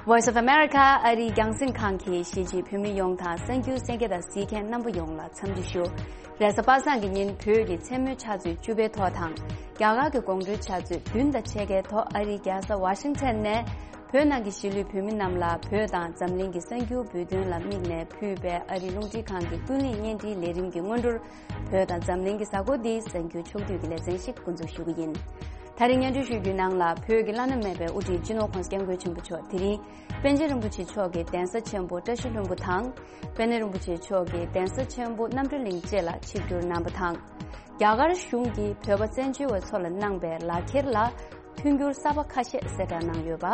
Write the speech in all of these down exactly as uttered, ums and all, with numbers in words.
Voice of America ཨ་རིའི་རྒྱང་སྲིང་ཁང་གིས་གཞིས་བྱེས་བོད་མི་ཡོངས་དང་གསར་འགྱུར་གསན་མཁན་དང་གཟིགས་མཁན་རྣམ་པ་ཡོངས་ལ་འཚམས་འདྲི་ཞུ། རེས་གཟའ་པ་སངས་ཀྱི་ཉིན་བོད་ཀྱི་མཚན་མོའི་ཆུ་ཚོད་བཅུ་པའི་ཐོག་དང་། རྒྱ་གར་གྱི་དགོང་དྲོའི་ཆུ་ཚོད་བདུན་དང་ཕྱེད་ཀའི་ཐོག་ཨ་རིའི་རྒྱལ་ས་ཝ་ཤིང་ཊོན་ནས་བོད་ནང་གི་གཞིས་ལུས་བོད་མི་རྣམས་ལ་བོད་དང་འཛམ་གླིང་གི་གསར་འགྱུར་འབུལ་དོན་ལ་དམིགས་ནས་ཕུལ་བའི་ཨ་རིའི་རླུང་འཕྲིན་ཁང་གི་ཀུན་གླེང་བརྙན་འཕྲིན་ལས་རིམ་གྱི་སྔོན་འགྲོར། བོད་དང་འཛམ་གླིང་གི་གཟའ་འཁོར་འདིའི་གསར་འགྱུར་ཕྱོགས་བསྡུས་ཀྱི་ལེ་ཚན་ཞིག་འགོ་འཛུགས་ཞུ་གི་ཡིན། ད་རིང་སྙན་སྒྲོན་ཞུ་རྒྱུའི་ནང་ལ་བོད་ཀྱི་བླ་ན་མེད་པའི་དབུ་ཁྲིད་སྤྱི་ནོར་༸གོང་ས་༸སྐྱབས་མགོན་ཆེན་པོ་མཆོག་དེ་རིང་པཎ་ཆེན་རིན་པོ་ཆེ་མཆོག་གི་གདན་ས་ཆེན་པོ་བཀྲ་ཤིས་ལྷུན་པོ་དང་། དཔལ་ལྡན་རིན་པོ་ཆེ་མཆོག་གི་གདན་ས་ཆེན་པོ་རྣམ་གྲོལ་གླིང་བཅས་ལ་ཆིབས་བསྒྱུར་གནང་བ་དང་། རྒྱ་གར་གཞུང་གིས་བོད་པ་བཙན་བྱོལ་བའི་ཚོ་ལ་གནང་པའི་ལག་འཁྱེར་ལ། མཐུན་འགྱུར་གསར་པ་ཁ་ཤས་གསལ་བསྒྲགས་གནང་ཡོད་པ།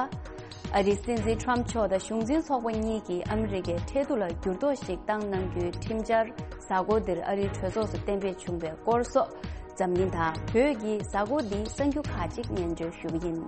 ཨ་རིའི་སྲིད་འཛིན་ཊམ་མཆོག་དང་གཞུང་འཛིན་ཚོགས་པ་གཉིས་ཀྱིས་ཨ་མི་རི་ཀའི་ཁྲལ་བསྡུ་ལ་འགྱུར་ལྡོག་ཞིག་བཏང་གནང་རྒྱུའི་ཁྲིམས་འཆར་གཟའ་འཁོར་འདིར་ཨ་རིའི་གྲོས་ཚོགས་སུ་གཏན་འབེབས་བྱུང་བའི་སྐོར་སོགས། འཛམ་གླིང་དང་བོད་ཀྱི་གཟའ་འཁོར་འདིའི་གསར་འགྱུར་ཁག་ཅིག་སྙན་སྒྲོན་ཞུ་གི་ཡིན།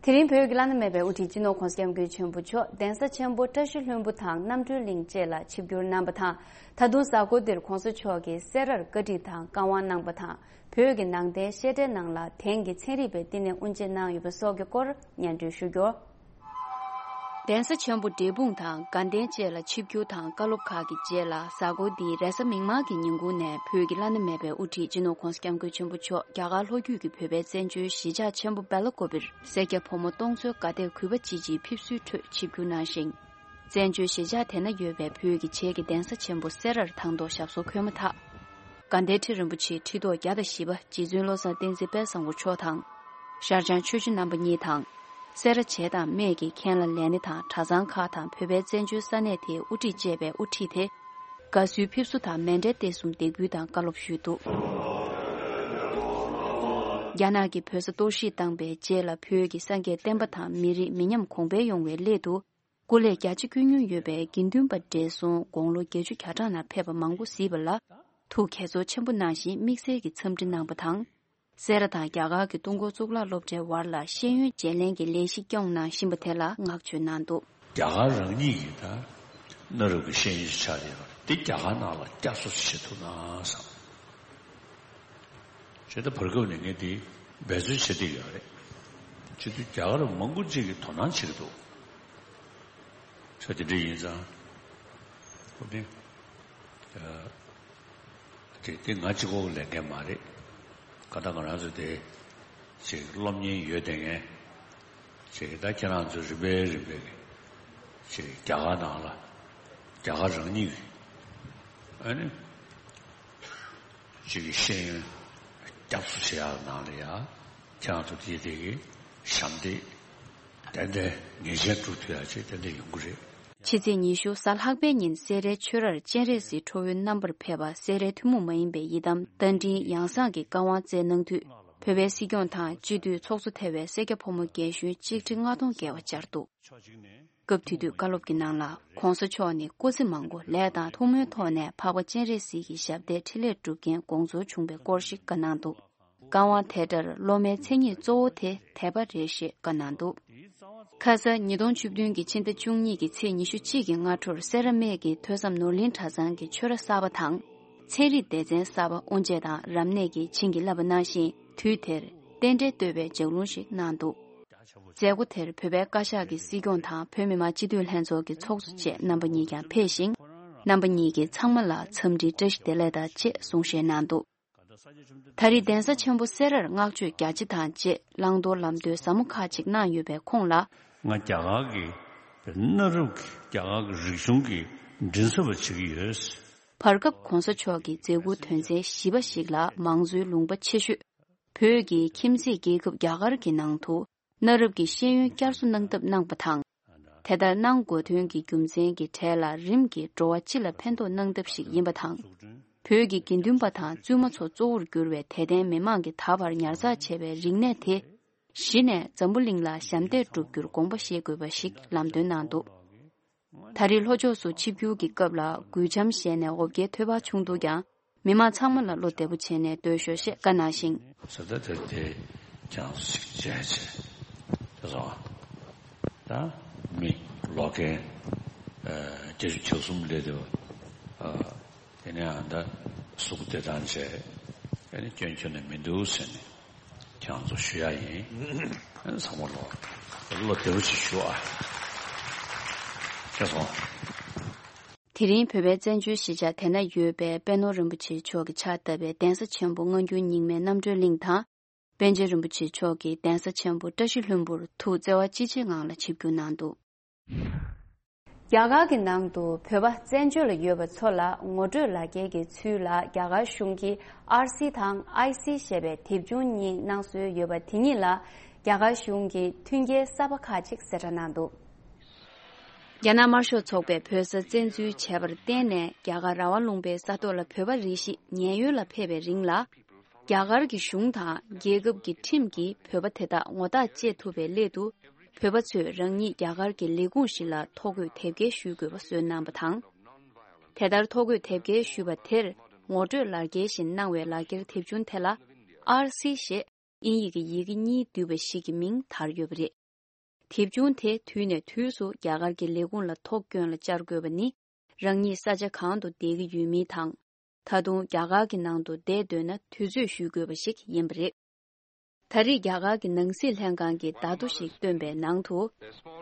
དེ་རིང་བོད་ཀྱི་བླ་ན་མེད་པའི་དབུ་ཁྲིད་སྤྱི་ནོར་༸གོང་ས་༸སྐྱབས་མགོན་ཆེན་པོ་མཆོག་གདན་ས་ཆེན་པོ་བཀྲ་ཤིས་ལྷུན་པོ་དང་རྣམ་གྲོལ་གླིང་བཅས་ལ་ཆིབས་བསྒྱུར་གནང་བ་དང་། ད་དུང་གཟའ་འཁོར་འདིར་༸གོང་ས་མཆོག་གིས་སེ་རར་བཀའ་ཁྲིད་དང་བཀའ་དབང་གནང་བ་དང་། བོད་ཀྱི་ནང་བསྟན་བཤད་གྲྭའི་ནང་ལ་དེང་གི་ཚན་རིག་པའི་བསྟི་གནས་དབུ་འབྱེད་གནང་ཡོད་པ་སོགས་ཀྱི་སྐོར་སྙན་སྒྲོན་ཞུ་རྒྱུ། གདན་ས་ཆེན་པོ་འབྲས་སྤུངས་དང་དགའ་ལྡན་བཅས་ལ་ཆིབས་བསྒྱུར་དང་བཀའ་སློབ་ཁག་གི་རྗེས་ལ། གཟའ་འཁོར་འདིའི་རེས་གཟའ་མིག་དམར་གྱི་ཉིན་གུང་ནས་བོད་ཀྱི་བླ་ན་མེད་པའི་དབུ་ཁྲིད་སྤྱི་ནོར་༸གོང་ས་༸སྐྱབས་མགོན་ཆེན་པོ་མཆོག་རྒྱ་གར་ལྷོ་རྒྱུད་ཀྱི་བོད་པའི་བཙན་བྱོལ་གཞིས་ཆགས་ཆེན་པོ་སྦེལ་ཀོབ་པིར་སེར་སྐྱ་ཕོ་མོ་སྟོང་ཚོའི་དགའ་དད་གུས་པ་ཅི་ཆེའི་ཕེབས་བསུའི་ཁྲོད་ཆིབས་བསྒྱུར་གནང་ཞིང་། བཙན་བྱོལ་གཞིས་ཆགས་དེ་ན་ཡོད་པའི་བོད་ཀྱི་བྱེས་ཀྱི་གདན་ས་ཆེན་པོ་སེ་རར་དང་ཐོག་ཞབས་སོར་འཁོད་མ་ཐག་དགའ་ལྡན་ཁྲི་རིན་པོ་ཆེའི་ཁྲི་ཐོག་བརྒྱ་དང་བཞི་པ་རྗེ་བཙུན་བློ་བཟང་བསྟན་འཛིན་དཔལ་བཟང་པོ་མཆོག་དང་། ཤར་བྱང་ཆོས་སྐྱོང་རྣམ་པ་གཉིས་དང་། སེ་ར་བྱེས་དང་སྨད་ཀྱི་མཁན་བླ་ལས་སྣེ་དང་གྲྭ་ཚང་ཁག་དང་བོད་པའི་བཙན་བྱོལ་ས་གནས་དེའི་དབུ་ཁྲིད་བཅས་པས་དབུ་ཁྲིད་དེ། དགའ་བསུའི་ཕེབས་བསུ་དང་མཎྜལ་རྟེན་གསུམ་འདེགས་འབུལ་དང་བཀའ་སློབ་ཞུས་འདུག་རྒྱ་ནག་གིས་བོད་ས་གཏོར་བཤིག་བཏང་པའི་རྗེས་ལ་བོད་ཀྱི་སངས་རྒྱས་བསྟན་པ་དང་མི་རིགས་མི་ཉམས་གོང་འཕེལ་ཡོང་བའི་སླད་དུ། སྐུ་ལས་རྒྱ་ཆེ་བསྐྱོན་མྱོང་ཡོད་པའི་དགེ་འདུན་པ་བགྲེས་སོང་དགུང་ལོ་བརྒྱད་ཅུ་གྱ་གྲངས་ནང་ཕེབས་པ་མང་པོ་གཟིགས་པ་ལ་ཐུགས་དགྱེས་ཚོར་ཆེན་པོ་གནང་ཞིང་དམིགས་བསལ་གྱི་འཚམས་འདྲི་གནང་བ་དང་། སེ་ར་དང་རྒྱ་གར་གྱི་ཏུན་ཧོང་གཙུག་ལག་སློབ་གྲྭའི་བར་ལ་ཤེས་ཡོན་བརྗེ་ལེན་གྱི་ལས་གཞི་སྐྱོང་གནང་བཞིན་པ་དེ་ལ་བསྔགས་བརྗོད་གནང་འདུག་རྒྱ་གར་རང་ཉིད་ཀྱིས་ད་གནའ་རབས་ཀྱི་ཤེས་ཡོན་ཞིག་ཆགས་ཡོད་པ་རེད། དེ་རྒྱ་གར་ནང་ལ་བསྐྱར་གསོ་ཞིག་བྱེད་ཐུབ་ན་བསམ། བྱས་ད་བར་སྐབས་ནས་ངས་དེ་འབད་རྩོལ་བྱེད་བསྡད་ཡོད་རེད། བྱེད་དུས་རྒྱ་གར་མང་པོ་ཅིག་གིས་དོ་སྣང་བྱེད་ཀྱི་འདུག་ས་དེ་འདྲ་ཡིན་ཙང་། ཁོ་དེ་དེ་དེ་ང་གཅིག་པོ་ལས་འགན་མ་རེད། ག་ད་ང་རང་ཚོ་དེ་ཅིག་སློབ་གཉེར་ཡོད་བསྡད་མཁན་ཅིག་གིས་ད་ཁྱེད་རང་ཚོ་རིམ་པས་རིམ་པས་ཀྱི་ཅིག་རྒྱ་གར་ནང་ལ་རྒྱ་གར་རང་ཉིད་ཀྱི་ཨ་ནི། གཅིག་གི་ཤེས་ཡོན་རྒྱབ་སུ་བྱེད་ཡག་ནང་ལ་ཡ་ཁྱེད་རང་ཚོ་དེ་དེ་གི་ཞབས་འདེགས་ཏན་ཏན་ངེས་ཅན་སྒྲུབ་ཐུབ་ཡག་ཅིག་ཏན་ཏན་ཡོང་གི་རེད། ཕྱི་ཚེས་ཉི་ཤུ་གཟའ་ལྷག་པའི་ཉིན་སེ་རའི་ཆོས་རར་སྤྱན་རས་གཟིགས་ཁྲོ་བོའི་རྣམ་པར་ཕེབས་པ་སེ་རའི་ཐུན་མོང་མ་ཡིན་པའི་ཡི་དམ་རྟ་མགྲིན་ཡང་གསང་གི་བཀའ་དབང་སྩལ་གནང་དུས་བོད་པའི་སྲིད་སྐྱོང་དང་སྤྱི་འཐུས་ཚོགས་གཙོ་ཐེ་བའི་སེར་སྐྱ་ཕོ་མོ་རྒན་གཞོན་གཅིག་ཁྲི་ལྔ་སྟོང་བརྒལ་བ་བཅར་འདུག་སྐབས་དེ་དུས་བཀའ་སློབ་ཀྱི་ནང་ལ་༸གོང་ས་མཆོག་ནས་སྐུ་ཚེ་མང་པོ་ལས་དང་ཐུགས་སྨོན་ཐོག་ནས་འཕགས་པ་སྤྱན་རས་གཟིགས་ཀྱི་ཞབས་བརྟན་འཕྲིན་ལས་སྒྲུབ་མཁན་དགོངས་ཚུལ་བྱུང་བའི་སྐོར་ཞིག་བཀའ་གནང་འདུག་བཀའ་དབང་དེ་ལྟར་སློབ་མའི་མཚན་ཉིད་གཙོ་བོ་དེ་དད་པ་རེད་ཞེས་བཀའ་གནང་འདུག་ཁ་ས་ཉིས་སྟོང་བཅུ་བདུན་གྱི་ཕྱི་ཟླ་བཅུ་གཉིས་ཀྱི་ཚེས་ཉི་ཤུ་གཅིག་གི་སྔ་དྲོར་སེ་ར་སྨད་ཀྱི་ཐོས་བསམ་ནོར་གླིང་གྲྭ་ཚང་གི་ཆོས་ར་གསར་པ་དང་། ཚན་རིག་སྡེ་ཚན་གསར་པ་དབུ་འབྱེད་དང་རབ་གནས་ཀྱིས་བྱིན་གྱིས་བརླབས་པ་གནང་ཞིང་། དུས་དེར་རྟེན་འབྲེལ་བསྟོད་པའི་ལྗགས་ལུང་ཞིག་གནང་འདུག་མཛད་སྒོ་དེར་བོད་པའི་བཀའ་ཤག་གི་སྲིད་སྐྱོང་དང་བོད་མི་མང་སྤྱི་འཐུས་ལྷན་ཚོགས་ཀྱི་ཚོགས་གཙོ་བཅས་རྣམ་པ་གཉིས་ཀྱང་ཕེབས་ཤིང་། རྣམ་པ་གཉིས་ཀྱིས་ཚང་མ་ལ་འཚམས་འདྲིའི་བཀྲ་ཤིས་བདེ་ལེགས་དང་བཅས་གསུང་བཤད་གནང་འདུག་ད་རེས་གདན་ས་ཆེན་པོ་སེ་རར་བསྔགས་བརྗོད་རྒྱ་ཆེ་དང་བཅས་བླང་དོར་ལམ་སྟོན་ཟབ་མོ་ཁག་ཅིག་གནང་ཡོད་པའི་ཁོངས་ལ། ང་རྒྱ་གར་གྱི་གནའ་རབས་ཀྱི་རྒྱ་གར་གྱི་རིག་གཞུང་གི་མགྲིན་ཚབ་པ་བྱེད་ཀྱི་ཡོད། བར་སྐབས་༸གོང་ས་མཆོག་གི་མཛད་ཁུར་དོན་ཚན་བཞི་པ་ཞིག་ལ་མང་གཙོའི་ལུང་པ་ཆེ་ཤོས་བོད་ཀྱི་ཁྱིམ་མཚེས་རྒྱལ་ཁབ་རྒྱ་གར་གྱི་ནང་དུ་གནའ་རབས་ཀྱི་ཤེས་ཡོན་བསྐྱར་གསོ་གནང་ཐབས་གནང་པ་དང་། དེ་ལྟར་གནང་དགོས་དོན་གྱི་རྒྱུ་མཚན་གྱི་གྲས་ལ་རིམ་གྱིས་འགྲོ་བ་སྤྱི་ལ་ཕན་ཐོགས་གནང་ཐབས་ཤིག་ཡིན་པ་དང་། བོད་ཀྱི་དགེ་འདུན་པ་དང་བཙུན་མ་ཚོ་གཙོ་བོར་གྱུར་བའི་དད་ལྡན་མི་མང་གིས་ད་བར་ཉར་ཚགས་བྱས་པའི་རིག་གནས་དེ་གཞི་ནས་འཛམ་བུ་གླིང་ལ་ཞབས་འདེགས་སྒྲུབ་རྒྱུར་དགོངས་པ་བཞེས་དགོས་པ་ཞིག་ལམ་སྟོན་གནང་འདུག་ད་རེས་ལྷོ་ཕྱོགས་སུ་ཆིབས་བསྒྱུར་གྱི་སྐབས་ལ་གུས་འཆམ་བཞེས་ནས་འོ་བརྒྱལ་ཐོལ་པ་བྱུང་འདུག་ཀྱང་། མི་མང་ཚང་མ་ལ་བློ་བདེ་པོ་བྱས་ནས་སྡོད་ཤོག་ཅེས་བཀའ་གནང་ཞིང་། ཟེར་ད་དེ་དེ་ཀྱང་ཞིག་བྱས་བྱས། དེ་སོང་ད་མི་ལོ་རྒན་བརྒྱད་ཅུ་གྱ་གསུམ་སླེབས་དེ་བ། དེ་ནས་ཨ་ད་གཟུགས་བདེ་ཐང་བྱས། ཨ་ནི་སྐྱོན་ཁྱོན་ནས་མི་འདུག་ཟེར་ནས་ཁྱེད་རང་ཚོ་ཞུ་ཡ་ཡིན། ཨ་ནི་ཚང་མ་ལོ་བློ་བདེ་བོ་ཞིག་ཞུ་ཨ། ཁྱེད་སོང་། དེ་རིང་བོད་པའི་བཙན་བྱོལ་གཞིས་ཆགས་དེ་ན་ཡོད་པའི་པད་ནོར་རིན་པོ་ཆེ་མཆོག་གིས་ཕྱག་བཏབ་པའི་གདན་ས་ཆེན་པོ་སྔ་འགྱུར་རྙིང་མའི་རྣམ་གྲོལ་གླིང་དང་། པཎ་ཆེན་རིན་པོ་ཆེ་མཆོག་གིས་གདན་ས་ཆེན་པོ་བཀྲ་ཤིས་ལྷུན་པོར་ཐུགས་བརྩེ་བ་ཅི་ཆེ་ངང་ལ་ཆིབས་བསྒྱུར་གནང་འདུག། རྒྱ་གར་གྱི་ནང་དུ་བོད་པ་བཙན་བྱོལ་ལ་ཡོད་པ་ཚོ་ལ་ངོ་སྤྲོད་ལག་འཁྱེར་གྱི་ཚུལ་ལ་རྒྱ་གར་གཞུང་གིས་ཨར་སི་དང་ཨའི་སི་ཞེས་པའི་དེབ་ཆུང་གཉིས་གནང་སྲོལ་ཡོད་པ་དེ་གཉིས་ལ་རྒྱ་གར་གཞུང་གིས་མཐུན་རྐྱེན་གསར་པ་ཁག་ཅིག་གསལ་བསྒྲགས་གནང་འདུག། རྒྱ་ནག་དམར་ཤོག་ཚོགས་པས་བོད་ས་བཙན་འཛུལ་བྱས་པར་བརྟེན་ནས་རྒྱ་གར་ར་བ་ལུང་པའི་ས་ཐོག་ལ་བོད་པ་རེ་ཞིག་ཉེན་གཡོལ་ལ་ཕེབས་པའི་རིང་ལ། རྒྱ་གར་གྱི་གཞུང་དང་རྒྱལ་ཁབ་ཀྱི་ཁྲིམས་ཀྱིས་བོད་པ་དེ་དག་ངོ་རྟགས་བཅད་ཐུབ་པའི་སླད་དུ། བོད་པ་ཚོས་རང་ཉིད་རྒྱ་གར་གྱི་ལས་ཁུངས་ཤིག་ལ་ཐོ་འགོད་དེབ་སྐྱེལ་ཞུ་དགོས་པ་སོན་གནང་བ་དང་། དེ་ལྟར་ཐོ་འགོད་དེབ་སྐྱེལ་ཞུས་པ་དེར་ངོ་སྤྲོད་ལག་འཁྱེར་བཞིན་གནང་བའི་ལག་འཁྱེར་དེབ་ཆུང་དེ་ལ་ཨར་སི་ཞེས་དབྱིན་ཡིག་གི་ཡི་གེ་གཉིས་འདུས་པ་ཞིག་གི་མིང་དར་ཡོད་པ་རེད། དེབ་ཆུང་དེ་དུས་ནས་དུས་སུ་རྒྱ་གར་གྱི་ལས་ཁུངས་ལ་ཐོ་བཀོན་ལ་བཅར་དགོས་པ་ནི། རང་ཉིད་ས་ཆ་གང་དུ་བསྡད་ཀྱི་ཡོད་མིན་དང་། ད་དུང་རྒྱ་གར་གྱི་ནང་དུ་བསྡད་འདོད་ན་དུས་ཚོད་ཞུ་དགོས་པ་ཞིག་ཡིན་པ་རེད། ད་རེས་རྒྱ་གར་གྱི་ནང་སྲིད་ལྷན་ཁང་གིས་བརྡ་ཐོ་ཞིག་བཏོན་པའི་ནང་དུ།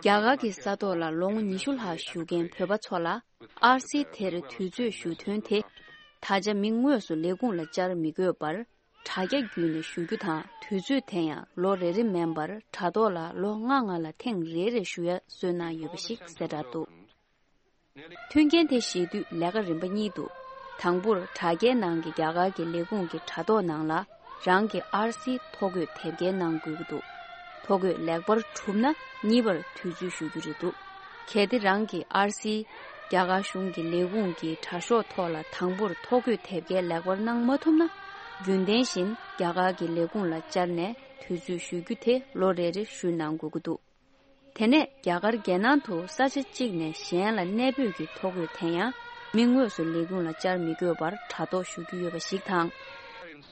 རྒྱ་གར་གྱི་ས་ཐོག་ལ་ལོ་ངོ་ཉི་ཤུ་ལྷག་བཞུགས་མཁན་བོད་པ་ཚོ་ལ་ཨར་སི་དེར་དུས་ཚོད་ཞུ་དོན་དེ། ད་ཆ་མི་དངོས་སུ་ལས་ཁུངས་ལ་བཅར་མི་དགོས་པར། དྲ་རྒྱ་བརྒྱུད་ནས་ཞུ་རྒྱུ་དང་དུས་ཚོད་དེ་ཡང་ལོ་རེ་རེ་མིན་པར་དྲ་ཐོག་ལ་ལོ་ལྔ་ལྔ་ལ་ཐེངས་རེ་རེ་ཞུ་ཡ་སྲོལ་གནང་ཡོད་པ་ཞིག་གསལ་བསྒྲགས་འདུག། མཐུན་རྐྱེན་དེ་བཞེས་དུས་ལས་ཀ་རིམ་པ་གཉིས་འདུག། དང་པོར་དྲ་རྒྱའི་ནང་གི་རྒྱ་གར་གྱི་ལས་ཁུངས་ཀྱི་དྲ་ཐོག་ནང་ལ་རང་གི་ཨར་སི་ཐོ་འགོད་དེབ་སྐྱེལ་གནང་དགོས་ཀྱི་འདུག། ཐོ་འགོད་ལེགས་པར་གྲུབ་ན་གཉིས་པར་དུས་ཚོད་ཞུ་རྒྱུ་རེད་འདུག། གལ་ཏེ་རང་གི་ཨར་སི་རྒྱ་གར་གཞུང་གི་ལས་ཁུངས་ཀྱི་དྲ་ཤོག་ཐོག་ལ་དང་པོར་ཐོ་འགོད་དེབ་སྐྱེལ་ལེགས་པར་གནང་མ་ཐུབ་ན། རྒྱུན་ལྡན་བཞིན་རྒྱ་གར་གྱི་ལས་ཁུངས་ལ་བཅར་ནས་དུས་ཚོད་ཞུ་རྒྱུ་དེ་ལོ་རེ་རེ་ཞུ་གནང་དགོས་ཀྱི་འདུག། དེ་ནས་རྒྱ་གར་རྒྱལ་ནང་དུ་ས་ཆ་གཅིག་ནས་གཞན་ལ་གནས་སྤོས་ཀྱི་ཐོ་འགོད་དེ་ཡང་མི་དངོས་སུ་ལས་ཁུངས་ལ་བཅར་མི་དགོས་པར་དྲ་ཐོག་ཞུ་རྒྱུ་ཡོད་པ་ཞིག་དང་།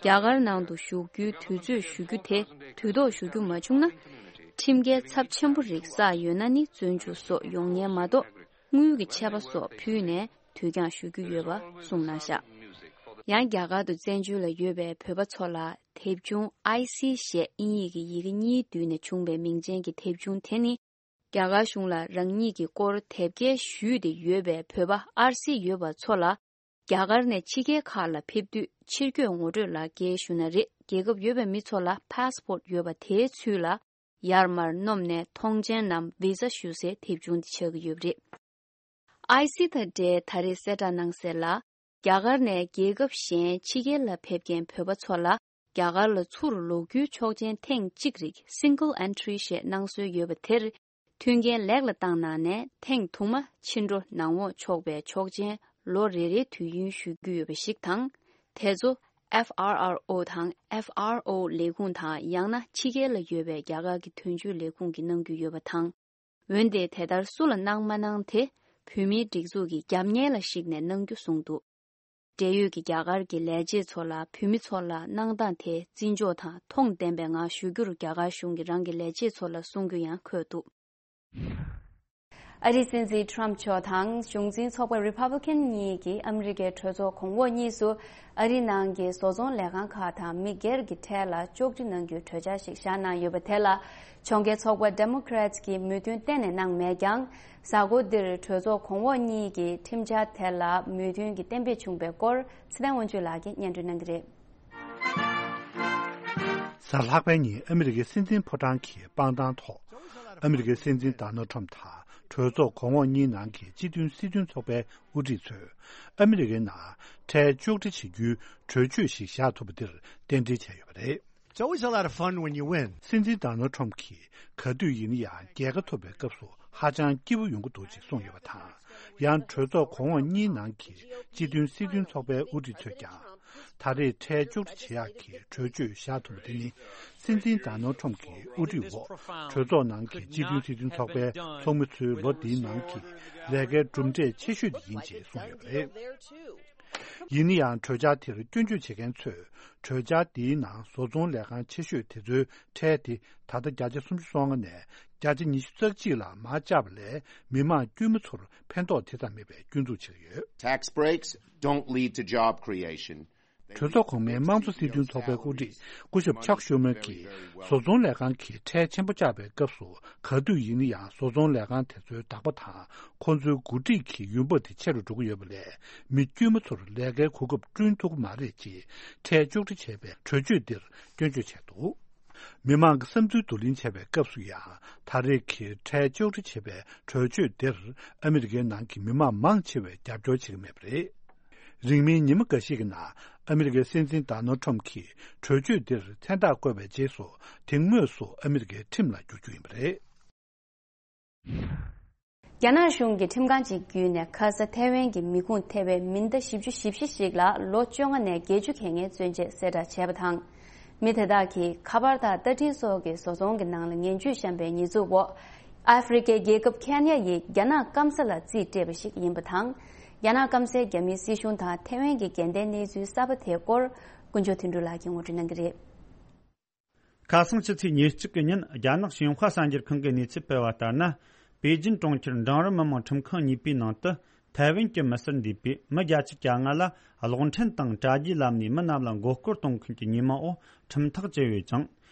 རྒྱ་གར་ནང་དུ་བཞུགས་རྒྱུའི་དུས་ཚོད་ཞུ་རྒྱུ་དེ་དུས་ཐོག་ཞུ་རྒྱུ་མ་བྱུང་ན། ཁྲིམས་འགལ་ཚབས་ཆེན་པོ་རིགས་བསགས་ཡོད་ན་ནི་བཙོན་འཇུག་སོགས་ཡོང་ཉེན་མ་གཏོགས་དངུལ་གྱི་ཆད་པ་སོགས་ཕུལ་ནས་དུས་འགྱངས་ཞུ་རྒྱུ་ཡོད་པ་གསུངས་གནང་བཞག། ཡང་རྒྱ་གར་དུ་བཙན་བྱོལ་ལ་ཡོད་པའི་བོད་པ་ཚོ་ལ། དེབ་ཆུང་ཨའི་སི་ཞེས་དབྱིན་ཡིག་གི་ཡི་གེ་གཉིས་བསྡུས་ནས་བྱུང་བའི་མིང་ཅན་གྱི་དེབ་ཆུང་དེ་ནི། རྒྱ་གར་གཞུང་ལ་རང་ཉིད་ཀྱི་སྐོར་དེབ་སྐྱེལ་ཞུས་ཏེ་ཡོད་པའི་བོད་པ་ཨར་སི་ཡོད་པ་ཚོ་ལ། རྒྱ་གར་ནས་ཕྱི་རྒྱལ་ཁག་ལ་ཕེབས་དུས་ཕྱིར་སྐྱོད་ངོ་སྤྲོད་ལག་འཁྱེར་ཞུ་ན་རེད། རྒྱལ་ཁབ་ཡོད་པའི་མི་ཚོ་ལ་ཕཱས་པོར་ཡོད་པ་དེའི་ཚུལ་ལ་ཡར་མར་སྣོམ་ནས་ཐོངས་མཆན་ནམ་བི་ཟ་ཞུ་སའི་དེབ་ཆུང་དེ་ཆགས་ཀྱི་ཡོད་པ་རེད། ཨའི་སི་དང་འབྲེལ་ད་རེས་གསལ་བསྒྲགས་གནང་གསལ་ལ། རྒྱ་གར་ནས་རྒྱལ་ཁབ་གཞན་ཕྱི་རྒྱལ་ལ་ཕེབས་མཁན་བོད་པ་ཚོ་ལ་རྒྱ་གར་ལ་ཚུར་ལོག་རྒྱུའི་ཆོག་མཆན་ཐེངས་གཅིག་རིགས་Single Entry ཞེས་གནང་སྲོལ་ཡོད་པ་དེར་མཐུན་རྐྱེན་ལེགས་ལ་བཏང་གནང་ནས་ཐེངས་དུ་མ་ཕྱི་འགྲོ་ནང་འོང་ཆོག་པའི་ཆོག་མཆན་ལོ་རེ་རེའི་དུས་ཡུན་ཞུ་རྒྱུ་ཡོད་པ་ཞིག་དང་། དེ་ཚོ་ཨེཕ་ཨར་ཨར་ཨོ་དང་ཨེཕ་ཨར་ཨོ་ལས་ཁུངས་དང་ཡང་ན་ཕྱི་རྒྱལ་ལ་ཡོད་པའི་རྒྱ་གར་གྱི་དོན་གཅོད་ལས་ཁུངས་ཀྱིས་གནང་རྒྱུ་ཡོད་པ་དང་། འོན་ཏེ་དེ་ལྟར་སུ་ལ་གནང་མ་གནང་དེ་བོད་མིའི་སྒྲིག་འཛུགས་ཀྱི་རྒྱབ་གཉེར་ལ་གཞིགས་ནས་གནང་རྒྱུ་གསུངས་འདུག། འབྲེལ་ཡོད་ཀྱི་རྒྱ་གར་གྱི་ལས་བྱེད་ཚོ་ལ་བོད་མི་ཚོ་ལ་གནང་སྟངས་དེ་བརྩི་འཇོག་དང་མཐོང་ལྡན་པའི་ངང་ཞུ་རྒྱུར་རྒྱ་གར་གཞུང་གིས་རང་གི་ལས་བྱེད་ཚོ་ལ་གསུང་རྒྱུ་ཡང་འཁོད་འདུག། ཨ་རིའི་སྲིད་འཛིན་ཁྲོམ་མཆོག་དང་གཞུང་འཛིན་ཚོགས་པ་རི་པབ་ལི་ཀན་གཉིས་ཀྱིས་ཨ་མི་རི་ཀའི་གྲོས་ཚོགས་གོང་འོག་གཉིས་སུ་ཨ་རིའི་ནང་གི་བཟོ་ཚོང་ལས་ཁང་ཁག་དང་མི་སྒེར་གྱི་ཁྲལ་ལ་གཅོག་འཕྲི་གནང་རྒྱུའི་གྲོས་འཆར་ཞིག་བཞག་གནང་ཡོད་པ་དེ་ལ། གྱོང་གུན་ཚོགས་པ་Democrats གྱིས་མོས་མཐུན་གཏན་ནས་གནང་མེད་ཀྱང་། གཟའ་འཁོར་འདིར་གྲོས་ཚོགས་གོང་འོག་གཉིས་ཀྱིས་ཁྲིམས་འཆར་དེ་ལ་མོས་མཐུན་གྱི་གཏན་འབེབས་བྱུང་བའི་སྐོར་ཚེ་བརྟན་དབང་ཕྱུག་ལགས་ཀྱིས་སྙན་སྒྲོན་གནང་གི་རེད། གཟའ་ལྷག་པའི་ཉིན་ཨ་མི་རི་ཀའི་སྲིད་འཛིན་ཕོ་བྲང་གི་སྤང་ཐང་ཐོག་ཨ་མི་རི་ཀའི་སྲིད་འཛིན་Donald Trump དང་གྲོས་ཚོགས་གོང་འོག་གཉིས་ནང་གི་སྤྱི་མཐུན་སྲིད་དོན་ཚོགས་པའི་དབུ་ཁྲིད་ཚོས་ཨ་མི་རི་ཀའི་ནང་ཁྲལ་གཅོག་འཕྲི་བྱེད་རྒྱུའི་གྲོས་ཆོད་ཞིག་བཞག་ཐུབ་པ་འདིར་རྟེན་འབྲེལ་བྱས་ཡོད་པ་རེད། It's always a lot of fun when you win. སྲིད་འཛིན་Donald Trump གྱིས་ག་དུས་ཡིན་ན་ཡང་རྒྱལ་ཁ་ཐོབ་པའི་སྐབས་སུ་ཧ་ཅང་སྐྱིད་པོ་ཡོང་གི་འདུག་ཅེས་གསུངས་ཡོད་པ་དང་། ཡང་གྲོས་ཚོགས་གོང་འོག་གཉིས་ནང་གི་སྤྱི་མཐུན་སྲིད་དོན་ཚོགས་པའི་དབུ་ཁྲིད་ཚོས་ཀྱང་། ད་རེས་ཁྲལ་གཅོག་འཕྲི་བྱེད་ཡག་གི་གྲོས་ཆོད་བཞག་ཐུབ་པ་དེ་ནི། སྲིད་འཛིན་Donald Trump གྱི་དབུ་ཁྲིད་འོག་གྲོས་ཚོགས་ནང་གི་སྤྱི་མཐུན་སྲིད་དོན་ཚོགས་པའི་ཚོགས་མི་ཚོའི་ལོ་འདིའི་ནང་གི་ལས་ཀའི་གྲུབ་འབྲས་ཆེ་ཤོས་དེ་ཡིན་ཅེས་གསུངས་ཡོད་པ་རེད། ཡིན་ན་ཡང་གྲོས་འཆར་དེར་སྐྱོན་བརྗོད་བྱེད་མཁན་ཚོས། གྲོས་འཆར་འདིའི་ནང་བཟོ་ཚོང་ལས་ཁང་ཆེ་ཤོས་དེ་ཚོའི་ཁྲལ་དེ་ད་ལྟ་བརྒྱ་ཆ་སུམ་ཅུ་སོ་ལྔ་ནས་བརྒྱ་ཆ་ཉི་ཤུ་རྩ་གཅིག་ལ་མར་བཅག་པ་ལས་མི་དམངས་དཀྱུས་མ་ཚོར་ཕན་ཐོགས་དེ་ཙམ་མེད་པའི་སྐྱོན་འཛུགས་བྱེད་ཀྱི་ཡོད། Tax breaks don't lead to job creation. གྲོས་ཚོགས་གོང་མའི་དམངས་གཙོ་སྲིད་དོན་ཚོགས་པའི་དབུ་ཁྲིད་སྐུ་ཞབས་ཆག་ཤོ་མོན་གྱིས་བཟོ་ཚོང་ལས་ཁང་གིས་ཁྲལ་ཆེན་པོ་བཅག་པའི་སྐབས་སུ། ག་དུས་ཡིན་ན་ཡང་བཟོ་ཚོང་ལས་ཁང་དེ་ཚོའི་བདག་པོ་དང་ཁོང་ཚོའི་འགོ་ཁྲིད་ཀྱི་ཡོང་འབབ་དེ་ཆེ་རུ་འགྲོ་གི་ཡོད་པ་ལས། མི་དཀྱུས་མ་ཚོར་ལས་ཀའི་གོ་སྐབས་བསྐྲུན་ཐུབ་ཀྱི་མ་རེད་ཅེས་ཁྲལ་གཅོག་འཕྲི་བྱས་པའི་གྲོས་ཆོད་འདིར་སྐྱོན་བརྗོད་བྱས་འདུག། མི་མང་གི་བསམ་ཚུལ་བསྡུ་ལེན་བྱས་པའི་སྐབས་སུ་ཡང་། ད་རེས་ཀྱི་ཁྲལ་གཅོག་འཕྲི་བྱས་པའི་གྲོས་ཆོད་འདིར་ཨ་མི་རི་ཀའི་ནང་གི་མི་མང་མང་ཆེ་བས་རྒྱབ་སྐྱོར་བྱེད་ཀྱི་མེད་པ་རེད། རིང་མིན་ཉི་མ་འགའ་ཤས་ཀྱི་ནང་ཨ་མི་རི་ཀའི་སྲིད་འཛིན་ཌོ་ནལ་ཁྲམ་གྱིས་གྲོས་ཆོད་འདིར་མཚན་རྟགས་བཀོད་པའི་རྗེས་སུ། དེ་དངོས་སུ་ཨ་མི་རི་ཀའི་ཁྲིམས་ལ་བསྒྱུར་རྒྱུ་ཡིན་པ་རེད། རྒྱ་ནག་གཞུང་གིས་ཁྲིམས་ཁང་ཅིག་བརྒྱུད་ནས་ཁ་ས་ཐའེ་ཝན་གྱི་མི་ཁུངས་ཐེ་བའི་མི་སྣ་བཞི་བཅུ་ཞེ་བཞི་ཞིག་ལ་ལོ་བཅོ་ལྔ་ནས་བརྒྱད་ཅུ་གྱ་ལྔའི་བཙོན་འཇལ་གསལ་བསྒྲགས་བྱས་པ་དང་། མི་དེ་དག་གིས་ཁ་པར་དང་རྟ་ཐྲེན་སོགས་ཀྱི་བཟོ་ཚོང་གི་ནང་ལ་ངན་ཇུས་བཤམས་པའི་ཉེས་འཛུགས་འོག་ཨ་ཧྥེ་རི་ཁའི་རྒྱལ་ཁབ་ཁེན་ཡ་ཡིས་རྒྱ་ནག་སྐམ་ས་ལ་རྩིས་སྤྲད་པ་ཞིག་ཡིན་པ་དང་། རྒྱ་ནག་སྐམ་སའི་རྒྱ་མིའི་སྲིད་གཞུང་དང་ཐའེ་ཝན་གྱི་འགལ་ཟླའི་གནས་ཚུལ་གསར་པ་དེའི་སྐོར་དཀོན་མཆོག་དོན་གྲུབ་ལགས་ཀྱིས་ངོ་སྤྲོད་གནང་གི་རེད། ཁ་སང་ཕྱི་ཚེས་ཉེར་གཅིག་གི་ཉིན་རྒྱ་ནག་ཞིན་ཧྭ་གསར་འགྱུར་ཁང་གིས་གནས་ཚུལ་སྤེལ་བ་ལྟར་ན། པེ་ཅིན་གྲོང་ཁྱེར་འབྲིང་རིམ་མི་དམངས་ཁྲིམས་ཁང་གཉིས་པའི་ནང་དུ། ཐའེ་ཝན་གྱི་མི་སེར་འདུས་པའི་མི་བརྒྱད་ཅུ་གྱ་ལྔ་ལ་གློག་འཕྲིན་དང་དྲ་རྒྱའི་ལམ་ནས་མི་རྣམས་ལ་མགོ་སྐོར་གཏོང་མཁན་གྱི་ཉེས་མིང་འོག་ཁྲིམས་ཐག་བཅད་ཡོད་ཅིང་།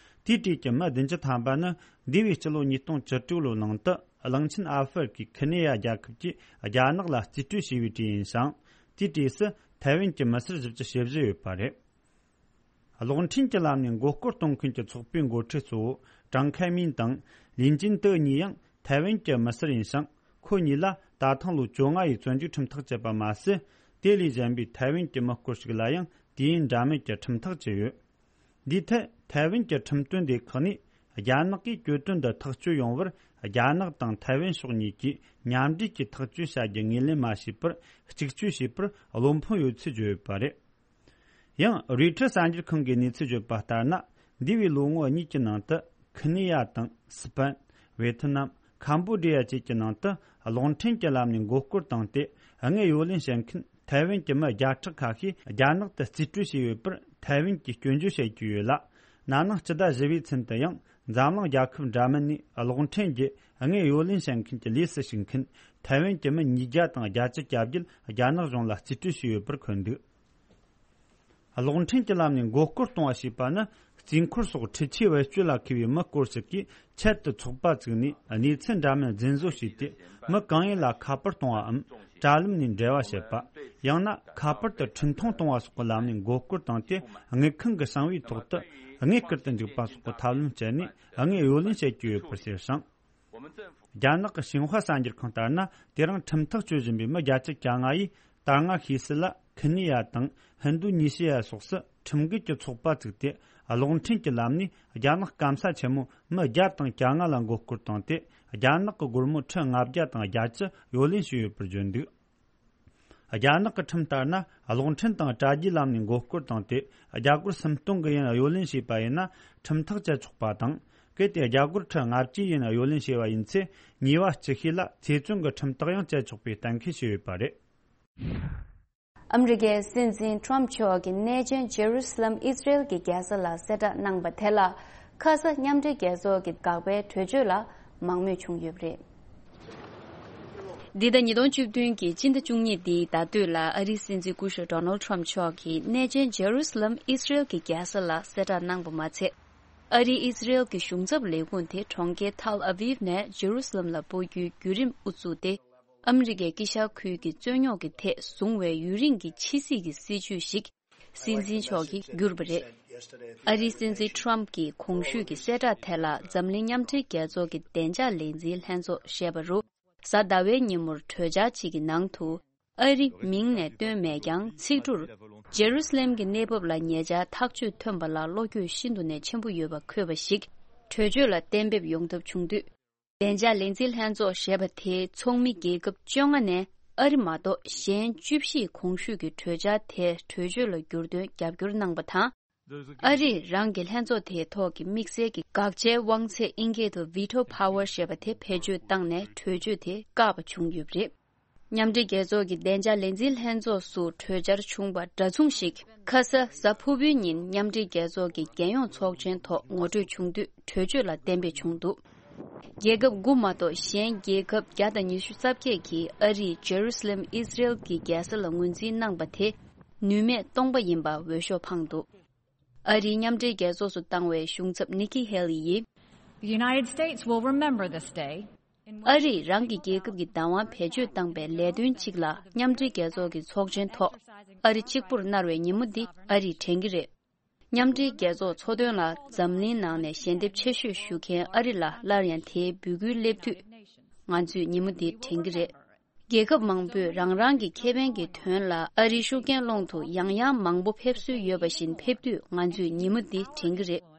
དེའི་གྲས་ཀྱི་མི་བདུན་ཅུ་ཐམ་པ་ནི་འདས་པའི་སྤྱི་ལོ་ཉིས་སྟོང་བཅུ་དྲུག་ལོའི་ནང་དུ་གླིང་ཆེན་ཨ་ཧྥེ་རི་ཁའི་ཁི་ནེ་ཡ་རྒྱལ་ཁབ་ཀྱིས་རྒྱ་ནག་ལ་རྩིས་སྤྲོད་བྱས་པའི་གྲས་ཡིན་ཞིང་། དེའི་གྲས་སུ་ཐའེ་ཝན་གྱི་མི་སེར་བཞི་བཅུ་ཞེ་བཞི་ཡོད་པ་རེད། གློག་འཕྲིན་གྱི་ལམ་ནས་མགོ་སྐོར་གཏོང་མཁན་གྱི་ཚོགས་པའི་འགོ་ཁྲིད་གཙོ་བོ་ཀྲང་ཁའེ་མིན་དང་ལིན་ཅིན་ཏེ་གཉིས་ཡང་ཐའེ་ཝན་གྱི་མི་སེར་ཡིན་ཞིང་། ཁོ་གཉིས་ལ་ད་ཐེངས་ལོ་བཅོ་ལྔ་ཡི་བཙོན་འཇུག་ཁྲིམས་ཐག་བཅད་པ་མ་ཟད། དེ་ལས་གཞན་པའི་ཐའེ་ཝན་གྱི་མི་སྐོར་ཞིག་ལ་ཡང་དུས་ཡུན་འདྲ་མིན་གྱི་ཁྲིམས་ཐག་བཅད་ཡོད། འདིའི་ཐད་ཐའེ་ཝན་གྱི་ཁྲིམས་དོན་སྡེ་ཁག་ནས། རྒྱ་ནག་གིས་གྱོད་དོན་འདི་ཐག་གཅོད་ཡོང་བར། རྒྱ་ནག་དང་ཐའེ་ཝན་ཕྱོགས་གཉིས་ཀྱིས་མཉམ་འབྲེལ་གྱིས་ཐག་གཅོད་བྱ་རྒྱུ་ངོས་ལེན་མ་བྱས་པར། གཅིག་གཅོད་བྱས་པར་བློ་ཕམ་ཡོད་ཚུལ་བརྗོད་ཡོད་པ་རེད། ཡང་རོའི་ཊར་གསར་འགྱུར་ཁང་གིས་གནས་ཚུལ་བརྗོད་པ་ལྟར་ན། འདས་པའི་ལོ་ངོ་གཉིས་ཀྱི་ནང་དུ་ཁི་ནི་ཡ་དང་སི་པན། ཝེ་ཐི་ནམ། ཁམ་བོ་ཌི་ཡ་བཅས་ཀྱི་ནང་དུ་གློག་འཕྲིན་གྱི་ལམ་ནས་མགོ་སྐོར་བཏང་སྟེ། དངུལ་གཡོ་ལེན་བྱེད་མཁན་ཐའེ་ཝན་གྱི་མི་བརྒྱ་ཕྲག་ཁ་ཤས་རྒྱ་ནག་ཏུ་རྩིས་སྤྲོད་བྱས་ཡོད་པར་ཐའེ་ཝན་གྱིས་སྐྱོན་བརྗོད་བྱེད་ཀྱི་ཡོད་ལ། ན་ནིང་སྤྱི་ཟླ་བཞི་པའི་ཚུན་དུ་ཡང་འཛམ་གླིང་རྒྱལ་ཁབ་འདྲ་མིན་ནས་གློག་འཕྲིན་གྱི་དངུལ་གཡོ་ལེན་བྱེད་མཁན་གྱི་ལས་སུ་ཞུགས་མཁན་ཐའེ་ཝན་གྱི་མི་ཉིས་བརྒྱ་དང་བརྒྱད་ཅུ་གྱ་བརྒྱད་རྒྱ་ནག་གཞུང་ལ་རྩིས་སྤྲོད་བྱས་ཡོད་པར་འཁོད་འདུག། གློག་འཕྲིན་གྱི་ལམ་ནས་མགོ་སྐོར་གཏོང་བ་ཞེས་པ་ནི། རྩིས་འཁོར་སོགས་འཕྲུལ་ཆས་བེད་སྤྱོད་ལ་མཁས་པའི་མི་སྐོར་ཞིག་གིས་ཆེད་དུ་ཚོགས་པ་བཙུགས་ནས། གནས་ཚུལ་འདྲ་མིན་རྫུན་བཟོ་བྱས་ཏེ། མི་གང་ཡིན་ལ་ཁ་པར་གཏོང་བའམ། དྲ་ལམ་ནས་འབྲེལ་བ་བྱེད་པ། ཡང་ན་ཁ་པར་དུ་འཕྲིན་ཐུང་གཏོང་བ་སོགས་ཀྱི་ལམ་ནས་མགོ་སྐོར་བཏང་སྟེ། དངུལ་ཁང་གི་གསང་བའི་ཐོག་ཏུ་དངུལ་བསྐུར་དུ་འཇུག་པ་སོགས་ཀྱི་ཐབས་ལམ་སྤྱད་ནས། དངུལ་གཡོ་ལེན་བྱེད་ཀྱི་ཡོད་པར་བཤད་ཞིང་། རྒྱ་ནག་གི་ཤིན་ཧྭ་གསར་འགྱུར་ཁང་ལྟར་ན། དེ་རིང་ཁྲིམས་ཐག་གཅོད་བཞིན་པའི་མི་བརྒྱད་ཅུ་གྱ་ལྔ་ཡིས། ད་སྔ་ཤེས་གསལ་ལ་ཁི་ནི་ཡ་དང་ཧིན་རྡུ་ཉི་ཞི་ཡ་སོགས་སུ་ཁྲིམས་འགལ་གྱི་ཚོགས་པ་བཙུགས་ཏེ། གློག་འཕྲིན་གྱི་ལམ་ནས་རྒྱ་ནག་སྐམ་ས་ཆེན་མོའི་མི་བརྒྱ་དང་གྱ་ལྔ་ལ་མགོ་སྐོར་བཏང་སྟེ། རྒྱ་ནག་གི་སྒོར་མོ་ཁྲི་ལྔ་བརྒྱ་དང་བརྒྱད་ཅུ་གཡོ་ལེན་བྱས་ཡོད་པར་བརྗོད་འདུག། རྒྱ་ནག་གི་ཁྲིམས་ལྟར་ན། གློག་འཕྲིན་དང་དྲ་རྒྱའི་ལམ་ནས་མགོ་སྐོར་བཏང་སྟེ། རྒྱ་སྒོར་སུམ་སྟོང་གི་ཡན་གཡོ་ལེན་བྱས་པ་ཡིན་ན། ཁྲིམས་ཐག་བཅད་ཆོག་པ་དང་། གལ་ཏེ་རྒྱ་སྒོར་ཁྲི་ལྔ་བཅུའི་ཡན་གཡོ་ལེན་བྱས་པ་ཡིན་ཚེ། ཉེས་པ་ལྕི་ཤོས་ལ་ཚེ་བཙོན་གྱི་ཁྲིམས་ཐག་ཡང་བཅད་ཆོག་པའི་གཏན་འཁེལ་བྱས་ཡོད་པ་རེད། ཨ་མི་རི་ཀའི་སྲིད་འཛིན་ཁྲོམ་མཆོག་གིས་གནས་ཆེན་ཇེ་རུ་སི་ལམ་ཨི་སི་རེལ་གྱི་རྒྱལ་ས་ལ་གསལ་བསྒྲགས་གནང་པ་དེ་ལ། ཁ་ས་མཉམ་འབྲེལ་རྒྱལ་ཚོགས་ཀྱི་དགག་པའི་གྲོས་ཆོད་ལ་མང་མོས་བྱུང་ཡོད་པ་རེད། འདི་ཟླ་ཉིས་སྟོང་བཅུ་བདུན་གྱི་སྤྱི་ཟླ་བཅུ་གཉིས་འདིའི་ཟླ་སྟོད་ལ་ཨ་རིའི་སྲིད་འཛིན་སྐུ་ཞབས་ཌོ་ནལ་ཁྲོམ་མཆོག་གིས་གནས་ཆེན་ཇེ་རུ་སི་ལམ་ཨི་སི་རེལ་གྱི་རྒྱལ་ས་ལ་གསལ་བསྒྲགས་གནང་པ་མ་ཚད། ཨ་རིའི་ཨི་སི་རེལ་གྱི་གཞུང་ཚབ་ལས་ཁུངས་དེ་གྲོང་ཁྱེར་ཐལ་ཨ་བིབ་ནས་ཇེ་རུ་སི་ལམ་ལ་སྤོ་རྒྱུའི་བརྒྱུད་རིམ་དབུ་བཙུགས་ཏེ། ཨ་མི་རི་ཀའི་དཀྱིལ་ཤར་ཁུལ་གྱི་རྩོད་རྙོག་གི་ཐད་བཟུང་བའི་ཡུན་རིང་གི་ཕྱི་སྲིད་ཀྱི་སྲིད་ཇུས་ཤིག་སྲིད་འཛིན་མཆོག་གིས་བསྒྱུར་བ་རེད། ཨ་རིའི་སྲིད་འཛིན་ཁྲོམ་གྱིས་གོང་ཞུས་ཀྱི་གསལ་བསྒྲགས་དེ་ལ་འཛམ་གླིང་མཉམ་འབྲེལ་རྒྱལ་ཚོགས་ཀྱི་བདེ་འཇགས་ལས་འཛིན་ལྷན་ཚོགས་ཞེས་པ་རུ། གཟའ་ཟླ་བའི་ཉིན་མོར་གྲོས་འཆར་གཅིག་གི་ནང་དུ། ཨ་རི་མིང་ནས་བཏོན་མེད་ཀྱང་། ཚིག་འབྲུར་ཇེ་རུ་སི་ལེམ་གྱི་གནས་བབ་ལ་ཉེ་ཆར་ཐག་གཅོད་ཐོན་པ་ལ་བློ་འགྱོད་ཤིན་ཏུ་ནས་ཆེན་པོ་ཡོད་པ་འཁོད་པ་ཞིག་གྲོས་ཆོད་ལ་གཏན་འབེབས་ཡོང་ཐབས་བྱུང་དུས། བདེ་འཇགས་ལས་འཛིན་ལྷན་ཚོགས་ཞེས་པ་དེའི་ཚོགས་མི་རྒྱལ་ཁབ་བཅོ་ལྔ་ནས་ཨ་རི་མ་གཏོགས་གཞན་བཅུ་བཞིས་གོང་ཞུས་ཀྱི་གྲོས་འཆར་དེ་གྲོས་ཆོད་ལ་བསྒྱུར་དོན་རྒྱབ་སྐྱོར་གནང་པ་དང་། ཨ་རིས་རང་གི་ལྷན་ཚོགས་དེའི་ཐོག་གི་དམིགས་བསལ་གྱི་དགག་བྱའི་དབང་ཚད་ཨིན་སྐད་དུ་Veto Power ཞེས་པ་དེ་བེད་སྤྱོད་བཏང་ནས་གྲོས་ཆོད་དེ་བཀག་པ་བྱུང་ཡོད་པ་རེད། མཉམ་འབྲེལ་རྒྱལ་ཚོགས་ཀྱི་བདེ་འཇགས་ལས་འཛིན་ལྷན་ཚོགས་སུ་གྲོས་འཆར་བྱུང་བ་འདྲ་མཚུངས་ཤིག་ཁ་ས་གཟའ་ཕུར་བུའི་ཉིན་མཉམ་འབྲེལ་རྒྱལ་ཚོགས་ཀྱི་རྒྱལ་ཡོངས་ཚོགས་ཆེན་ཐོག་ངོ་སྤྲོད་བྱུང་དུས་གྲོས་ཆོད་ལ་གཏན་འབེབས་བྱུང་འདུག། རྒྱལ་ཁབ་དགུ་མ་གཏོགས་གཞན་རྒྱལ་ཁབ་བརྒྱ་དང་ཉི་ཤུ་རྩ་བརྒྱད་ཀྱིས་ཨ་རིས་ཇེ་རུ་སི་ལེམ་ཨི་སི་རེལ་གྱི་རྒྱལ་ས་ལ་ངོས་འཛིན་གནང་པ་དེ། ནུས་མེད་སྟོང་པ་ཡིན་པ་འོས་ཤོག་འཕངས་འདུག་ཨ་རིའི་མཉམ་འབྲེལ་རྒྱལ་ཚོགས་སུ་བཏང་བའི་གཞུང་ཚབ་ནི་ཀི་ཧེ་ལི་ཡིས། The United States will remember this day. ཨ་རིས་རང་གི་རྒྱལ་ཁབ་ཀྱི་བདག་དབང་བེད་སྤྱོད་བཏང་པའི་ལས་དོན་གཅིག་ལ་མཉམ་འབྲེལ་རྒྱལ་ཚོགས་ཀྱི་ཚོགས་ཆེན་ཐོག་ཨ་རི་གཅིག་པུར་མནར་བའི་ཉིན་མོ་འདི་ཨ་རིས་དྲན་གྱི་རེད། མཉམ་འབྲེལ་རྒྱལ་ཚོགས་ཚོགས་དོན་ལ་འཛམ་གླིང་ནང་ནས་ཞལ་འདེབས་ཆེ་ཤོས་ཞུ་མཁན་ཨ་རི་ལ་སླར་ཡང་དེའི་འབོད་སྐུལ་སླེབས་དུས། ང་ཚོས་ཉིན་མོ་འདི་དྲན་གྱི་རེད། རྒྱལ་ཁབ་མང་པོས་རང་རང་གི་ཁེ་ཕན་གྱི་དོན་ལ་ཨ་རིའི་ཤུགས་རྐྱེན་སློང་དུ་ཡང་ཡང་མང་པོ་ཕེབས་སྲོལ་ཡོད་པ་བཞིན་ཕེབས་དུས་ང་ཚོས་ཉིན་མོ་འདི་དྲན་གྱི་རེད།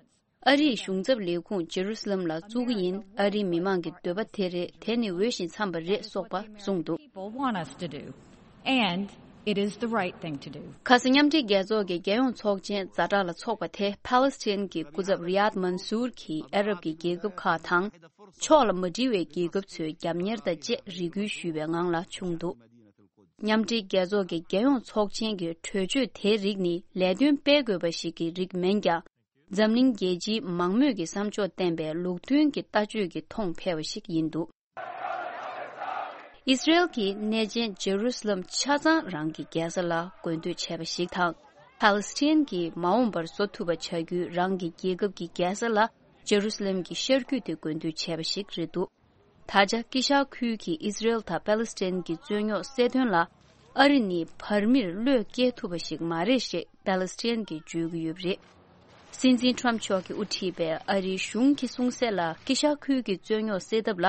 ཨ་རིའི་གཞུང་ཚབ་ལས་ཁུངས་ཇེ་རུ་སི་ལམ་ལ་བཙུགས་ཀྱི་ཡིན། ཨ་རིའི་མི་མང་གི་འདོད་པ་དེ་རེད། དེ་ནི་འོས་ཤིང་འཚམས་པ་རེད་སོགས་པ་གསུངས་འདུག People want us to do. And it is the right thing to do. ཁ་སང་མཉམ་འབྲེལ་རྒྱལ་ཚོགས་ཀྱི་རྒྱལ་ཡོངས་ཚོགས་ཆེན་ཛ་དྲག་ལ་འཚོགས་པ་དེ་ཕཱ་ལེ་སི་ཐན་གྱི་སྐུ་ཚབ་རི་ཡཱད་མན་སུར་གྱིས་ཨ་རབ་ཀྱི་རྒྱལ་ཁབ་ཁག་དང་། ཕྱོགས་ལ་མ་འགྲིལ་བའི་རྒྱལ་ཁབ་ཚོའི་རྒྱབ་གཉེར་དང་བཅས་རེ་སྐུལ་ཞུས་པའི་ངང་ལ་བྱུང་འདུག་མཉམ་འབྲེལ་རྒྱལ་ཚོགས་ཀྱི་རྒྱལ་ཡོངས་ཚོགས་ཆེན་གྱི་གྲོས་ཆོད་དེའི་རིགས་ནི་ལས་དོན་སྤེལ་དགོས་པ་ཞིག་གི་རིགས་མིན་ཀྱང་། འཛམ་གླིང་རྒྱལ་སྤྱིའི་མང་མོས་ཀྱི་བསམ་ཕྱོགས་བསྟན་པའི་ལུགས་མཐུན་གྱི་ལྟ་སྤྱོད་ཀྱི་མཐོང་འཕེལ་བ་ཞིག་ཡིན་འདུག་ཨིས་ར་ཨེལ་གྱིས་གནས་ཆེན་ཇེ་རུ་སི་ལམ་ཆ་ཚང་རང་གི་རྒྱལ་ས་ལ་དགོས་འདོད་བྱས་པ་ཞིག་དང་། ཕཱ་ལེ་སི་ཐན་གྱིས་མ་འོངས་པར་བཟོ་ཐུབ་པ་བྱ་རྒྱུའི་རང་གི་རྒྱལ་ཁབ་ཀྱི་རྒྱལ་ས་ལ་ཇེ་རུ་སི་ལམ་གྱི་ཤར་རྒྱུད་དེ་དགོས་འདོད་བྱས་པ་ཞིག་རེད་འདུག་ད་ཆ་དཀྱིལ་ཤར་ཁུལ་གྱི་ཨིས་ར་ཨེལ་དང་པཱ་ལེ་སི་ཐན་གྱི་རྩོད་རྙོག་སེལ་དོན་ལ་ཨ་རི་ནི་བར་མིར་བློས་བཀལ་ཐུབ་པ་ཞིག་མ་རེད་ཞེས་པཱ་ལེ་སི་ཐན་གྱིས་བརྗོད་ཀྱི་ཡོད་པ་རེད། སྲིད་འཛིན་ཊརམ་མཆོག་གིས་དབུ་ཁྲིད་པའི་ཨ་རིའི་གཞུང་གི་གསུང་གསལ་ལ་དཀྱིལ་ཤར་ཁུལ་གྱི་རྩོད་རྙོག་སེལ་ཐབས་ལ་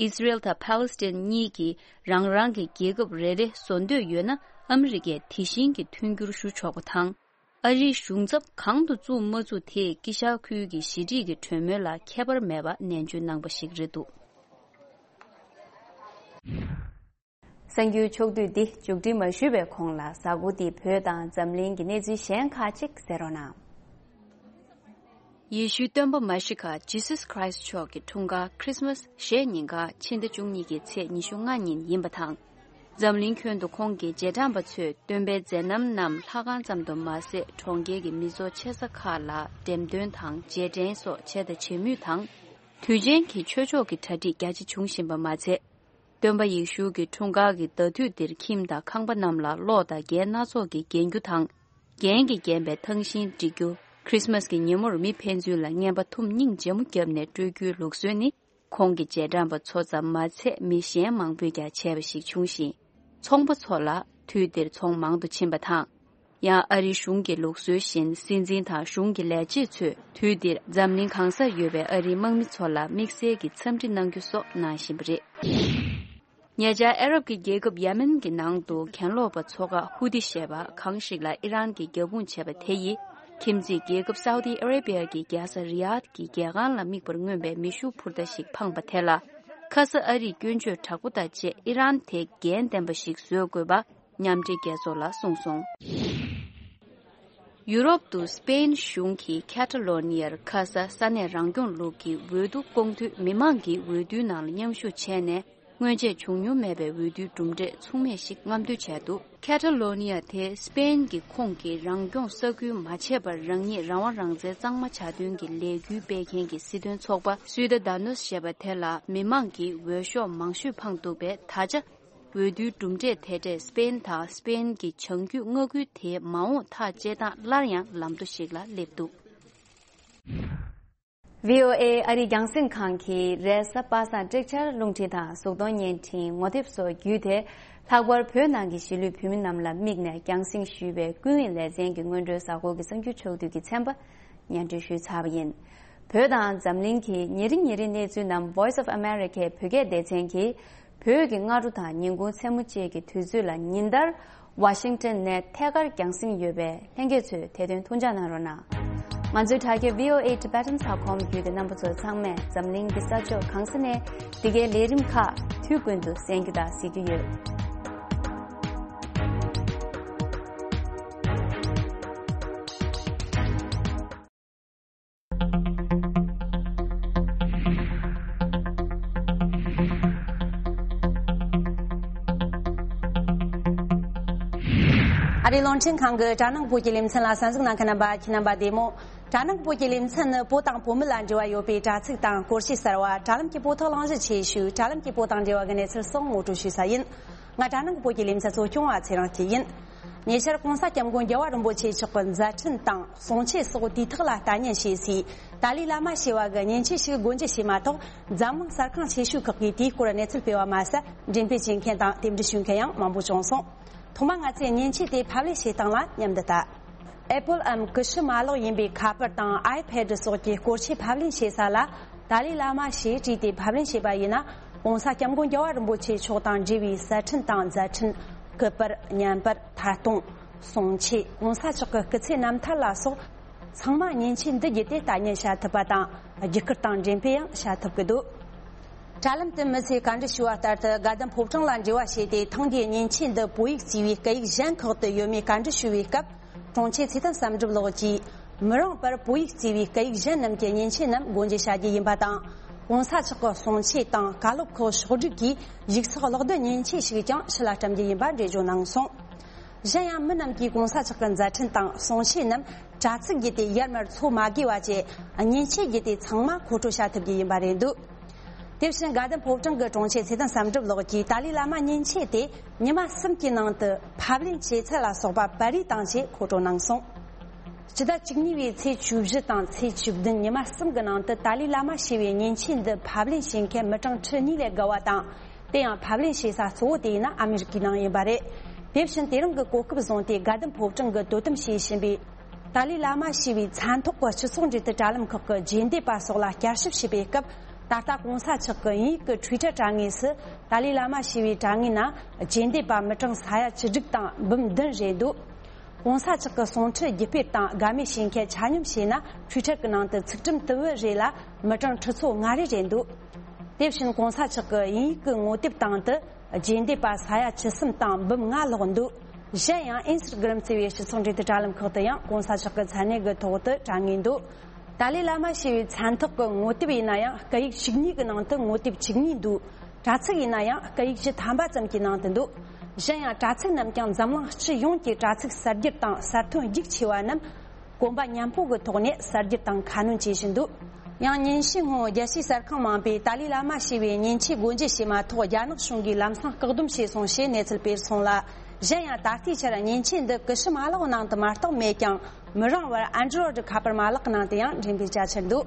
ཨིས་ར་ཨེལ་དང་པཱ་ལེ་སི་ཐན་གཉིས་ཀྱིས་རང་རང་གི་རྒྱལ་ཁབ་རེ་རེ་བཟོ་འདོད་ཡོད་ན་ཨ་མི་རི་ཀས་དེ་བཞིན་གྱི་མཐུན་འགྱུར་ཞུ་ཆོག་པ་དང་། ཨ་རིའི་གཞུང་ཚབ་གང་དུ་བཙུགས་མ་བཙུགས་དེས་དཀྱིལ་ཤར་ཁུལ་གྱི་ཞི་འགྲིག་གི་གྲོས་མོལ་ལ་ཁྱད་པར་མེད་པ་ནན་བརྗོད་གནང་པ་ཞིག་རེད་འདུག་གསར་འགྱུར་ཕྱོགས་བསྡུས་འདི་མཇུག་སྒྲིལ་མ་ཞུས་པའི་གོང་ལ་གཟའ་འཁོར་འདིའི་བོད་དང་འཛམ་གླིང་གི་གནས་ཚུལ་གཞན་ཁག་ཅིག་གསན་རོགས་གནང་། ཡེ་ཤུའི་སྟོན་པ་མ་ཤི་ཀ་Jesus Christ མཆོག་གི་འཁྲུངས་སྐར་Christmas ཞེས་ཉིན་གང་ཕྱི་ཟླ་བཅུ་གཉིས་ཀྱི་ཚེས་ཉི་ཤུ་ལྔ་ཉིན་ཡིན་པ་དང་། འཛམ་གླིང་ཁྱོན་དུ་ཁོང་གི་རྗེས་འབྲང་པ་ཚོས་སྟོན་པའི་མཛད་རྣམ་རྣམས་ལྷ་ཁང་ཙམ་དུ་མ་ཟད་གྲོང་ཁྱེར་གྱི་མི་ཚོགས་ཆེ་ས་ཁག་ལ་འགྲེམས་སྟོན་དང་རྗེས་དྲན་སོགས་བྱས་དང་བྱེད་མུས་དང་། དུས་ཆེན་གྱི་ཆོས་ཕྱོགས་ཀྱི་གྲ་སྒྲིག་རྒྱ་ཆེ་བྱུང་བཞིན་པ་མ་ཚད། སྟོན་པ་ཡེ་ཤུ་གི་འཁྲུངས་སྐར་གྱི་ཟླ་དུས་འདིར་ཁྱིམ་དང་ཁང་པ་རྣམས་ལ་གློག་དང་རྒྱན་སྣ་ཚོགས་ཀྱིས་བརྒྱན་རྒྱུ་དང་། རྒྱན་གྱིས་བརྒྱན་པའི་ཐང་ཤིང་སྒྲིག་རྒྱུ། Christmas གི་ཉིན་མོར་མི་ཕན་ཚུན་ལ་རྔན་པ་ཐུམ་སྙིང་རྗེ་མོ་བརྒྱབ་ནས་སྤྲོད་རྒྱུའི་ལུགས་སྲོལ་ནི། ཁོང་གི་རྗེས་འབྲང་པ་ཚོ་ཙམ་མ་ཚད་མི་གཞན་མང་པོས་ཀྱང་བྱས་པ་ཞིག་བྱུང་ཞིང་། ཚོང་པ་ཚོ་ལ་དུས་འདིར་ཚོང་མང་དུ་ཕྱིན་པ་དང་། ཡང་ཨ་རིའི་གཞུང་གི་ལུགས་སྲོལ་བཞིན་སྲིད་འཛིན་དང་གཞུང་གི་ལས་བྱེད་ཚོས་དུས་འདིར་འཛམ་གླིང་གང་སར་ཡོད་པའི་ཨ་རིའི་དམག་མི་ཚོ་ལ་དམིགས་བསལ་གྱི་འཚམས་འདྲི་གནང་རྒྱུ་སོགས་གནང་བཞིན་པ་རེད། ཉེ་ཆར་ཨ་རབ་ཀྱི་རྒྱལ་ཁབ་ཡེ་མེན་གྱི་ནང་དུ་གྱེན་ལོག་པ་ཚོ་ཁག་ཧུ་ཏི་ཞེས་པ་གང་ཞིག་ལ་ཨི་རན་གྱིས་རྒྱབ་དཔུང་བྱས་པ་དེ་ཡིས། ཁྱིམ་མཚེས་རྒྱལ་ཁབ་སའུ་ཏི་ཨ་རེ་བྷི་ཡ་གི་རྒྱལ་ས་རི་ཡཱད་ཀྱི་རྒྱལ་ཁང་ལ་དམིགས་པར་མངོན་པའི་མེ་ཤུགས་འཕུར་མདའ་ཞིག་འཕངས་པ་དེ་ལ། ཁ་ས་ཨ་རིས་སྐྱོན་བརྗོད་དྲག་པོ་དང་བཅས་ཨི་རན་དེ་འགན་ལྡན་པ་ཞིག་བཟོ་དགོས་པ་མཉམ་འབྲེལ་རྒྱལ་ཚོགས་ལ་གསུངས་སོང་། ཡུ་རོབ་ཏུ་སི་པེན་གཞུང་གིས་ཁེ་ཊ་ལོ་ནི་ཡར་ཁ་ས་ས་གནས་རང་སྐྱོང་ལུགས་ཀྱི་འོས་བསྡུ་སྐོང་དུས་མི་མང་གིས་འོས་བསྡུའི་ནང་ལ་མཉམ་ཞུགས་བྱས་ནས། སྔོན་ཆད་བྱུང་མྱོང་མེད་པའི་འོས་བསྡུའི་གྲུབ་འབྲས་མཚུངས་མེད་ཞིག་རྔམ་སྟོན་བྱས་འདུག་ཁེ་ཊ་ལོ་ནི་ཡ་དེ་སི་པེན་གྱི་ཁོངས་ཀྱི་རང་སྐྱོང་ས་ཁུལ་མ་ཆད་པར་རང་ཉིད་རང་དབང་རང་བཙན་གཙང་མ་བྱ་དོན་གྱི་ལས་འགུལ་སྤེལ་མཁན་གྱི་སྲིད་དོན་ཚོགས་པ་སུའི་ད་ད་ནོས་ཞེས་པ་དེ་ལ་མི་མང་གིས་འོས་ཤོག་མང་ཤོས་འཕངས་འདུག་པས། ད་ཆ་འོས་བསྡུའི་གྲུབ་འབྲས་དེ་འདྲས་སི་པེན་དང་སི་པེན་གྱི་བྱང་རྒྱུད་མངའ་ཁུལ་དེའི་མ་འོངས་ཐག་བཅད་སྟངས་སླར་ཡང་ལམ་ཐོ་ཞིག་ལ་སླེབས་འདུག་བྷི་ཨོ་ཨེ་ཨ་རིའི་རྒྱང་སྲིང་ཁང་གིས་རེས་གཟའ་པ་སངས་སྤྲེལ་ཆར་རླུང་འཕྲིན་དང་གཟུགས་མཐོང་བརྙན་འཕྲིན་ངོ་དེབ་སོགས་བརྒྱུད་དེ། ལྷག་པར་བོད་ནང་གི་གཞིས་ལུས་བོད་མི་རྣམས་ལ་དམིགས་ནས་རྒྱང་སྲིང་ཞུས་པའི་ཀུན་གླེང་ལེ་ཚན་གྱི་སྔོན་འགྲོའི་གཟའ་འཁོར་གྱི་གསར་འགྱུར་ཕྱོགས་བསྡུས་ཀྱི་ཚན་པ་སྙན་སྒྲོན་ཞུས་ཚར་བ་ཡིན། བོད་དང་འཛམ་གླིང་གི་ཉིན་རེ་ཉིན་རེའི་གནས་ཚུལ་རྣམས་Voice of America བོད་སྐད་སྡེ་ཚན་གྱིས་བོད་ཀྱི་སྔ་དྲོ་དང་ཉིན་གུང་མཚན་མོ་བཅས་ཀྱི་དུས་ཚོད་ལ་ཉིན་ལྟར། ཝ་ཤིང་ཊོན་ནས་ཐད་ཀར་རྒྱང་སྲིང་ཡོད་པས་ལྷན་རྒྱས་ཚོས་དེ་དོན་ཐུགས་འཇགས་གནང་རོགས་གནང་། ང་ཚོའི་དྲ་རྒྱ་V O A Tibetan dot com བརྒྱུད་དེ་རྣམ་པ་ཚོ་ཚང་མས་འཛམ་གླིང་གི་ས་ཕྱོགས་གང་ས་ནས་འདི་གའི་ལས་རིམ་ཁག་དུས་ཀུན་ཏུ་གསན་རྒྱུ་དང་གཟིགས་རྒྱུ་ཡོད། ཨ་རིའི་རླུང་འཕྲིན་ཁང་གི་དྲ་ནང་བོད་ཀྱི་ལེ་ཚན་ལ་གསན་གཟིགས་གནང་མཁན་རྣམ་པ་ཁྱེད་རྣམ་པ་བདེ་མོ། དྲ་ནང་བོད་ཀྱི་ལེ་ཚན་ནི་བོད་དང་བོད་མི་ལ་འབྲེལ་བ་ཡོད་པའི་དྲ་ཚིགས་དང་སྐོར་བཤད་གསར་བ། དྲ་ལམ་གྱི་བོད་ཐོག་གླེང་གཞི་ཆེ་ཤོས། དྲ་ལམ་གྱི་བོད་དང་འབྲེལ་བ་གི་གནས་ཚུལ་སོགས་ངོ་སྤྲོད་ཞུས་ས་ཡིན། ང་དྲ་ནང་བོད་ཀྱི་ལེ་ཚན་གཙོ་སྐྱོང་བ་ཚེ་རིང་སྐྱིད་ཡིན། ཉེ་ཆར་༸གོང་ས་༸སྐྱབས་མགོན་རྒྱལ་བ་རིན་པོ་ཆེ་མཆོག་གི་མཛད་འཕྲིན་དང་གསུང་ཆོས་སོགས་དུས་ཐོག་ལ་ལྟ་ཉན་བྱས་སའི་ཏཱ་ལའི་བླ་མ་ཞེས་པ་གི་མཉེན་ཆས་ཤིག་སྒོ་འབྱེད་བྱས་མ་ཐག་འཛམ་གླིང་གསར་ཁང་ཆེ་ཤོས་ཁག་གིས་དེའི་སྐོར་གནས་ཚུལ་སྤེལ་བ་མ་ཟད། འགྲེམས་སྤེལ་བྱེད་མཁན་དང་རྟེན་འབྲེལ་ཞུ་མཁན་ཡང་མང་པོ་བྱུང་སོང་། ཐོག་མར་ང་ཚོས་མཉེན་ཆས་དེ་ཕབ་ལེན་བྱེད་སྟངས་ལ་མཉམ་དུ་ལྟ། Apple འམ་ཀུ་ཤུ་མ་ལག་ཡིན་པའི་ཁ་པར་དང་iPad སོགས་ཀྱི་སྐོར་ཆས་ཕབ་ལེན་བྱེད་ས་ལ་ཏཱ་ལའི་བླ་མ་ཞེས་བྲིས་ཏེ་ཕབ་ལེན་བྱས་པ་ཡིན་ན། ༸གོང་ས་༸སྐྱབས་མགོན་རྒྱལ་བ་རིན་པོ་ཆེ་མཆོག་དང་འབྲེལ་བའི་གསར་འཕྲིན་དང་མཛད་འཕྲིན། སྐུ་པར། བརྙན་པར། ཐད་གཏོང་། གསུང་ཆོས། ༸གོང་ས་མཆོག་གི་སྐུ་ཚེ་རྣམ་ཐར་ལ་སོགས་ཚང་མ་མཉེན་ཆས་འདི་བརྒྱུད་དེ་ལྟ་ཉན་བྱ་ཐུབ་པ་དང་། བརྒྱུད་སྐུར་དང་འགྲེམས་སྤེལ་ཡང་བྱ་ཐུབ་ཀྱི་འདུག་དྲ་ལམ་དུ་མི་ཚོས་བཀའ་འདྲི་ཞུ་བ་ལྟར་དུ། དགའ་ལྡན་ཕོ་བྲང་ལ་འབྲེལ་བ་བྱས་ཏེ། ཐེངས་འདིའི་མཉེན་ཆས་འདི་བོད་ཡིག་གཙོས་པའི་སྐད་ཡིག་གཞན་ཁག་ཏུ་ཡོད་མེད་བཀའ་འདྲི་ཞུ་བའི་སྐབས། དྲུང་ཆེ་ཚེ་བརྟན་བསམ་གྲུབ་ལགས་ཀྱིས། མི་རུང་བར་བོད་ཡིག་གཙོས་པའི་སྐད་ཡིག་གཞན་རྣམས་ཀྱི་མཉེན་ཆས་རྣམས་སྒོ་འབྱེད་བྱ་རྒྱུ་ཡིན་པ་དང་། ༸གོང་ས་མཆོག་གི་གསུང་ཆོས་དང་བཀའ་སློབ་ཁག་ཕྱོགས་བསྒྲིགས་ཀྱིས་ཡིག་ཚགས་ཀློག་རྡུལ་མཉེན་ཆས་ཤིག་ཀྱང་ཕྱི་ལ་བཀྲམ་རྒྱུ་ཡིན་པ་འགྲེལ་བརྗོད་གནང་སོང་། གཞན་ཡང་མི་རྣམས་ཀྱིས་༸གོང་ས་མཆོག་གི་མཛད་འཕྲིན་དང་གསུང་ཆོས་རྣམས་དྲ་ཚིགས་བརྒྱུད་དེ་ཡར་མར་འཚོལ་མ་དགོས་པ་བཅས། མཉེན་ཆས་བརྒྱུད་དེ་ཚང་མ་མཁོ་སྤྲོད་བྱ་ཐུབ་རྒྱུ་ཡིན་པ་རེད་འདུག་དེ་བཞིན་དགའ་ལྡན་ཕོ་བྲང་གི་དྲུང་ཆེ་ཚེ་བརྟན་བསམ་གྲུབ་ལགས་ཀྱིས་ཏཱ་ལའི་བླ་མ་མཉེན་ཆས་དེ་ཉི་མ་གསུམ་གྱི་ནང་དུ་ཕབ་ལེན་བྱེད་ཚད་ལ་སོགས་པ་པར་རིས་དང་བཅས་མཁོ་སྤྲོད་གནང་སོང་། སྤྱི་ཟླ་བཅུ་གཉིས་པའི་ཚེས་བཅུ་བཞི་དང་ཚེས་བཅུ་བདུན་ཉི་མ་གསུམ་གྱི་ནང་དུ་ཏཱ་ལའི་བླ་མ་ཞེས་པའི་མཉེན་ཆས་འདི་ཕབ་ལེན་བྱེད་མཁན་མི་གྲངས་ཁྲི་གཉིས་ལས་བརྒལ་བ་དང་། དེ་ཡང་ཕབ་ལེན་བྱེད་ས་གཙོ་བོ་དེ་ཡིན་ན་ཨ་མི་རི་ཀའི་ནང་ཡིན་པ་རེད། དེ་བཞིན་དེ་རིང་གི་གོ་སྐབས་བཟུང་སྟེ་དགའ་ལྡན་ཕོ་བྲང་གིས་དོ་དམ་བྱེད་བཞིན་པའི་ཏཱ་ལའི་བླ་མ་ཞེས་པའི་མཚན་ཐོགས་ཀྱི་སྤྱི་ཚོགས་འབྲེལ་མཐུད་དྲ་ལམ་ཁག་གི་རྗེས་འདེད་པ་སོགས་ལ་བསྐྱར་ཞིབ་བྱས་པའི་སྐབས། ད་ལྟ་༸གོང་ས་མཆོག་གི་དབྱིན་ཡིག་གི་Twitter་དྲ་ངོས་སུ་ཏཱ་ལའི་བླ་མ་ཞེས་པའི་དྲ་ངོས་ནང་རྗེས་འདེད་པ་མི་གྲངས་ས་ཡ་བཅུ་དྲུག་དང་འབུམ་བདུན་རེད་འདུག ༸གོང་ས་མཆོག་གི་གསུང་འཕྲིན་བརྒྱུད་སྤེལ་དང་དགའ་མོས་བྱེད་མཁན་ཆ་སྙོམས་བྱས་ན་Twitter་གི་ནང་དུ་ཚིག་ཁྲིམས་དུམ་བུ་རེ་ལ་མི་གྲངས་ཁྲི་ཚོ་ལྔ་རེ་རེད་འདུག་དེ་བཞིན་༸གོང་ས་མཆོག་གི་དབྱིན་ཡིག་གི་ངོ་དེབ་སྟེང་དུ་རྗེས་འདེད་པ་ས་ཡ་བཅུ་གསུམ་དང་འབུམ་ལྔ་ལྷག་འདུག་གཞན་ཡང་Instagram་ཟེར་བའི་སྤྱི་ཚོགས་འབྲེལ་མཐུད་དྲ་ལམ་ཁག་ཏུ་ཡང་༸གོང་ས་མཆོག་གི་མཚན་གནས་ཀྱི་ཐོག་ཏུ་དྲ་ངོས་འདུག་ཏཱ་ལའི་བླ་མ་ཞེས་པའི་མཚན་ཐོགས་ཀྱི་ངོ་དེབ་ཡིན་ན་ཡང་སྐད་ཡིག་བཅུ་གཉིས་ཀྱི་ནང་དུ་ངོ་དེབ་བཅུ་གཉིས་འདུག་དྲ་ཚིགས་ཡིན་ན་ཡང་སྐད་ཡིག་བཅུ་ཐམ་པ་ཙམ་གྱི་ནང་དུ་འདུག་གཞན་ཡང་དྲ་ཚིགས་རྣམས་ཀྱང་འཛམ་གླིང་སྤྱི་ཡོངས་ཀྱི་དྲ་ཚིགས་གསར་སྒྱུར་དང་གསར་ཐོན་རྒྱུགས་ཆེ་བ་རྣམས་གོམ་པ་མཉམ་སྤོ་གི་ཐོག་ནས་གསར་སྒྱུར་དང་ཁ་སྣོན་བྱེད་བཞིན་འདུག་ཡང་ཉིན་ཤས་སྔོན་རྒྱལ་སྤྱིའི་གསར་ཁང་མང་པོས་ཏཱ་ལའི་བླ་མ་ཞེས་པའི་མཉེན་ཆས་སྒོ་འབྱེད་བྱས་མ་ཐག་རྒྱ་ནག་གཞུང་གིས་ལམ་སང་བཀག་སྡོམ་བྱས་སོང་ཞེས་གནས་ཚུལ་སྤེལ་སོང་ལ། གཞན་ཡང་ད་ལྟའི་ཆར་མཉེན་ཆས་འདི་ཀུ་ཤུ་མ་ལག་ནང་དུ་མ་གཏོགས་མེད་ཀྱང་། མི་རུང་བར་Android་ཁ་པར་མ་ལག་ནང་དུ་ཡང་འགྲེམས་སྤེལ་བྱ་ཆེད་འདུག་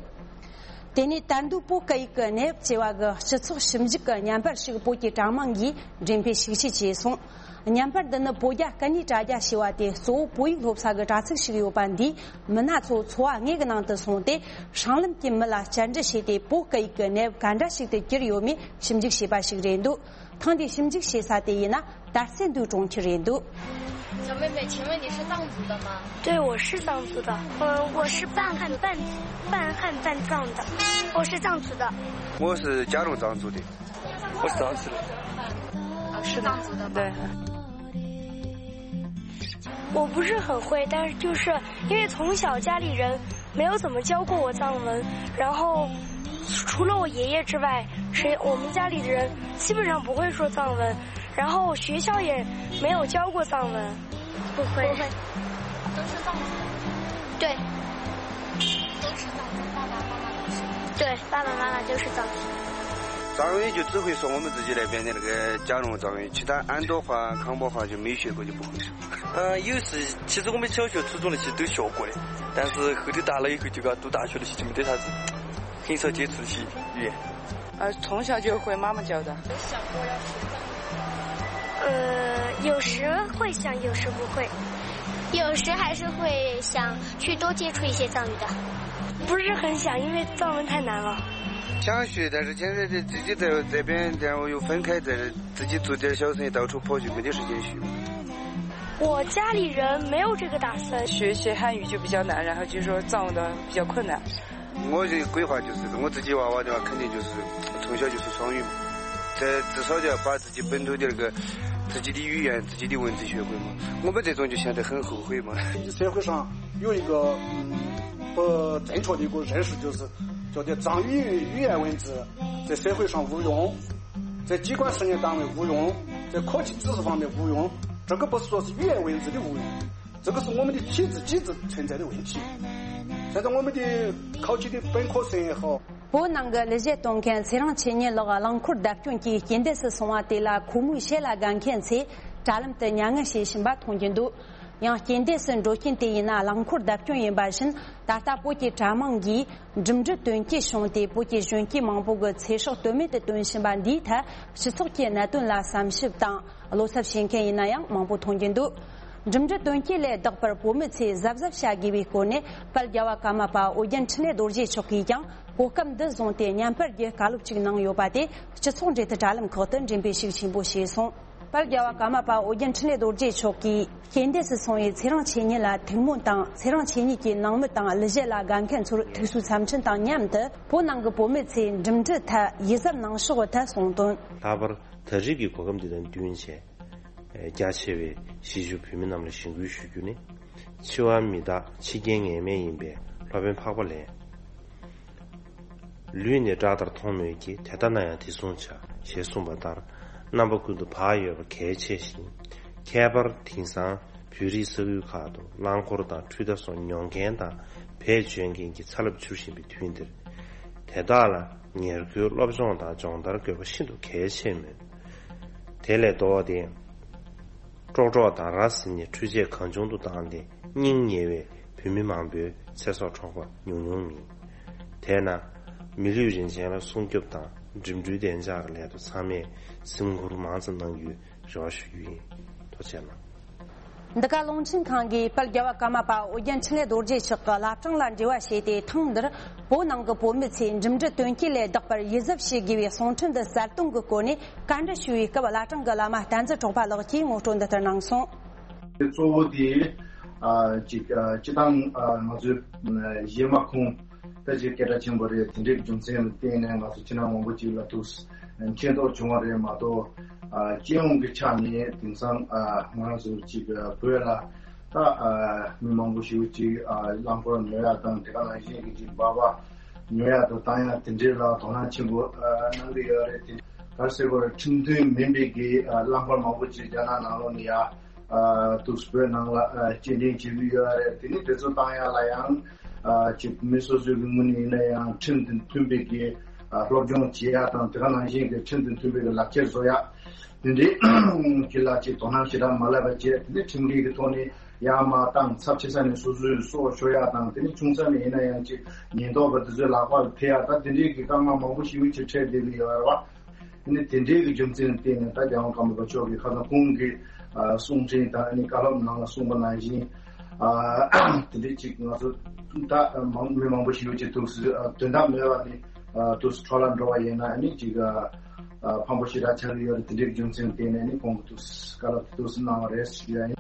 དེ་ནས་དར་མདོའི་བོད་སྐད་ཡིག་གི་གནས་བབ་ཅེས་པ་གི་སྤྱི་ཚོགས་ཞིབ་འཇུག་གི་བརྙན་པར་ཞིག་བོད་ཀྱི་དྲ་དམངས་ཀྱིས་འགྲེམས་སྤེལ་ཤུགས་ཆེ་བྱས་སོང་། བརྙན་པར་འདི་ནི་བོད་རྒྱ་སྐད་གཉིས་དྲ་རྒྱ་ཞེས་པ་དེ་གཙོ་བོ་བོད་ཡིག་སློབ་ས་གི་དྲ་ཚིགས་ཤིག་ཡོད་པ་འདིས་མི་སྣ་ཚོ་འཚོ་བ་དངོས་ཀྱི་ནང་དུ་སོང་སྟེ། སྲང་ལམ་གྱི་མི་ལ་བཅར་འདྲི་བྱས་ཏེ། བོད་སྐད་ཡིག་གི་གནས་བབ་ག་འདྲ་ཞིག་ཏུ་གྱུར་ཡོད་མེད་ཞིབ་འཇུག་བྱས་པ་ཞིག་རེད་འདུག་ཐེངས་འདིའི་ཞིབ་འཇུག་བྱེད་ས་དེ་ཡིན་ན་དར་རྩེ་མདོའི་གྲོང་ཁྱེར་རེད་འདུག 小妹妹，请问你是藏族的吗？对，我是藏族的。呃，我是半汉半半汉半藏的。我是藏族的。我是嘉隆藏族的。我是藏族的。啊，是藏族的吗？对。我不是很会，但是就是因为从小家里人没有怎么教过我藏文，然后除了我爷爷之外，谁我们家里的人基本上不会说藏文，然后学校也没有教过藏文。不会。不会。都是藏族。对。都是藏族，爸爸妈妈都是。对，爸爸妈妈都是藏族。藏语就只会说我们自己那边的那个嘉隆藏语，其他安多话、康波话就没学过，就不会说。嗯，有时其实我们小学、初中的其实都学过的，但是后头大了以后，就讲读大学的时候就没得啥子，很少接触这些语言。呃，从小就会妈妈教的。有想过要学藏语吗？呃，有时会想，有时不会。有时还是会想去多接触一些藏语的。不是很想，因为藏文太难了。想学，但是现在这自己在这边，然后又分开，在这自己做点小生意，到处跑，就没得时间学。我家里人没有这个打算。学学汉语就比较难，然后就说藏文的比较困难。我的规划就是，我自己娃娃的话，肯定就是从小就是双语嘛，这至少就要把自己本土的那个自己的语言、自己的文字学会嘛。我们这种就显得很后悔嘛。社会上有一个，嗯，不正确的一个认识，就是觉得藏语语言文字在社会上无用，在机关事业单位无用，在科技知识方面无用。这个不是说是语言文字的无用，这个是我们的体制机制存在的问题。现在我们的考级的本科生也好， བོད་ནང་གི་ལས་བྱེད་གཏོང་མཁན་ཚེ་རིང་ཆོས་ཉིད་ལགས་རླངས་འཁོར་བརྡབ་སྐྱོན་གྱིས་རྐྱེན་འདས་སུ་སོང་བ་དེ་ལ་ཁོ་མོའི་ཞལ་ལ་དགའ་མཁན་ཚོས་ དྲ་ལམ་དུ་མྱ་ངན་བྱེད་བཞིན་པ་མཐོང་རྒྱུ་འདུག། ཡང་རྐྱེན་འདས་སུ་འགྲོ་རྐྱེན་དེ་ཡིན་ན་རླངས་འཁོར་བརྡབ་སྐྱོན་ཡིན་པ་བཞིན། ད་ལྟ་བོད་ཀྱི་དྲ་དམངས་ཀྱིས་འགྲིམ་འགྲུལ་དོན་རྐྱེན་བྱུང་སྟེ་བོད་ཀྱི་གཞོན་སྐྱེས་མང་པོ་གི་ཚེ་སྲོག་དོན་མེད་དུ་བཏོན་བཞིན་པ་འདིའི་ཐད་སྤྱི་ཚོགས་ཀྱི་གནད་དོན་ལ་བསམ་ཞིབ་དང་བློ་འཚབ་བྱེད་མཁན་ཡིན་ན་ཡང་མང་པོ་མཐོང་རྒྱུ་འདུག། འགྲིམ་འགྲུལ་དོན་རྐྱེན་ལས་ལྡོག་པར་བོད་མི་ཚོས་གཟབ་གཟབ་བྱ་དགོས་པའི་སྐོར་ནས་དཔལ་རྒྱལ་བ་ཀརྨ་པ་ཨོ་རྒྱན་འཕྲིན་ལས་རྡོ་རྗེ་མཆོག་གིས་ཀྱང་གོ་སྐབས་འདི་བཟུང་སྟེ་བརྙན་པར་གྱི་བཀའ་སློབ་ཅིག་གནང་ཡོད་པ་དེ་སྤྱི་ཚོགས་འབྲེལ་མཐུད་དྲ་ལམ་ཁག་ཏུ་འགྲེམས་སྤེལ་ཤུགས་ཆེན་པོ་བྱས་སོང་། དཔལ་རྒྱལ་བ་ཀརྨ་པ་ཨོ་རྒྱན་འཕྲིན་ལས་རྡོ་རྗེ་མཆོག་གིས་རྐྱེན་འདས་སུ་སོང་བའི་ཚེ་རིང་མཆེད་གཉིས་ལ་ཐུགས་སྨོན་དང་། ཚེ་རིང་མཆེད་གཉིས་ཀྱི་ནང་མི་དང་གླུ་གཞས་ལ་དགའ་མཁན་ཚོར་ཐུགས་གསོའི་འཚམས་འཕྲིན་དང་མཉམ་དུ། བོད་ནང་གི་བོད་མི་ཚོས་འགྲིམ་འགྲུལ་ཐད་ཡིད་གཟབ་གནང་ཕྱོགས་ཐད་གསུངས་དོན། ལྷག་པར་ད་རེས་ཀྱི་གོ་སྐབས་འདི་དང་བསྟུན་བྱས། རྒྱ་ཆེ་བའི་གཞིས་བཞུགས་བོད་མི་རྣམས་ལ་གཞེན་སྐུལ་ཞུ་རྒྱུ་ནི། འཆི་བ་མི་རྟག་འཆི་རྐྱེན་ངེས་མེད་ཡིན་པས་སློབ་དཔོན་འཕགས་པ་ལས། ལུས་ནི་བཀྲག་མདངས་མཐོང་མོད་ཀྱི། དེ་ལྟ་ན་ཡང་དེ་བཟུང་བྱ། ཞེས་གསུངས་པ་ལྟར། རྣམ་པ་ཀུན་ཏུ་བག་ཡོད་པ་གལ་ཆེ་ཞིང་། ཁྱད་པར་དེང་སང་བོད་རིགས་ས་ཁུལ་ཁག་ཏུ་རླངས་འཁོར་དང་འཕྲུལ་རྟ་སོགས་ཉོ་མཁན་དང་བེད་སྤྱོད་མཁན་གྱི་ཚ་རླབས་འཕྱུར་བཞིན་པའི་དུས་འདིར། དེ་དག་ལ་ཉེར་མཁོའི་སློབ་སྦྱོང་དང་སྦྱོང་བརྡར་དགོས་པ་ཤིན་ཏུ་གལ་ཆེ་མོད། དེ་ལས་ལྡོག་སྟེ། ཀྲོག་ཀྲོག་དང་ར་བཟི་ནས་འཕྲུལ་ཆས་གང་བྱུང་དུ་བཏང་སྟེ་སྙིང་ཉེ་བའི་བོད་མི་མང་པོའི་ཚེ་སྲོག་འཕྲོག་པ་ཉུང་ཉུང་མིན། དེས་ན། མི་ལུས་རིན་ཆེན་ལ་སྲུང་སྐྱོབ་དང་འགྲིམ་འགྲུལ་བདེ་འཇགས་ཀྱི་སླད་དུ་ཚང་མས་སེམས་ཁུར་མང་ཙམ་གནང་རྒྱུའི་རེ་བ་ཞུ་རྒྱུ་ཡིན། ཐུགས་རྗེ་གནང་། འདི་ག་རླུང་འཕྲིན་ཁང་གིས་དཔལ་རྒྱལ་བ་ཀརྨ་པ་ཨོ་རྒྱན་འཕྲིན་ལས་རྡོ་རྗེ་མཆོག་གི་བླ་བྲང་ལ་འབྲེལ་བ་བྱས་ཏེ། ཐེངས་འདིར་བོད་ནང་གི་བོད་མི་ཚོས་འགྲིམ་འགྲུལ་དོན་རྐྱེན་ལས་ལྡོག་པར་ཡིད་གཟབ་བྱེད་དགོས་པའི་གསུང་འཕྲིན་འདི་གསལ་སྟོན་གྱི་སྒོ་ནས་བཀའ་འདྲི་ཞུ་བའི་སྐབས། བླ་བྲང་གི་བླ་མ་བསྟན་འཛིན་གྲགས་པ་ལགས་ཀྱིས་ངོ་སྤྲོད་འདི་ལྟར་གནང་སོང་། གཙོ་བོ་དེ་ཨ་ཅིག་ཨ་སྤྱི་བཏང་ཨ་ང་ཚོའི་ཨ་གཞས་མ་ཁོངས་ད་ཅིག་སྐད་གྲགས་ཆེན་པོ་རེད། དེ་འདྲའི་རྒྱུ་མཚན་ལ་བརྟེན་ནས་ང་ཚོ་ཕྱི་ནང་མང་པོ་ཅིག་ལ་ཐུགས་མཁྱེན་རྟོགས་བྱུང་བ་རེད་མ་གཏོགས། ཨ་སྤྱི་ཡོངས་ཀྱི་ཆ་ནས་དེང་སང་ཨ་ང་ཚོ་ཅིག་ཨ་བོད་ལ་ད་ཨ་མི་མང་པོ་ཞིག་ཅིག་ཨ་རླངས་འཁོར་ཉོ་ཡག་དང་། དེ་ག་ནང་བཞིན་གྱི་ཅིག་སྦག་སྦག་ཉོ་ཡག་དང་བཏང་ཡག་དེ་འདྲའི་ལ་དོ་སྣང་ཆེན་པོ་ཨ་གནང་གི་ཡོད་རེད། དེ་ག་རེ་ཟེར་དགོས་རེད། ཁྲིམས་མཐུན་མིན་པའི་གི་ཨ་རླངས་འཁོར་མང་པོ་ཅིག་རྒྱ་ནག་ནང་ལོགས་ནས་ཡ། ཨ་དུས་བོད་ནང་ལ་ཨ་སྐྱེལ་འདྲེན་བྱེད་ཀྱི་ཡོད་རེད། དེ་ནི་དེ་ཚོ་བཏང་ཡག་ལ་ཡང་ཨ་ཅིག་མི་སོ་སོའི་གི་ངོས་ནས་ཡིན་ན་ཡང་ཁྲིམས་དང་མཐུན་པའི་གི་ཨ་སློབ་སྦྱོང་བྱེད་ཡག་དང་། དེ་ག་ནང་བཞིན་གི་ཁྲིམས་དང་མཐུན་པའི་གི་ལག་ཁྱེར་བཟོ་ཡག་དེ་འདྲའི་གི་ལ་ཅིག་དོ་སྣང་ཞེ་དྲག་མ་བསླབ་པ་བྱས། དེ་ནི་ཁྲིམས་འགལ་གི་ཐོག་ནས་ཡར་མར་བཏང་། ཚབས་ཆེ་ས་ནས་སོ་སོའི་སྲོག་ཤོར་ཡག་དང་། དེ་ནི་ཆུང་ས་ནས་ཡིན་ན་ཡང་ཅིག་ཉེན་རྟོག་པ་དེ་ཚོའི་ལག་པར་ཐེབས་ཡག་ད་དེ་འདྲའི་གི་དཀའ་ངལ་མང་པོ་ཞེ་པོ་ཅིག་འཕྲད་བསྡད་ཀྱི་ཡོད་རེད་བ། ཨ་ནི་དེ་འདྲའི་གི་རྒྱུ་མཚན་ལ་བརྟེན་ནས་ད་རྒྱལ་དབང་ཀརྨ་པ་མཆོག་གིས་ཁ་སང་ཁོང་གི་ཨ་གསུང་འཕྲིན་དང་། ཨ་ནི་བཀའ་སློབ་ནང་ལ་གསུངས་པ་ནང་བཞིན། ཨ་དེ་འདྲའི་ཅིག་ང་ཚོ་ད་མང་མི་མང་པོ་ཞིག་ཡོད་ཅེས་ཐུགས་སུ་ཨ་དོན་དག་མེད་པ་ནི་ཨ་ཐུགས་སུ་འཕྲོ་བརླག་འགྲོ་བ་ཡིན་ན། ཨ་ནི་ཅིག་ཨ་ཕངས་པོ་ཞེ་དྲག་ཆགས་ཀྱི་ཡོད་རེད། དེ་འདྲའི་གི་རྒྱུ་མཚན་ལ་བརྟེན་ནས་ཨ་ནི་ཁོང་གི་ཐུགས་སུ་བཀའ་སློབ་ཐུགས་སུ་གནང་བ་རེད་ཞུ་ཡ་ཡིན།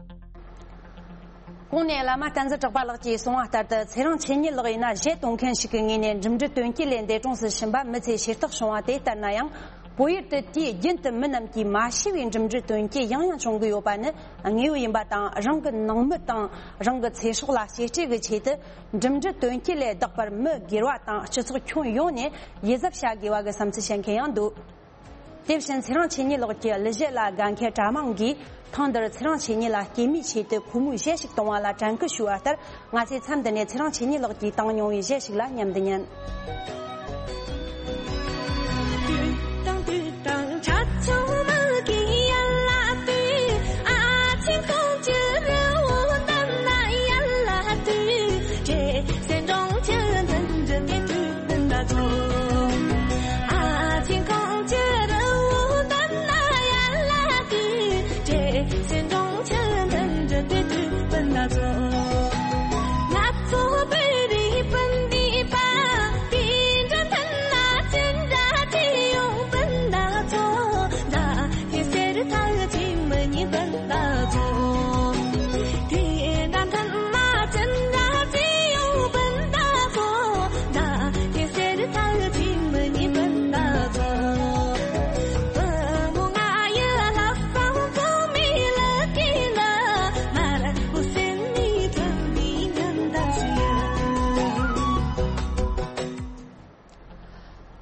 གོང་ནས་བླ་མ་བསྟན་འཛིན་གྲགས་པ་ལགས་ཀྱིས་གསུངས་པ་ལྟར་དུ། ཚེ་རིང་མཆེད་གཉིས་ལགས་ཡིན་ན་གཞས་གཏོང་མཁན་ཞིག་གི་ངོས་ནས་འགྲིམ་འགྲུལ་དོན་རྐྱེན་ལས་འདས་གྲོངས་སུ་ཕྱིན་པ་མི་ཚེ་ཞེ་ཐག་བྱུང་བ་དེ་ལྟར་ན་ཡང་། བོད་ཡུལ་དུ་དུས་རྒྱུན་དུ་མི་རྣམས་ཀྱིས་མ་ཤེས་པའི་འགྲིམ་འགྲུལ་དོན་རྐྱེན་ཡང་ཡང་བྱུང་གི་ཡོད་པ་ནི་དངོས་ཡོད་ཡིན་པ་དང་། རང་གི་ནང་མི་དང་རང་གི་ཚེ་སྲོག་ལ་གཅེས་སྤྲས་ཀྱི་ཆེད་དུ། འགྲིམ་འགྲུལ་དོན་རྐྱེན་ལས་ལྡོག་པར་མི་སྒེར་བ་དང་སྤྱི་ཚོགས་ཁྱོན་ཡོངས་ནས་ཡིད་གཟབ་བྱ་དགོས་པ་གི་བསམ་ཚུལ་བཤད་མཁན་ཡང་འདུག། དེ་བཞིན་ཚེ་རིང་མཆེད་གཉིས་ལགས་ཀྱི་གླུ་གཞས་ལ་དགའ་མཁན་དྲ་དམངས་ཀྱིས་ཐེངས་འདིར་ཚེ་རིང་མཆེད་གཉིས་ལ་སྐྱེས་མའི་ཆེད་དུ་ཁོ་མོས་གཞས་ཤིག་གཏོང་བ་ལ་དྲན་སྐུལ་ཞུ་བ་ལྟར། ང་ཚོས་མཚམས་འདི་ནས་ཚེ་རིང་མཆེད་གཉིས་ལགས་ཀྱིས་བཏང་མྱོང་བའི་གཞས་ཤིག་ལ་མཉམ་དུ་ཉན།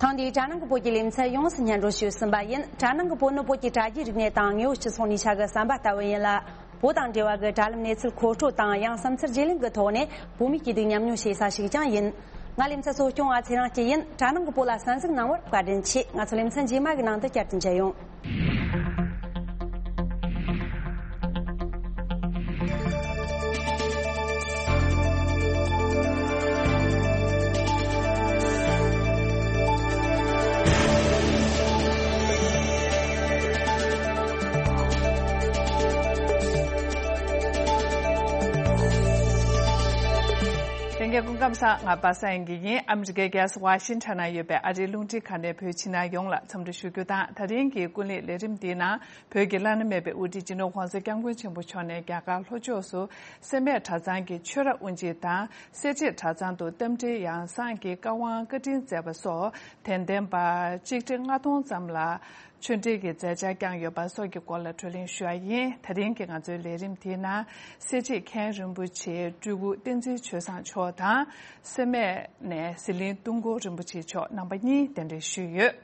ཐེངས་འདིའི་དྲ་ནང་གི་བོད་ཀྱི་ལེ་ཚན་ཡོངས་སུ་སྙན་སྒྲོན་ཞུས་ཟིན་པ་ཡིན། དྲ་ནང་གི་བོད་ནི་བོད་ཀྱི་དྲ་རྒྱའི་རིག་གནས་དང་དངོས་ཡོད་སྤྱི་ཚོགས་གནས་ཆ་གི་ཟམ་པ་ལྟ་བུ་ཡིན་ལ། བོད་དང་འབྲེལ་བ་གི་དྲ་ལམ་གནས་ཚུལ་མཁོ་སྤྲོད་དང་ཡང་བསམ་ཚུལ་བརྗེ་ལེན་གྱི་ཐོག་ནས་བོད་མིའི་སྐྱིད་སྡུག་མཉམ་མྱོང་བྱེད་ས་ཞིག་ཀྱང་ཡིན། ང་ལེ་ཚན་གཙོ་སྐྱོང་བ་ཚེ་རིང་སྐྱིད་ཡིན། དྲ་ནང་གི་བོད་ལ་གསན་གཟིགས་གནང་བར་བཀའ་དྲིན་ཆེ། ང་ཚོ་ལེ་ཚན་རྗེས་མ་གི་ནང་དུ་བསྐྱར་དུ་མཇལ་ཡོང་། སྐུ་ཁམས་བཟང་། ང་པ་སངས་དབྱངས་སྐྱིད་ཡིན། ཨ་མི་རི་ཀའི་རྒྱལ་ས་ཝ་ཤིང་ཊོན་ན་ཡོད་པའི་ཨ་རིའི་རླུང་འཕྲིན་ཁང་ནས་བོད་ཕྱི་ནང་ཡོངས་ལ་འཚམས་འདྲི་ཞུ་རྒྱུ་དང་། ད་རིང་གི་ཀུན་གླེང་ལས་རིམ་འདིའི་ནང་བོད་ཀྱི་བླ་ན་མེད་པའི་དབུ་ཁྲིད་སྤྱི་ནོར་༸གོང་ས་༸སྐྱབས་མགོན་ཆེན་པོ་མཆོག་ནས་རྒྱ་གར་ལྷོ་ཕྱོགས་སུ་སེར་སྨད་གྲྭ་ཚང་གི་ཆོས་ར་དབུ་འབྱེད་དང་། སེར་བྱེས་གྲྭ་ཚང་དུ་རྟ་མགྲིན་ཡང་གསང་གི་བཀའ་དབང་བཀའ་དྲིན་སྩལ་བ་སོགས་དད་ལྡན་པ་ཆིག་ཁྲི་ལྔ་སྟོང་ཙམ་ལ་ཆོས་འབྲེལ་གྱི་མཛད་འཆར་བསྐྱངས་ཡོད་པ་སོགས་ཀྱི་སྐོར་ལ་བགྲོ་གླེང་ཞུ་བ་ཡིན། ད་རིང་གི་ང་ཚོའི་ལས་རིམ་དེའི་ནང་སེར་བྱེས་མཁན་རིན་པོ་ཆེ་སྤྲུལ་སྐུ་བསྟན་འཛིན་ཆོས་བཟང་མཆོག་དང་། སེར་སྨད་ནས་ཟི་ལིང་ཏུང་ཀོ་རིན་པོ་ཆེ་མཆོག་རྣམ་པ་གཉིས་གདན་འདྲེན་ཞུས་ཡོད།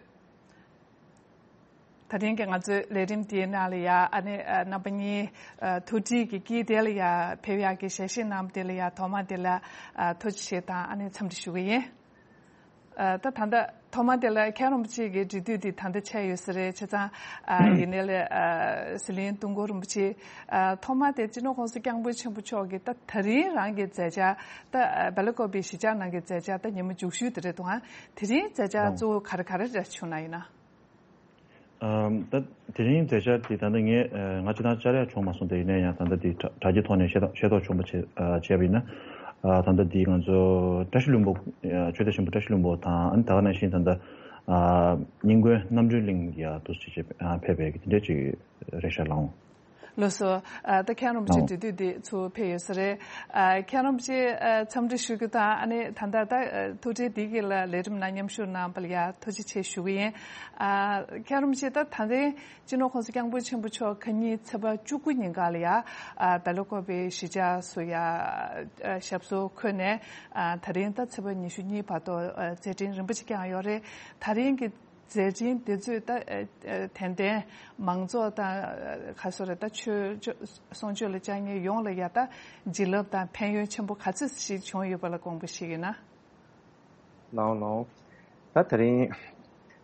ད་རིང་གི་ང་ཚོའི་ལས་རིམ་དེའི་ནང་ལ་ཡ་ཨ་ནི་ཨ་རྣམ་པ་གཉིས་ཨ་ཐུགས་འདྲིས་ཀྱི་དཀྱིལ་དེ་ལ་ཡ་ཕེབས་ཡག་གི་ཞལ་བཞེས་གནང་བ་དེ་ལ་ཡ་ཐོག་མ་དེ་ལ་ཨ་ཐུགས་རྗེ་ཆེ་དང་ཨ་ནི་འཚམས་འདྲི་ཞུ་གི་ཡིན། ཨ་ད་ད་ལྟ་ཐོག་མ་དེ་ལ་མཁན་རིན་པོ་ཆེ་གི་འབྲེལ་མཐུད་དེ་ད་ལྟ་ཆགས་ཡོད་ས་རེད། བྱས་ཙང་ཨ་ཡིན་ནའི་ལས་ཨ་ཟི་ལིང་ཏུང་ཀོ་རིན་པོ་ཆེ་ཨ་ཐོག་མ་དེ་སྤྱི་ནོར་༸གོང་ས་༸སྐྱབས་མགོན་ཆེན་པོ་མཆོག་གི་ད་ད་རིང་རང་གི་མཛད་འཆར་ད་ཨ་སྦེལ་ཀོབ་པའི་གཞིས་ཆགས་ནང་གི་མཛད་འཆར་ད་ཉི་མ་མཇུག་ཤོས་དེ་རེད་འདུག་ཨ། དེ་རིང་མཛད་འཆར་གཙོ་བོ་ག་རེ་ག་རེ་རེད་བྱུང་ན་ཡིན་ན། ཨམ། ད་དེ་རིང་མཛད་འཆར་དེ་ད་ལྟ་ངས་ཨ་ང་སྤྱིར་བཏང་བཅར་ཡག་བྱུང་མ་སོང་། དེ་ཡིན་ན་ཡང་ད་ལྟ་དེ་དྲ་དྲ་རྒྱའི་ཐོག་ནས་ཤེས་རྟོགས་ཤེས་རྟོགས་བྱུང་བ་བྱས་ཨ་བྱས་པ་ཡིན་ན། ཨ་ད་ལྟ་དེ་ང་ཚོ་བཀྲ་ཤིས་ལྷུན་པོ་ཨ་ཆོས་སྡེ་ཆེན་པོ་བཀྲ་ཤིས་ལྷུན་པོ་དང་། ཨ་ནི་ད་ག་ནང་བཞིན་ད་ལྟ་ཨ་རྙིང་དགོན་རྣམ་གྲོལ་གླིང་གི་ཡ་དུ་ཅིག་བྱས་ཨ་ཕེབས་པའི་དེ་འདྲ་ཅིག་རེད་ཤག་ལགས། ལགས་སོ། ཨ་ད་མཁན་རིན་པོ་ཆེ་ལགས། དེ་དུས་དེ་ཚུར་ཕེབས་ཡོད་ས་རེད། ཨ་མཁན་རིན་པོ་ཆེ་ཨ་འཚམས་འདྲི་ཞུ་རྒྱུ་དང་ཨ་ནི་ད་ལྟ་ད་ཨ་ཐུགས་འཕྲད་འདི་གི་ལ་ལས་རིམ་ནང་མཉམ་ཞུགས་གནང་བ་ལ་ཡ་ཐུགས་རྗེ་ཆེ་ཞུ་གི་ཡིན། ཨ་མཁན་རིན་པོ་ཆེ་ད་ད་རིང་སྤྱི་ནོར་༸གོང་ས་༸སྐྱབས་མགོན་ཆེན་པོ་མཆོག་ཁ་ཉིན་ཚེས་པ་བཅུ་དགུ་ཉིན་ག་ལ་ཡ་ཨ་སྦེལ་ཀོབ་པའི་གཞིས་ཆགས་སུ་ཡ་ཨ་ཞབས་སོར་འཁོད་ནས་ཨ་ད་རིང་ད་ཚེས་པ་ཉི་ཤུ་གཉིས་བར་དུ་ཨ་མཛད་འཕྲིན་རིམ་པ་ཅིག་བསྐྱངས་ཡོད་རེད། ད་རིང་གི་མཛད་འཕྲིན་དེ་ཚོས་ད་ཨ་ཨ་དད་ལྡན་མང་ཚོགས་དང་ཨ་ག་སོ་རེད། ད་ཆོས་ཆོས་གསུང་ཆོས་ལ་བཅར་མཁན་ཡོངས་ལ་ཡ་ད་བྱིན་རླབས་དང་ཕན་ཡོན་ཆེན་པོ་ག་ཚོད་ཞིག་བྱུང་ཡོད་པ་ལ་དགོངས་པ་བཞེས་ཀྱི་ན། ལའོ་ལའོ། ད་དེ་རིང་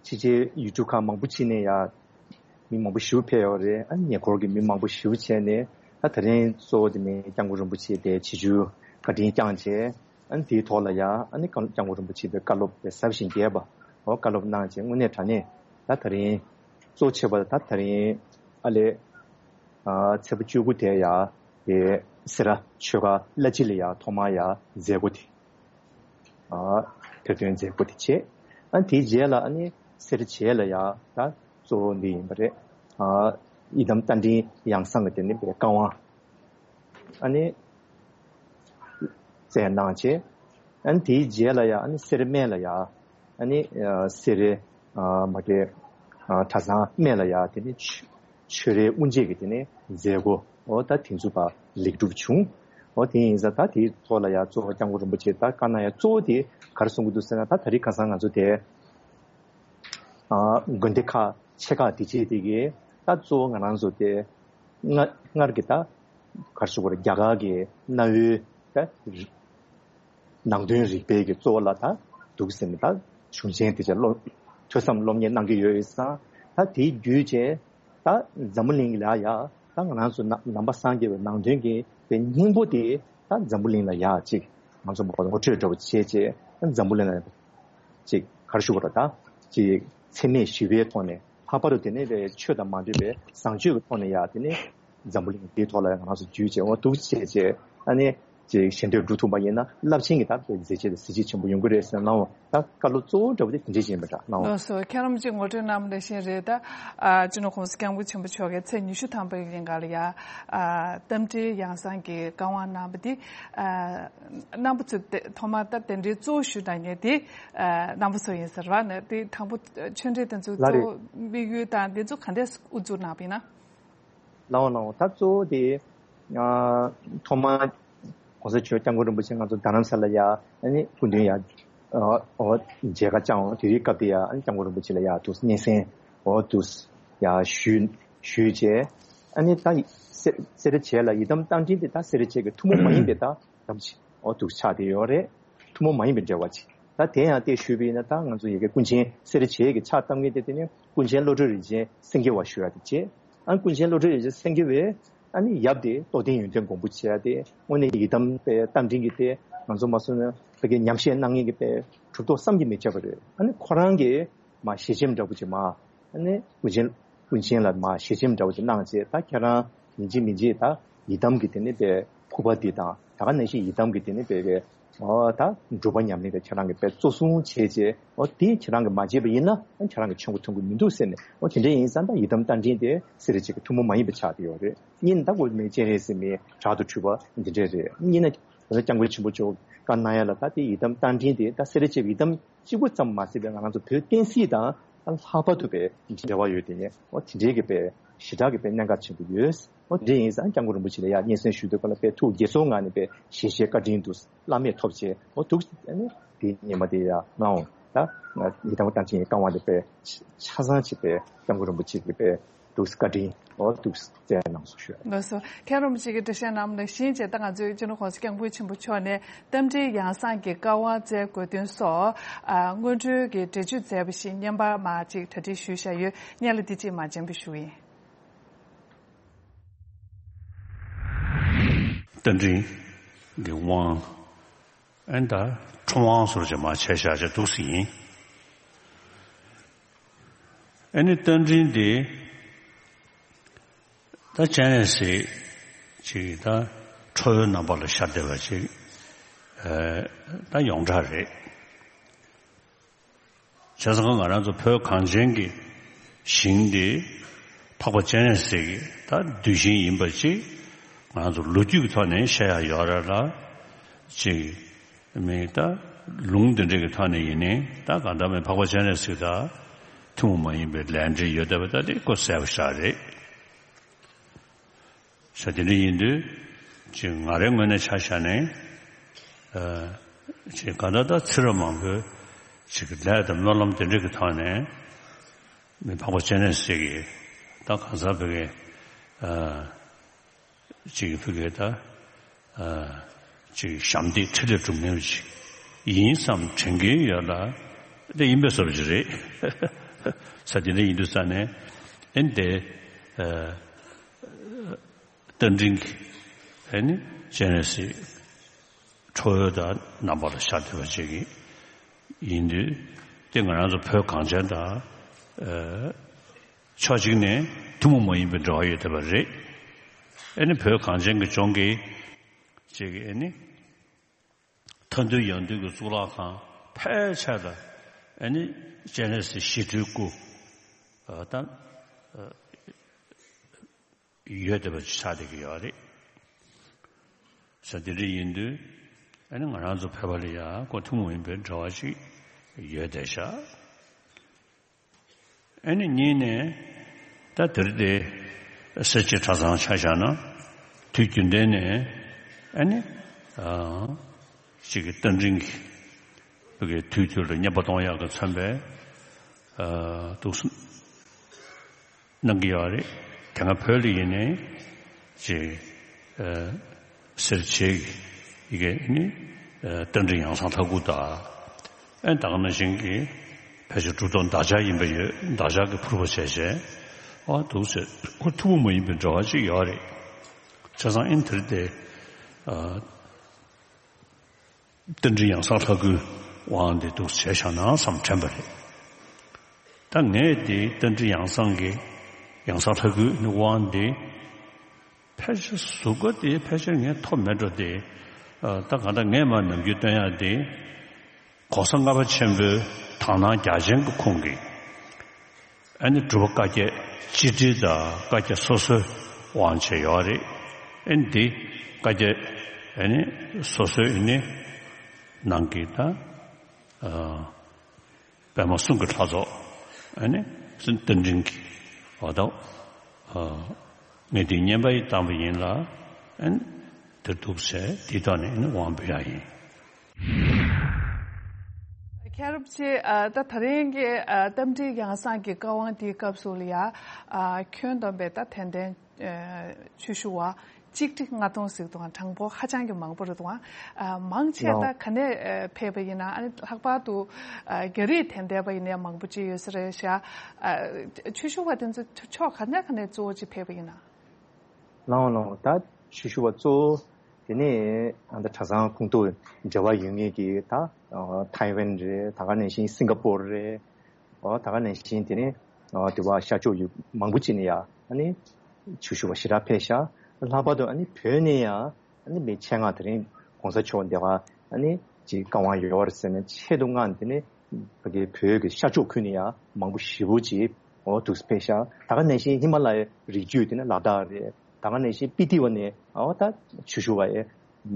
ཕྱི་རྒྱལ་ཡུལ་གྲུ་ཁག་མང་པོ་ཕྱིན་ནས་ཡ་མི་མང་པོ་ཞེ་པོ་ཕེབས་ཡོད་རེད། ཨ་ནི་ཉེ་འཁོར་གྱི་མི་མང་པོ་ཞེ་པོ་བྱས་ནས། ད་དེ་རིང་གཙོ་བོ་དེ་ནི་སྐྱབས་མགོན་རིན་པོ་ཆེ་དེ་ཆིབས་བསྒྱུར་བཀའ་དྲིན་བསྐྱངས་བྱས། ཨ་ནི་དེའི་ཐོག་ལ་ཡ་ཨ་ནི་སྐྱབས་མགོན་རིན་པོ་ཆེ་དེ་བཀའ་སློབ་དེ་ཟབ་ཞིང་རྒྱས་པ་འོ་བཀའ་སློབ་གནང་བྱས། དངོས་གནས་དྲང་གནས་ད་དེ་རིང་གཙོ་ཆེ་བ་ད་དེ་རིང་ཨ་ལས་ཨ་ཚེས་པ་བཅུ་དགུ་དེ་ཡ་དེ་སེ་ར་ཆོས་སྒར་བླ་སྤྱི་ལ་ཡ་ཐོག་མར་ཡ་མཛད་སྒོ་དེ། ཨ་ཐེར་འདོན་མཛད་སྒོ་དེ་བྱས། ཨ་དེའི་རྗེས་ལ་ཨ་ནི་སེ་ར་བྱེས་ལ་ཡ་ད་གཙོ་བོ་འདི་ཡིན་པ་རེད། ཨ་ཡི་དམ་རྟ་མགྲིན་ཡང་གསང་གི་དེ་ནི་པའི་བཀའ་དབང་ཨ་ནི་སྩལ་གནང་བྱས། ཨ་ནི་དེའི་རྗེས་ལ་ཡ་ཨ་ནི་སེ་ར་སྨད་ལ་ཡ་ཨ་ནི་ཨ་སེ་ར་ཨ་མ་གི་ཨ་གྲྭ་ཚང་སྨད་ལ་ཡ་དེ་ནི་ཆོས་ཆོས་རའི་དབུ་འབྱེད་ཀྱི་དེ་ནས་མཛད་སྒོ་འོ་ད་དེ་ཚོ་ཕར་ལེགས་གྲུབ་བྱུང་། འོ་དེ་ཡིན་ཙང་ད་དེའི་ཐོག་ལ་ཡ་གཙོ་བོ་སྐྱབས་མགོན་རིན་པོ་ཆེ་ད་བཀའ་གནང་ཡ་གཙོ་བོ་དེ་ག་རེ་གསུང་གི་འདུག་ཟེར་ན། ད་ད་རེས་ཁ་སང་ང་ཚོ་དེ་ཨ་དགོན་སྡེ་ཁག་ཆེ་ཁག་དེ་བྱས་དེ་གི་ད་གཙོ་བོ་ང་རང་ཚོ་དེ་སྔ་སྔར་གྱི་ད་ག་རེ་ཞུ་དགོས་རེད། རྒྱ་གར་གྱི་གནའ་བོའི་ད་ནང་དོན་རིག་པའི་གི་གཙོ་བོ་ལ་ད་འདུག་ཟེར་ནས་ད་གཞུང་ཆེན་དེ་ཚོ་སློབ་ཐོས་བསམ་སློབ་གཉེར་གནང་གི་ཡོད་ཡོད་ཙང་། ད་དེའི་བརྒྱུད་བྱས་ད་འཛམ་བུ་གླིང་ལ་ཡ་ད་ང་རང་ཚོ་ནང་ནང་པ་སངས་རྒྱས་པའི་ནང་དོན་གྱི་པའི་སྙིང་པོ་དེ་ད་འཛམ་བུ་གླིང་ལ་ཡ་ཅིག་ང་ཚོ་མ་ངོ་སྤྲོད་འདྲ་པོ་བྱས་བྱས་ད་འཛམ་བུ་གླིང་ལ་ཅིག་ག་རེ་ཞུ་དགོས་རེད། ད་ཅིག་འཚེ་མེད་ཞི་བའི་ཐོག་ནས་ལྷག་པར་དུ་དེ་ནས་པའི་ཆོས་དང་མ་འདྲེས་པའི་བཟང་སྤྱོད་ཀྱི་ཐོག་ནས་ཡ་དེ་ནས་འཛམ་བུ་གླིང་འདིའི་ཐོག་ལ་ང་རང་ཚོ་བརྒྱུད་བྱས་འོ་འདུག་བྱས་བྱས་ཨ་ནི་ཅིག་ཞལ་འདེབས་སྒྲུབ་ཐུབ་པ་ཡིན་ན་རླབས་ཆེན་གྱི་ད་མཛད་རྗེས་དང་གཟི་བརྗིད་ཆེན་པོ་ཡོང་གི་རེད་ཟེར་གནང་བ། ད་བཀའ་སློབ་གཙོ་བོ་འདྲ་བོ་དེ་དེ་འདྲས་ཅིག་ཡིན་པ་འདྲ་གནང་བ། ལགས་སོ། མཁན་རིན་པོ་ཆེ་ངོ་སྤྲོད་གནང་བ་ནང་བཞིན་རེད། ད་ཨ་སྤྱི་ནོར་༸གོང་ས་༸སྐྱབས་མགོན་ཆེན་པོ་མཆོག་གིས་ཚེས་ཉི་ཤུ་ཐམ་པའི་ཉིན་ག་ལ་ཡ་ཨ་རྟ་མགྲིན་ཡང་གསང་གི་བཀའ་དབང་གནང་བ་འདི་ཨ་རྣམ་པ་ཚོས་དེ་ཐོག་མར་ད་གདན་འདྲེན་གཙོ་བོ་ཞུས་གནང་མཁན་དེ་ཨ་རྣམ་པ་ཚོ་ཡིན་ཟེར་བ་ནི་དེ་དང་པོ་ཆོས་འབྲེལ་དེ་ཚོ་ལགས་རེད། གཙོ་བོ་དམིགས་ཡུལ་དང་དེ་ཚོ་ག་འདྲས་དབུ་འཛུགས་གནང་བ་ཡིན་ན། ལའོ་ལའོ། ད་གཙོ་བོ་དེ་ཨ་ཐོག་མར་༸གོང་ས་མཆོག་༸སྐྱབས་མགོན་རིན་པོ་ཆེ་ང་ཚོ་རྡ་རམ་ས་ལ་ཡ་ཨ་ནི་སྐུ་མདུན་ཡ་ཨ་ཨོ་མཇལ་ཁ་བཅར་འོང་། དེ་རིང་སྐབས་དེ་ཡ་ཨ་ནི་༸སྐྱབས་མགོན་རིན་པོ་ཆེ་ལ་ཡ་འདུག་སྙན་སེང་འོ་འདུག་ཡ་ཞུས་ཞུས་བྱས། ཨ་ནི་ད་སེ་སེ་ར་བྱེས་ལ་ཡི་དམ་རྟ་མགྲིན་དེ་ད་སེ་ར་བྱེས་ཀྱི་ཐུན་མོང་མ་ཡིན་པའི་ད་དམ་ཆོས་འོ་འདུག་ཆགས་བསྡད་ཡོད་རེད། ཐུན་མོང་མ་ཡིན་པའི་འབྲེལ་བ་ཅིག་ད་དེ་ཡང་དེ་ཞུས་པ་ཡིན་ན་ད་ང་ཚོ་ཡ་གི་ཀུན་མཁྱེན་སེ་ར་བྱེས་ཀྱི་ཕྱག་བཏབ་མཁན་དེ་དེ་ནི་ཀུན་མཁྱེན་བློ་གྲོས་རིན་ཆེན་སེང་གེ་བ་ཞུ་ཡ་དེ་བྱས། ཨ་ཀུན་མཁྱེན་བློ་གྲོས་རིན་ཆེན་སེང་གེ་བས་ཨ་ནི་ཡབ་དེ་རྟོགས་ལྡན་ཡོན་ཏན་མགོན་པོ་བྱས་ཏེ་དངོས་གནས་ཡི་དམ་པའི་རྟ་མགྲིན་གྱི་དེ་ང་ཚོ་མ་སོང་ན་ཕ་གི་ཉམས་བཞེས་གནང་མཁན་གྱི་དཔེ་གྲུབ་ཐོབ་བསམ་གྱིས་མི་ཁྱབ་པ་རེད། ཨ་ནི་ཁོ་རང་གིས་མ་ཞལ་ཆེམས་འདྲ་པོ་ཅིག་མ་ཨ་ནི་ཀུན་མཁྱེན་ཀུན་མཁྱེན་ལ་མ་ཞལ་ཆེམས་འདྲ་པོ་ཅིག་གནང་བྱས། ད་ཁྱེད་རང་ཡིན་གཅིག་མིན་གཅིག་ད་ཡི་དམ་གྱི་དེ་ནི་དཔེ་ཕུག་པ་འདི་དང་ད་ག་ནང་བཞིན་ཡི་དམ་གྱི་དེ་ནི་དཔེ་གི་ ཨོ་ད་འབྲུག་པ་ཉམས་ལེན་དེ་ཁྱེད་རང་གིས་དཔེ་གཙོ་བཟུང་བྱས་རྗེས་ཨོ་དེ་ཁྱེད་རང་གིས་མ་བྱས་པ་ཡིན་ན་ཨ་ཁྱེད་རང་གིས་མཆན་འགོད་ཐོན་གི་མི་འདུག་ཟེར་ནས། ཨོ་དེ་འདྲ་ཡིན་ཙང་ད་ཡི་དམ་རྟ་མགྲིན་དེ་སེ་ར་བྱེས་ཀྱི་ཐུན་མོང་མ་ཡིན་པ་ཆགས་ཀྱི་ཡོད་རེད། གཉིས་ནི་ད་གོ་མེད་སྤྱན་རས་གཟིགས་མེད་བྲག་ཏུ་གྲུལ་བ་འདི་འདྲས་རེད། གཉིས་ན་ད་སྐྱབས་མགོན་ཆེན་པོ་མཆོག་བཀའ་གནང་ཡ་ལ་ད་དེ་ཡི་དམ་རྟ་མགྲིན་དེ་ད་སེ་ར་བྱེས་ཀྱི་ཡི་དམ་གཅིག་པུ་ཙམ་མ་ཟད་པའི་ང་རང་ཚོ་བོད་བསྟན་སྲིད་དང་ལྷག་པར་དུ་པའི་འབྲེལ་བ་ཡོད་དེ་ནས་ཨོ་དེ་འདྲའི་གི་པའི་ཞེ་དྲག་གི་པའི་གནད་འགག་ཆེན་པོ་ཡོད། ཨོ་དེ་འདྲ་ཡིན་ཙང་སྐྱབས་མགོན་རིན་པོ་ཆེ་ལ་ཡ་སྙན་སེང་ཞུ་དུས་སྐབས་ལ་པའི་ཐུགས་དགྱེས་ཚོར་ངང་ནས་པའི་ཞལ་བཞེས་བཀའ་དྲིན་འདུག་བླ་མེད་ཐོབ་བྱས་ཨོ་འདུག་ཨ་ནི་དེ་ཉི་མ་དེ་ཡ་གནང་འོང་ད་ཡི་དམ་རྟ་མགྲིན་བཀའ་དབང་དེ་པའི་ཆ་ཚང་ཅིག་པའི་སྐྱབས་མགོན་རིན་པོ་ཆེ་གི་པའི་འདུག་བཀའ་དྲིན་ཨོ་འདུག་བསྩལ་གནང་སོང་ཞུ། ལགས་སོ། མཁན་རིན་པོ་ཆེ་གི་འགྲེལ་བཤད་གནང་བ་ནང་བཞིན་བྱས་ད་ང་ཚོའི་སྤྱི་ནོར་༸གོང་ས་༸སྐྱབས་མགོན་ཆེན་པོ་མཆོག་ནས་རྟ་མགྲིན་ཡང་གསང་གི་བཀའ་དབང་སྩལ་དགོས་དོན་སོགས་ཨ་སྔོན་འགྲོའི་གི་འགྲེལ་བརྗོད་མཛད་པ་ཞིག་བརྙན་པར་མར་ཅིག་གྲ་སྒྲིག་ཞུས་བཞག་ཡོད། སྙན་ལ་འདི་ཅིག་མར་སྤྱན་འབུལ་ཞུ་གི་ཡིན། རྟ་མགྲིན་གྱི་དབང་ཨན་ད་ཁྲོམ་དབང་ཟུར་ཅིག་མར་ཆད་བཞག་ཅིག་འདུག་སེ་ཡིན། ཨ་ནི་རྟ་མགྲིན་དེ་ད་སྤྱན་རས་གཟིགས་ཅིག་ད་ཁྲོ་བོའི་རྣམ་པ་ལ་ཤར་བསྡད་པ་ཅིག་ཨ་ད་ཡོངས་གྲགས་རེད། བྱས་ཙང་ང་རང་ཚོ་བོད་གངས་ཅན་གྱི་ཞིང་འདི་འཕགས་པ་སྤྱན་རས་གཟིགས་ཀྱི་ད་གདུལ་ཞིང་ཡིན་པ་ཅིག་ང་རང་ཚོ་ལོ་རྒྱུས་ཀྱི་ཐོག་ནས་བཤད་ཡ་ཡོད་རེད་ལ། ཅིག་མི་ད་ལུང་འདི་འདྲ་གི་ཐོག་ནས་ཡིན་ནའི་ད་གང་ལྟར་མི་འཕགས་པ་སྤྱན་རས་གཟིགས་ད་ཐུན་མོང་མ་ཡིན་པའི་ལས་འབྲེལ་ཡོད་བསྡད་པ་ད་དེ་ཀོ་གསལ་པོ་ཞིག་རེད། ས་དེ་འདྲ་ཡིན་དུས་ཅིག་ང་རའི་ངོས་ནས་ཆ་བཞག་ནས་ཨ་ཅིག་ག་ད་ད་ཚེ་རབས་མང་པོའི་ཅིག་ལས་དང་སྨོན་ལམ་དེ་འདྲ་གི་ཐོག་ནས་མི་འཕགས་པ་སྤྱན་རས་གཟིགས་ཀྱི་ད་གང་ཟག་བོད་ཀྱི་ཨ་ཅིག་བོད་ཀྱི་ད་ཨ་ཅིག་ཞབས་འདེགས་འཕྲིན་ལས་སྒྲུབ་མཁན་ཅིག་ཡིན་བསམ་དྲན་གྱིན་ཡོད་ལ་དེ་ཡིན་པའི་བཟོ་འདྲ་ཅིག་རེད། ས་དེ་འདྲ་ཡིན་དུས་ས་ནས་ཨེ་འདི་ཨ། རྟ་མགྲིན་གྱི་ཨ་ནི་སྤྱན་རས་གཟིགས་ཁྲོ་བོའི་དང་རྣམ་པ་ལ་ཤར་བསྡད་པ་ཅིག་ཡིན་དུས་དེ་ང་རང་ཚོ་བོད་གངས་ཅན་དང་ཨ་ཕྱོགས་གཅིག་ནས་ཐུན་མོང་མ་ཡིན་པའི་འབྲེལ་བ་ཡོད་བསྡད་པ་རེད། ཨ་ནི་བོད་གངས་ཅན་གྱི་ལྗོངས་ཀྱི་ཅིག་ཨ་ནི་མཐའ་འདུལ་ཡང་འདུལ་གྱི་གཙུག་ལག་ཁང་ཕལ་ཆེར་ལ་ཨ་ནི་སྤྱན་རས་གཟིགས་ཞི་ཁྲོའི་སྐུ་ཨ་དང་ཨ། ཡོད་བསྡད་པ་ཆགས་བསྡད་ཀྱི་ཡོད་རེད། ས་དེ་འདྲ་ཡིན་དུས་ཨ་ནི་ང་རང་ཚོ་བོད་པ་ལ་ཡང་ཁོ་ཐུན་མོང་མིན་པའི་འབྲེལ་བ་ཞིག་ཡོད་བསྡད་ཤག་ཨ་ནི་གཉིས་ནས་ད་དེར་དེ་སེར་བྱེས་གྲྭ་ཚང་ཆ་བཞག་ན་དུས་རྒྱུན་ལྡན་ནས་ཨ་ནི་ཨ་ཅིག་གི་རྟ་མགྲིན་གྱི་བོད་ཀྱི་དུས་དུས་ལ་བསྙེན་པ་གཏོང་ཡག་གི་མཚོན་པའི་ཨ་འདུག་སེ་གནང་གི་ཡོད་རེད། དེ་སྔ་བོད་ལ་ཡིན་ནའི་ཅིག་ཨ་སེར་བྱེས་ཀྱི་ཡི་གེ་ནི་ཨ་རྟ་མགྲིན་ཡང་གསང་ལྷ་སྐུ་དང་ཨ་ད་ག་ནང་བཞིན་གྱི་ཕལ་ཆེར་གྲུབ་ཐོབ་འདག་ཆགས་ཡིན་པ་ཡོད། འདག་ཆགས་ཀྱི་ཕུར་པ་བྱས་བྱས་ཨ་འདུག་སེ་ཁོ་ཐུན་མོང་མ་ཡིན་པའི་འབྲེལ་བ་ཅིག་ཡོད་རེད། བྱས་ཙང་ཨ་ནི་དེར་དེ་ཨ། རྟ་མགྲིན་ཡང་གསང་ལྷ་སྐུའི་དབང་དེ་འདུག་བྱས་བཞག་ན་བསམ་དྲན་པ་རེད། ད་ངས་དེ་རྟ་མགྲིན་ཡང་གསང་གི་ཡང་གསང་ལྷ་སྐུའི་དབང་དེ་ཕལ་ཆེར་གཟུགས་པོ་དེ་ཕལ་ཆེར་ངས་ཐོབ་མེད་འགྲོ་དེ། ད་གང་ལྟར་ངས་མར་ནམ་རྒྱུན་སྟོན་ཡག་དེ་༸གོང་ས་ལྔ་པ་ཆེན་པོའི་དག་སྣང་རྒྱ་ཆེན་གྱི་ཁོང་གིས། ཨ་ནི་སྒྲུབ་པ་བཀའ་བརྒྱད་སྤྱི་དྲིལ་དང་བཀའ་བརྒྱད་སོ་སོའི་དབང་བྱས་ཡོད་རེད། ཨ་ནི་འདི་བཀའ་བརྒྱད་ཨ་ནི་སོ་སོའི་ཨ་ནི་ནང་གི་ད་ཨ་པདྨ་གསུང་གི་ལྷ་ཚོགས་ཨ་ནི་གསུང་རྟ་མགྲིན་གྱི་འོ་ད་ཨ་ངས་འདི་བསྙེན་པ་ཡི་བཏང་བ་ཡིན་ལ་ཨ་ནི་དེར་འདུག་ཟེར་འདི་དག་ནི་ཨ་ནི་དབང་འབུལ་ཡག་ཡིན། མཁན་རིན་པོ་ཆེ་ཨ་ད་ད་རིང་གི་ཨ་རྟ་མགྲིན་ཡང་གསང་གི་བཀའ་དབང་དེའི་སྐབས་སུ་ལ་ཡ་ཨ་ཁྱོན་བསྡོམས་པའི་ད་དད་ལྡན་ཨ་ཆོས་ཞུ་བ་གཅིག་ཁྲི་ལྔ་སྟོང་ཟིག་འདུག་ག་གྲངས་འབོར་ཧ་ཅང་གི་མང་པོ་རེད་འདུག་ག་ཨ་མང་ཆེ་ལའོ། ད་ག་ནས་ཨ་ཕེབས་པ་ཡིན་ན། ཨ་ནི་ལྷག་པར་དུ་ཨ་རྒྱ་རིགས་དད་ལྡན་པ་ཡིན་ན་ཡང་མང་པོ་ཅིག་ཡོད་ས་རེད་ཤག་ཨ་ཆོས་ཞུ་བ་དེ་ཚོ་ཕྱོགས་ག་ནས་ག་ནས་གཙོ་བོ་ཅིག་ཕེབས་པ་ཡིན་ན། ལའོ་ལའོ། ད་ཆོས་ཞུ་བ་གཙོ་བོ་དེ་ནས་ཨ་ད་གྲྭ་ཚང་ཁོངས་གཏོགས་འབྲེལ་བ་ཡོད་མཁན་གྱི་ད་ཐའེ་ཝན་རེད། ད་ག་ནང་བཞིན་སིང་ག་པོར་རེད། འོ་ད་ག་ནང་བཞིན་དེ་ནས་འོ་དེ་བ་ཤར་ཕྱོགས་ཡུལ་མང་པོ་ཅིག་ནས་ཡ་ཨ་ནི་ཆོས་ཞུ་བ་ཞེ་དྲག་ཕེབས་ཤག་ལྷག་པར་དུ་ཨ་ནི་བོད་ནས་ཡ་ཨ་ནི་མི་ཆེད་མངགས་དེ་རིང་གོང་ས་མཆོག་འདི་ག་ ཨ་ནི་ཅིག་བཀའ་དབང་ཡོད་རེད་ཟེར་ནས་ཆེད་དུ་མངགས་ནས་དེ་ནས་ཕ་གི་བོད་ཀྱི་ཤར་ཕྱོགས་ཁུལ་ནས་ཡང་མང་པོ་ཞེ་པོ་ཅིག་འོ་འདུག་སེ་ཕེབས་ཤག་ད་ག་ནང་བཞིན་ཧི་མ་ལ་ཡའི་རི་རྒྱུད་དེ་ནས་ལ་དྭགས་རེད། ད་ག་ནང་བཞིན་སྤི་ཏི་བ་ནས་འོ་ད་ཆུ་ཤུར་བ་ཡས་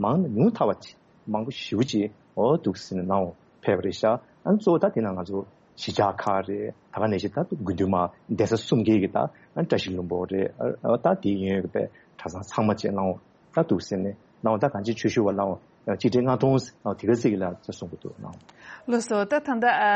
མང་ན་ཉུང་མཐའ་བ་ཅིག་མང་པོ་ཞེ་པོ་ཅིག་འོ་འདུག་སེ་ནང་ཕེབས་པ་རེད་ཤག་ཨ་ནི་གཙོ་བོ་ད་དེ་ན་ང་ཚོ་གཞིས་ཆགས་ཁག་རེད། ད་ག་ནང་བཞིན་ད་དགུན་དུས་མ་གདན་ས་གསུམ་གྱི་གི་ད་བཀྲ་ཤིས་ལྷུན་པོ་རེད། ཨ་ད་དེ་ཡོན་གྱི་པའི་གྲྭ་ཚང་ཚང་མ་བཅས་ལའང་ད་འདུག་སེ་ནས་ལའང་ད་གང་ཅི་ཆོས་ཞུ་བ་ལའང་གཅིག་སྒྲིལ་ལྔ་སྟོང་དེ་ག་ཟིག་ལ་ཚེ་གསུང་གི་འདུག་ལའང་། ལགས་སོ། ད་ད་ལྟ་ཨ་ཨ་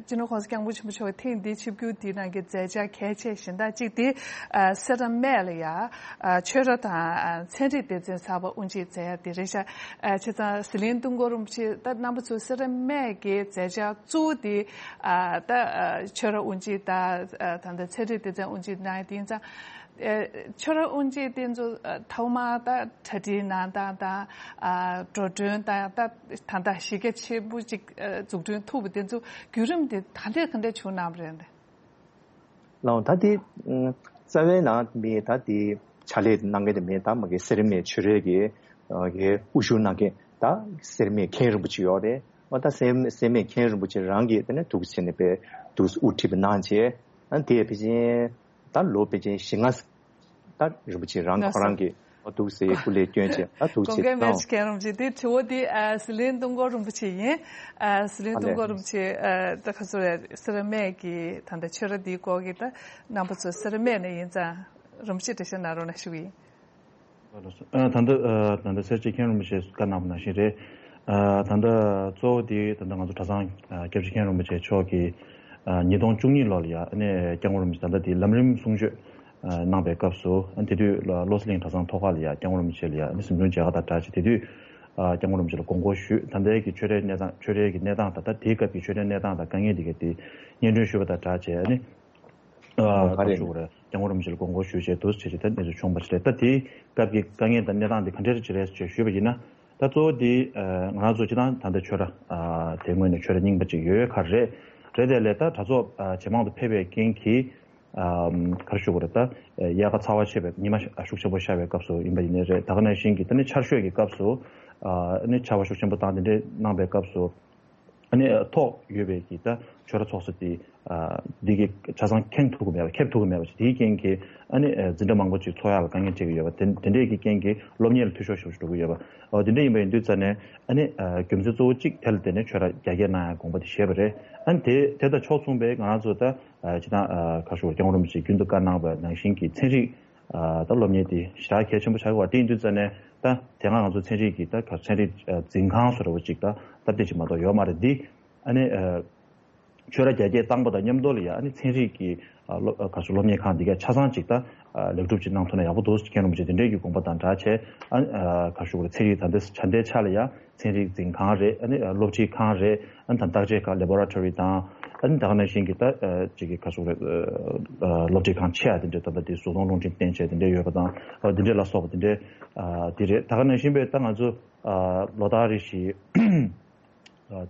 སྤྱི་ནོར་༸གོང་ས་༸སྐྱབས་མགོན་ཆེན་པོ་མཆོག་གིས་ཐེངས་འདིའི་ཆིབས་བསྒྱུར་འདིའི་ནང་གི་མཛད་འཆར་གལ་ཆེ་གཞན་དག་གཅིག་དེ་ཨ་སེ་ར་སྨད་ལ་ཡ་ཨ་ཆོས་ར་དང་ཨ་ཚན་རིག་སྡེ་ཚན་གསར་པ་དབུ་འབྱེད་མཛད་ཡ་དེ་རེད་ཤག་ཨ་བྱས་ཙང་ཟི་ལིང་ཏུན་ཧོང་རིན་པོ་ཆེ་ད་རྣམ་པ་ཚོ་སེ་ར་སྨད་ཀྱི་མཛད་འཆར་གཙོ་བོ་དེ་ཨ་ད་ཨ་ཆོས་ར་དབུ་འབྱེད་དང་ཨ་ད་ལྟ་ཚན་རིག་སྡེ་ཚན་དབུ་འབྱེད་གནང་ཡ་དེ་ཡིན་ཙང་། ཨེ་ཆོས་ར་དབུ་འབྱེད་དེ་ཚོ་ཨ་ཐོག་མར་ད་གྲ་སྒྲིག་གནང་སྟངས་དང་ཨ་འགྲོ་གྲོན་དང་ད་ད་ལྟ་གཞི་རྒྱ་ཆེན་པོ་ཅིག་ཨ་འཛུགས་སྐྲུན་ཐུབ་པ་དེ་ཚོ་བརྒྱུད་རིམ་དེ་ག་འདྲས་ག་འདྲས་བྱུང་གནང་བ་རེད། ལའང་ད་དེ་ཨ་རྩ་བའི་ནང་མི་ད་དེ་ཕྱག་ལས་གནང་མཁན་དེ་མི་ད་མ་གི་སེར་མའི་ཆོས་རའི་གི་ཨ་གི་དབུ་བཞུགས་གནང་མཁན་ད་སེར་མའི་མཁན་རིན་པོ་ཆེ་ཡོད་རེད། ཨ་ད་སེར་སེར་མའི་མཁན་རིན་པོ་ཆེ་རང་གིས་དེ་ནས་འདུག་སེ་བྱས་ནས་པའི་འདུག་སེ་དབུ་ཁྲིད་པ་གནང་བྱས། ཨ་དེ་ཕལ་ཆེར་ད་ལོ་ཕལ་ཆེར་བཞི་ལྔ་ད་རིན་པོ་ཆེ་རང་ཁོ་རང་གིས་འདུག་སེ་སྐུ་ལས་བསྐྱོན་བྱས་ད་འདུག་སེ་གོང་དཀར་མལ་གནང་། ཆེན་མཁན་རིན་པོ་ཆེ་དེ་དྲི་བ་དེ་ཨ་ཟི་ལིང་ཏུན་ཧོང་རིན་པོ་ཆེ་ཡིན། ཨ་ཟི་ལིང་ཏུན་ཧོང་རིན་པོ་ཆེ་ཨ་ད་ག་ཚོད་རེད། སེ་ར་སྨད་ཀྱི་ད་ལྟ་ཆོས་ར་འདིའི་སྐོར་གྱི་ད་རྣམ་པ་ཚོ་སེ་ར་སྨད་ནས་ཡིན་ཙང་རིན་པོ་ཆེ་འགྲེལ་བཤད་གནང་རོགས་གནང་ཞུ་གི་ཡིན། ཨ་ད་ལྟ་ཨ་ད་ལྟ་སེར་བྱེས་མཁན་རིན་པོ་ཆེས་བཀའ་གནང་བ་ནང་བཞིན་རེད། ཨ་ད་ལྟ་གཙོ་བོ་དེ་ད་ལྟ་ང་ཚོ་གྲྭ་ཚང་ཨ་སྐྱབས་རྗེ་མཁན་རིན་པོ་ཆེ་མཆོག་གིས་ཨ་ཉིས་སྟོང་བཅུ་གཉིས་ལོ་ལ་ཡ་ཨ་ནི་སྐྱབས་མགོན་རིན་པོ་ཆེ་ད་ལྟ་དེ་ལམ་རིམ་གསུང་ཆོས་ཨ་གནང་པའི་སྐབས་སུ་ཨ་དེ་དུས་ལ་བློ་གསལ་གླིང་གྲྭ་ཚང་ཐོག་ཁ་ལ་ཡ་སྐྱབས་མགོན་རིན་པོ་ཆེ་ལ་ཡ་ཨ་ནི་གཟིམ་ཆུང་མཇལ་ཁ་དང་སྦྲགས་བྱས་དེ་དུས་ཨ་སྐྱབས་མགོན་རིན་པོ་ཆེ་ལ་དགོངས་སྐོར་ཞུས། ད་ལྟའི་གི་ཆོས་རའི་གནས་སྟངས་ཆོས་རའི་གི་གནས་སྟངས་དང་ད་དེའི་སྐབས་ཀྱི་ཆོས་རའི་གནས་སྟངས་དང་དཀའ་ངལ་དེ་ག་དེ་སྙན་སྒྲོན་ཞུས་པ་དང་སྦྲགས་བྱས་ཨ་ནི། ཨ་ག་རེ་ཞུ་དགོས་རེད། སྐྱབས་མགོན་རིན་པོ་ཆེ་ལ་དགོངས་སྐོར་ཞུས་བྱས་འདུག་བྱས་བྱས་ད་གནས་ཚུལ་བྱུང་བ་ཞིག་རེད། ད་དེའི་སྐབས་ཀྱི་དཀའ་ངལ་དང་གནས་སྟངས་དེ་ག་འདྲ་ཅིག་རེད་ཅེས་ཞུས་པ་ཡིན་ན། ད་གཙོ་བོ་དེ་ཨ་ང་རང་ཚོ་སྤྱིར་བཏང་ད་ལྟ་ཆོས་ར་ཨ་དེ་སྔོན་ནས་ཆོས་ར་རྙིང་པ་ཅིག་ཡོད་ཁ་རེད། རེད་དེ་ལས་ད་གྲྭ་ཚོགས་ཨ་ཇེ་མང་དུ་ཕེབས་པའི་རྐྱེན་གྱིས་ཨ་ག་རེ་ཞུ་དགོས་རེད། ད་དབྱར་ཁ་ཚ་བ་ཆེ་བའི་ཉི་མ་ཤུགས་ཆེན་པོ་ཤར་བའི་སྐབས་སུ་ཡིན་པ་ཡིན་ནའི་རེད། ད་ག་ནང་བཞིན་གྱི་ད་ནི་ཆར་ཞོད་ཀྱི་སྐབས་སུ་ཨ་ནི་ཆར་པ་ཤུགས་ཆེན་པོ་བཏང་དེ་འདྲས་གནང་པའི་སྐབས་སུ། ཨ་ནི་ཐོག་ཡོད་པའི་གི་ད་ཆོས་ར་ཚོགས་ས་དེ་ཨ་འདི་གི་ཆ་ཚང་ཁེངས་ཐུབ་ཀྱི་མེད་པ་ཁེབས་ཐུབ་ཀྱི་མེད་པ་ཞིག་དེའི་རྐྱེན་གྱིས་ཨ་ནི་ཨ་འཛིན་གྲྭ་མང་པོ་ཅིག་འཚོགས་ཡག་ལ་དཀའ་ངལ་འཕྲད་ཀྱི་ཡོད་པ་དེ་དེ་འདྲས་ཀྱི་རྐྱེན་གྱིས་སློབ་གཉེར་ལ་འཐུས་ཤོར་ཞེ་པོ་ཅིག་འགྲོ་གི་ཡོད་པ། འོ་དེ་འདྲས་ཡིན་པ་ཡིན་དུས་ཙ་ནས་ཨ་ནི་ཨ་རྒྱུ་མཚན་གཙོ་བོ་གཅིག་དེ་ལ་བརྟེན་ནས་ཆོས་ར་རྒྱ་སྐྱེད་གནང་ཡག་དགོངས་པ་དེ་བཞེས་པ་རེད། ཨ་ནི་དེ་དེ་དང་ཕྱོགས་མཚུངས་པའི་ང་རང་ཚོ་ད་ཨ་སྤྱིར་བཏང་ཨ་ག་རེ་ཞུ་དགོས་རེད། སྐྱབས་མགོན་རིན་པོ་ཆེས་རྒྱུན་དུ་བཀའ་གནང་བ་ནང་བཞིན་གྱི་ཚན་རིག་ཨ་ད་སློབ་གཉེར་དེ་ཞེ་དྲག་གལ་ཆེན་པོ་ཆགས་ཀྱི་ཡོད་པ་དེ་ཡིན་དུས་ཙ་ནས་ད་དེ་སྔ་ང་ཚོ་ཚན་རིག་གི་ད་ག་ཚན་རིག་ཨ་འཛིན་ཁང་བཟོ་འདྲ་པོ་ཅིག་ད་སྟབས་བདེ་ཅིག་མ་གཏོགས་ཡོད་མ་རེད། འདི་ཨ་ནི་ཨ་ཆོས་ར་རྒྱ་སྐྱེད་བཏང་པ་དང་མཉམ་དུ་ལ་ཡ་ཨ་ནི་ཚན་རིག་གི་ཨ་སློབ་ཨ་ག་ཚོད་སློབ་གཉེར་ཁང་འདི་ག་ཆ་ཚང་ཅིག་ད་ཨ་ལེགས་གྲུབ་ཅིག་གནང་ཐུབ་ན་ཡག་པོ་འདུག་ཟེར་མཁན་རིན་པོ་ཆེ་དེ་འདྲས་ཀྱི་དགོངས་པ་དང་སྦྲགས་བྱས་ཨ་ནི་ཨ་ག་ཞུ་དགོས་རེད། ཚན་རིག་ད་ལྟ་ཆ་འདྲའི་ཆ་ལ་ཡ་ཚན་རིག་འཛིན་ཁང་རེད། ཨ་ནི་སློབ་ཁྲིད་ཁང་རེད། ཨ་ནི་ད་བརྟག་དཔྱད་ཁང་laboratory་དང་ཨ་ནི་ད་ག་ནང་བཞིན་གྱི་ད་ཅིག་གི་ག་སོག་རེད། སློབ་ཁྲིད་ཁང་ཆེ་བ་དེ་འདྲས་ད་ལྟ་དེ་གཟུགས་མཐོང་རླུང་འཕྲིན་བསྟན་བྱས་དེ་འདྲས་ཡོད་པ་དང་དེ་འདྲས་ལ་སོགས་པ་དེ་འདྲས་དེ་རེད། ད་ག་ནང་བཞིན་པའི་ད་ང་ཚོ་ལོ་ལྟར་རེ་བཞིན་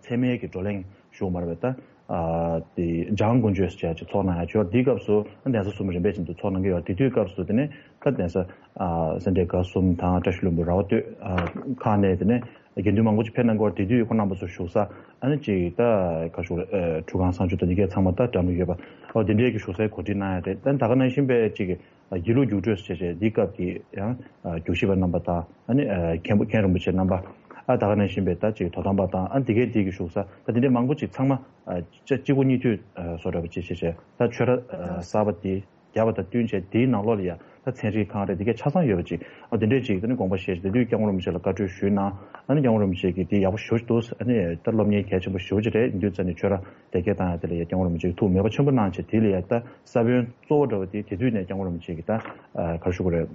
ཚད་མའི་གི་བགྲོ་གླེང་ཞུ་མ་རེད་པས། ད་དེ་འཇང་དཀོན་མཆོག་ཟེར་བྱས་ཅིག་ཚོགས་གནང་ཡ་ཅིག་ཡོད། དེའི་སྐབས་སུ་གདན་ས་གསུམ་རིམ་པས་བཞིན་དུ་ཚོགས་གནང་གི་ཡོད། དེ་དུས་སྐབས་སུ་དེ་ནས་ད་གདན་ས་སེ་འབྲས་དགའ་གསུམ་དང་བཀྲ་ཤིས་ལྷུན་པོ་ར་བ་སྟོད་ཁག་ནས་དེ་ནས་དགེ་འདུན་མང་པོ་ཅིག་ཕེབས་གནང་གི་ཡོད། དེ་དུས་ཁོང་རྣམ་པ་ཚོ་བཞུགས་ས་ཨ་ནི་ཅིག་ད་ག་ཞུ་རེད། ཁྲུས་ཁང་གསང་སྤྱོད་དང་འདི་གས་ཚང་མ་ད་འགྲམ་ལ་ཡོད་པ། འོ་དེ་འདྲས་ཀྱི་བཞུགས་སའི་གོ་སྒྲིག་གནང་ཡ་རེད། ད་ད་ག་ནང་བཞིན་པའི་ཅིག་དགེ་ལུགས་རྒྱུགས་སྤྲོད་ཟེར་བྱས་འདི་སྐབས་ཀྱི་ཡང་རྒྱུགས་ཞིབ་པ་རྣམ་པ་དང་ཨ་ནི་མཁན་པོ་མཁན་རིན་པོ་ཆེ་རྣམ་པ་ཨ་ད་ག་ནང་བཞིན་པའི་ད་ཅིག་དོ་དམ་པ་དང་ཨ་འདི་གས་འདི་གི་བཞུགས་ས་ད་དེ་འདྲས་མང་པོ་ཅིག་ཚང་མ་ཨ་ཅ་གཅིག་པུ་གཉིས་མཐུད་ཨ་བཟོ་འདྲ་པོ་ཅིག་བྱས་བྱས་ད་ཆོས་ར་ཨ་གསར་པ་འདི་བརྒྱབ་པ་དང་བསྟུན་བྱས་དེའི་ནང་ལོགས་ལ་ཡ་ད་ཚན་རིག་ཁང་རེད་འདི་གས་ཆ་ཚང་ཡོད་པ་ཅིག་ཨ་དེ་འདྲས་ཅིག་ད་ནི་དགོངས་པ་བཞེས་བྱས་དེ་དུས་སྐྱབས་མགོན་རིན་པོ་ཆེ་ལ་བཀའ་འཁྲོལ་ཞུས་གནང་། ཨ་ནི་སྐྱབས་མགོན་རིན་པོ་ཆེ་གིས་དེ་ཡག་པོ་ཞེ་པོ་ཅིག་འདུག་ཨ་ནི་ད་སློབ་གཉེར་གལ་ཆེན་པོ་ཞེ་པོ་ཅིག་རེད། འདི་དུས་ཙ་ནས་ཆོས་ར་དེ་སྐད་བཏང་ཡ་དེ་ལ་ཡ་སྐྱབས་མགོན་རིན་པོ་ཆེ་གིས་ཐུགས་མོས་པ་ཆེན་པོ་གནང་བྱས་དེ་ལ་ཡ་ད་ས་བོན་གཙོ་བོ་འདྲ་བོ་དེ་དེ་དུས་ནས་སྐྱབས་མགོན་རིན་པོ་ཆེ་གིས་ད་ཨ་ག་རེ་ཞུ་དགོས་རེད།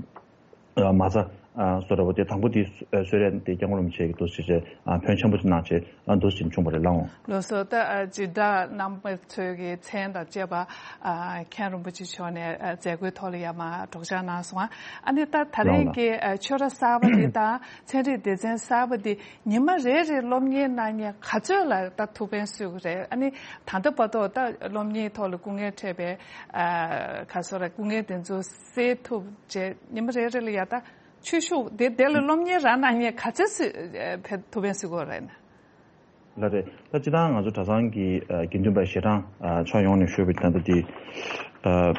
ཨ་མ་རྩ་ཨ་བཟོ་འདྲ་བོ་དེ་དང་པོ་དེ་གསོལ་རས་དེ་སྐྱབས་མགོན་རིན་པོ་ཆེ་གིས་འདུག་ཟེར་བྱས་ཨ་ཕོན་ཆེན་པོ་ཅིག་གནང་བྱས་ཨ་འདུག་ཟེར་བྱུང་བ་རེད་ལགས། ལགས་སོ། ད་ཨ་སྤྱིར་བདག་རྣམ་པ་ཚོའི་གི་མཚན་དང་བཅས་པ་ཨ་མཁན་རིན་པོ་ཆེ་མཆོག་ནས་ཨ་མཛད་སྒོའི་ཐོག་ལ་ཡ་མར་སྒྲོག་སྦྱང་གནང་སོང་ཨ། ཨ་ནི་ད་ད་རེས་ཀྱི་ཨ་ཆོས་ར་གསར་པ་དེ་དང་ཚན་རིག་སྡེ་ཚན་གསར་པ་དེ་ཉི་མ་རེ་རེ་སློབ་གཉེར་གནང་མཁན་ག་ཚོད་ལ་ད་ཐུགས་ཕན་གསོས་ཀྱི་རེད། ཨ་ནི་ད་ལྟ་བར་དུ་ད་སློབ་གཉེར་ཐོག་ལ་སྐུ་ངལ་འཕྲད་པའི་ཨ་ག་ཚོད་ར་སྐུ་ངལ་དེ་ཚོ་སེལ་ཐུབ་བྱས་ཉི་མ་རེ་རེ་ལ་ཡ་ད་ ཆོས་ཞུགས་དེ་དེ་ལ་སློབ་གཉེར་རང་གནང་མཁན་ག་ཚོད་སུ་ཕེབས་ཐུབ་པའི་སུ་གོ་རེད་ན། ལ་རེད། ད་སྤྱི་བཏང་ང་ཚོ་གྲྭ་ཚང་གི་ཨ་དགེ་འདུན་པ་ཞལ་གྲངས་ཨ་ཕྱོགས་ཡོངས་ནས་ཤོད་པའི་ད་ལྟ་དེ་ཨ་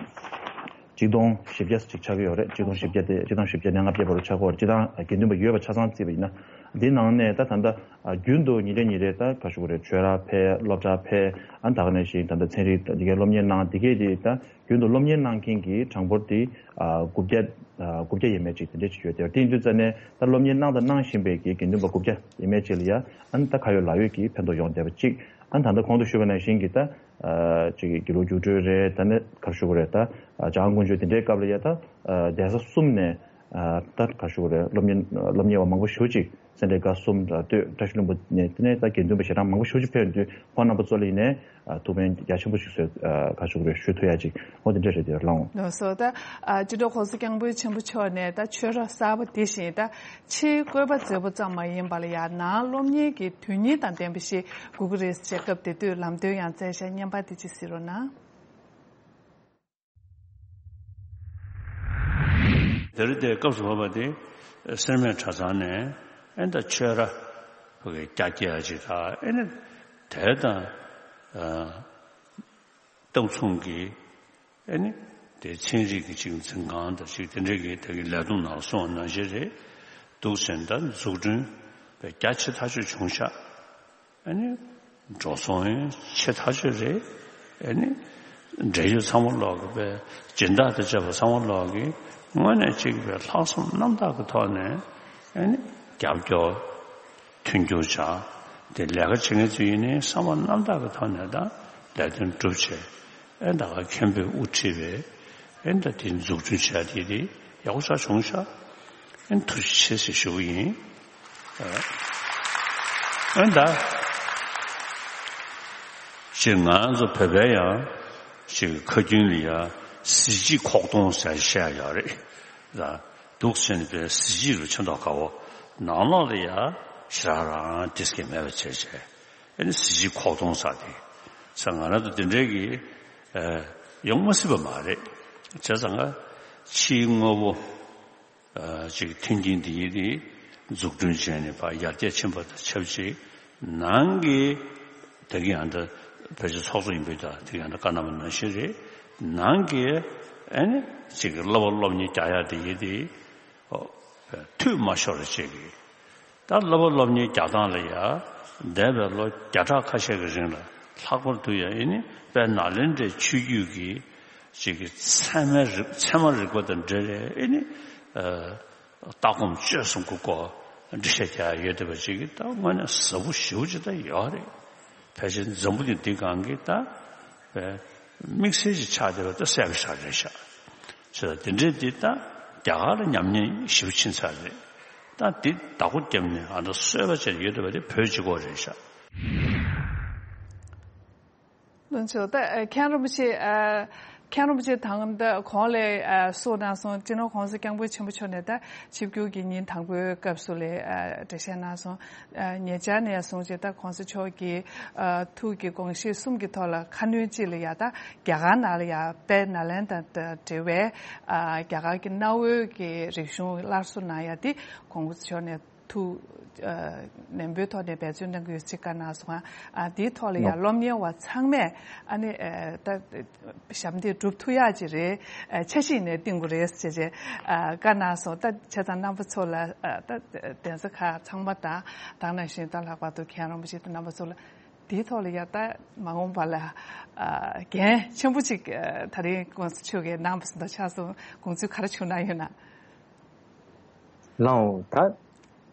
གཅིག་སྟོང་བཞི་བརྒྱ་ཅིག་ཆགས་ཀྱི་ཡོད་རེད། གཅིག་སྟོང་བཞི་བརྒྱ་དེ་གཅིག་སྟོང་བཞི་བརྒྱ་ནས་ལྔ་བརྒྱ་བར་དུ་ཆགས་ཀྱི་ཡོད་རེད། སྤྱི་བཏང་ཨ་དགེ་འདུན་པ་ཡོད་པ་ཆ་ཚང་བརྩིས་པ་ཡིན་ན། འདིའི་ནང་ནས་ད་ད་ལྟ་ཨ་རྒྱུན་དུ་ཉིན་རེ་ཉིན་རེ་ད་ག་ཞུ་དགོས་རེད། ཆོས་ར་ཕེབས། སློབ་གྲྭ་ཕེབས། ཨ་ད་ག་ནང་བཞིན་ད་ལྟ་ཚན་རིག་འདི་གའི་སློབ་གཉེར་གནང་། འདི་གའི་དེ་ད་རྒྱུན་དུ་སློབ་གཉེར་གནང་མཁན་གྱི་གྲངས་འབོར་དེ་ཨ་དགུ་བརྒྱ་ཨ་དགུ་བརྒྱ་ཡས་མས་ཅིག་དེ་འདྲས་ཅིག་ཡོད། དེར་དེ་ཡིན་དུས་ཙ་ནས་ད་སློབ་གཉེར་གནང་དང་གནང་བཞིན་པའི་གི་དགེ་འདུན་པ་དགུ་བརྒྱ་ཡས་མས་ཅིག་ལ་ཡ་ཨ་ནི་ད་ཁ་ཡོད་ལག་ཡོད་ཀྱི་ཕན་ཐོགས་ཡོང་བསྡད་པ་གཅིག་ཨ་ནི་ད་ལྟ་གོང་དུ་ཞུས་པ་ནང་བཞིན་གྱི་ད་ཨ་ཅིག་དགེ་ལུགས་རྒྱུགས་སྤྲོད་རེད། ད་ནི་ག་རེ་ཞུ་དགོས་རེད། ད་ཨ་བྱང་ཀོང་ཇོ་དེ་འདྲའི་སྐབས་ལ་ཡ་ད་ཨ་གདན་ས་གསུམ་ནས་ཨ་ད་ག་རེ་ཞུ་དགོས་རེད། སློབ་གཉེར་སློབ་གཉེར་བ་མང་པོ་ཞེ་པོ་ཅིག་སེ་འབྲས་དགའ་གསུམ་ར་སྟོད་བཀྲ་ཤིས་ལྷུན་པོ་ནས་དེ་ནས་ད་དགེ་འདུན་པ་ཞལ་གྲངས་མང་པོ་ཞེ་པོ་ཅིག་ཕེབས་ཡོང་དུས་ཁོང་རྣམ་པ་ཚོ་ལ་ཡིན་ནའི་ཨ་ཐུགས་ཕན་རྒྱ་ཆེན་པོ་ཞིག་གསོས་ཨ་ག་ཞུ་དགོས་རེད། ཞུ་ཐུབ་ཡ་ཅིག་འོ་དེ་འདྲ་རེད། དེ་ལགས་འོང་། ལགས་སོ། ད་ཨ་སྤྱི་ནོར་༸གོང་ས་༸སྐྱབས་མགོན་ཆེན་པོ་མཆོག་ནས་ད་ཆོས་ར་གསར་པ་འདི་བཞིན་ད་ཕྱིའི་བཀོད་པ་མཛེས་པོ་ཙམ་མ་ཡིན་པ་ལ་ཡང་ནང་སློབ་གཉེར་གྱི་དོན་སྙིང་དང་ལྡན་པ་ཞིག་དགོས་ཀྱི་རེད་ཅེས་སྐབས་དེ་དུས་ལམ་སྟོན་ཡང་བསྩལ་བཞག་བརྙན་པར་དེ་ཅིག་གཟིགས་རོགས་གནང་། དེ་རིང་དེ་སྐབས་སུ་བབས་པ་དེ་སེར་སྨད་གྲྭ་ཚང་ནས་ཨེ་ད་ཆོས་ར་ཕ་གི་རྒྱ་སྐྱེད་ཡ་ཅིག་དང་། ཨེ་ནི་དེ་དང་ཨ་སྟབས་མཚུངས་ཀྱི་ཨེ་ནི་དེ་ཚན་རིག་གི་ཅིག་འཛིན་ཁང་དང་ཅིག་དེ་འདྲའི་གི་དེ་གི་ལས་དོན་ནང་སོང་བ་ནང་བཞིན་རེད་འདུག་ཟེར། ད་འཛུགས་སྐྲུན་རྒྱ་ཆེ་ཐག་ཆོད་བྱུང་ཤག་ཨ་ནི་འགྲོ་སོང་ཡང་ཆེ་ཐག་ཆོད་རེད། ཨ་ནི་འབྲེལ་ཡོད་ཚང་མ་ལོག་གི་པའི་སྦྱིན་བདག་དང་བཅས་པ་ཚང་མ་ལོག་གི་དངོས་གནས་གཅིག་པའི་ལྷག་བསམ་རྣམ་དག་གི་ཐོག་ནས་ཨ་ནི་རྒྱབ་སྐྱོར་མཐུན་འགྱུར་བྱ། དེ་ལས་ཀ་བྱེད་མཁན་ཚོ་ཡིན་ནའི་བསམ་པ་རྣམ་དག་གི་ཐོག་ནས་ད་ལས་དོན་སྒྲུབ་བྱས། ཨེ་ད་ག་མཁན་པོས་དབུ་ཁྲིད་པའི་ཨེ་ད་དེ་འཛུགས་སྐྲུན་བྱས་དེ་དེ་ཡག་པོ་ཆགས་བྱུང་ཤག་ཨེ་ཐུགས་རྗེ་ཆེ་ཟེར་ཞུ་གི་ཡིན། ཨེ་ད་ཅིག་ང་ཚོ་བོད་པའི་ཡང་ཅིག་ཁ་རྒྱུན་ལ་ཡ་གཟི་བརྗིད་ཁོག་སྟོང་ཟེར་བཤད་ཡོད་རེད། ད་འདུག་ཟེར་ནས་པའི་གཟི་བརྗིད་རུ་ཆེ་མདོག་ཁ་བོ་ནང་ལོགས་ལ་ཡ་ཞེ་དྲག་རང་དེ་སྐད་མེད་པ་བྱས་བྱས། ཨ་ནི་གཟི་བརྗིད་ཁོག་སྟོང་ཟེར་དེ་ས་ང་རང་ཚོ་དེ་འདྲའི་གི་ཨ་ཡོང་མ་སྲིད་པ་མ་རེད། བྱས་ཙང་ང་ཕྱིའི་དངོས་པོ་ཨ་ཅིག་མཐུན་རྐྱེན་དེ་ཡི་དེ་འཛུགས་སྐྲུན་བྱས་ནས་ཕར་ཡར་རྒྱས་ཕྱིན་པ་དང་ཆབས་ཅིག་ནང་གི་དེ་གི་ཡང་ད་བོད་ཀྱི་ཚོགས་གཙོ་ཡིན་པའི་ད་དེ་གི་ཡང་ད་བཀའ་གནང་བ་ནང་བཞིན་རེད། ནང་གི་ཨ་ནི་ཅིག་གི་བསླབ་པ་སློབ་གཉེར་རྒྱག་ཡ་དེ་ཡི་དེ་ཨོ་འཐུས་མ་ཤོར་བ་བྱེད་དགོས། ད་བསླབ་པ་སློབ་གཉེར་རྒྱག་སྟངས་ལ་ཡ་འདས་པའི་ལོ་བརྒྱ་ཕྲག་ཁ་ཤས་ཀྱི་རིང་ལ་ལྷག་པར་དུ་ཡ་ཨེ་ནི་དཔལ་ནཱ་ལེནྡྲའི་ཆོས་བརྒྱུད་ཀྱི་ཅིག་གི་ཚད་མའི་རིག་ཚད་མ་རིག་པ་དང་འབྲེལ་བའི་ཨེ་ནི་ཨ་ལྟ་སྒོམ་སྤྱོད་གསུམ་གྱི་སྐོར་འགྲེལ་བཤད་རྒྱག་ཡ་ཡོད་བསྡད་པ་ཅིག་གི་ད་དངོས་གནས་ཟབ་པོ་ཞེ་པོ་ཅིག་ད་ཡོད་རེད། ཕལ་ཆེར་འཛམ་བུ་གླིང་འདི་སྒང་གི་ད་དམིགས་བསལ་ཅིག་ཆགས་བསྡད་པ་ད་གསལ་པོ་ཞེ་དྲག་རེད་ཤག་བྱས་ཙང་དེ་འདྲའི་འདི་ད་རྒྱ་གར་ལ་ཉམས་ཉེས་ཞེ་པོ་ཕྱིན་ཚར་རེད། ད་འདི་བདག་པོ་བརྒྱབ་ནས་ཨ་ད་གསོས་པ་བྱས་ཡོད་བསྡད་པ་དེ་བོད་གཅིག་པོ་རེད་ཤག་བློན་ཆེན་ད་མཁན་རིན་པོ་ཆེ་ཨ་མཁན་རིན་པོ་ཆེ་དང་ད་གོང་ལ་ཨ་གསུངས་གནང་སོང་། སྤྱི་ནོར་༸གོང་ས་༸སྐྱབས་མགོན་ཆེན་པོ་མཆོག་ནས་ད་ཆིབས་བསྒྱུར་གྱི་ཉིན་དང་པོའི་སྐབས་སུ་ལ་ཨ་འགྲེལ་བཤད་གནང་སོང་། ཨ་ཉེ་ཆར་ནས་བཟུང་བྱས་ད་༸གོང་ས་མཆོག་གི་ཨ་ཐུགས་ཀྱི་དགོངས་གཞི་གསུམ་གྱི་ཐོག་ལ་ཁ་སྣོན་ཅིག་ལ་ཡ་ད་རྒྱ་གར་ནང་ལ་ཡ་དཔལ་ནཱ་ལེནྡྲ་དང་འབྲེལ་བའི་ཨ་རྒྱ་གར་གྱི་གནའ་བོའི་གི་རིག་གཞུང་སླར་གསོ་གནང་ཡ་དེ་༸གོང་ས་མཆོག་ནས་ཐུགས་ཨ་ནན་པོའི་ཐོག་ནས་འབད་བརྩོན་གནང་གི་ཡོད་ཅེས་བཀའ་གནང་སོང་། ཨ་དེའི་ཐོག་ལ་ཡང་ནོ། སློབ་གཉེར་བ་ཚང་མས་ཨ་ནི་ཨ་ད་ཞབས་འདེགས་སྒྲུབ་ཐུབ་ཡག་ཅིག་རེད། ཨ་འཆར་གཞི་ནས་བཏིང་དགོས་རེད་ཅེས་ཅེས་ཨ་བཀའ་གནང་སོང་། ད་བྱས་ཙང་རྣམ་པ་ཚོ་ལ་ཨ་ད་གདན་ས་ཁག་ཚང་མ་དང་ད་ག་ནང་བཞིན་ད་ལྷག་པར་དུ་མཁན་རིན་པོ་ཆེ་དང་རྣམ་པ་ཚོ་ལ་དེའི་ཐོག་ལ་ཡང་ད་མ་འོངས་པ་ལ་ཨ་འགན་ཆེན་པོ་ཅིག་ཨ་ད་རིང་༸གོང་ས་མཆོག་གིས་གནང་བ་བཟོ་འདྲ་ཆགས་སོང་། དགོངས་ཚུལ་ག་རེ་བྱུང་གནང་ཡོད་ན། ལགས་འོང་། ད་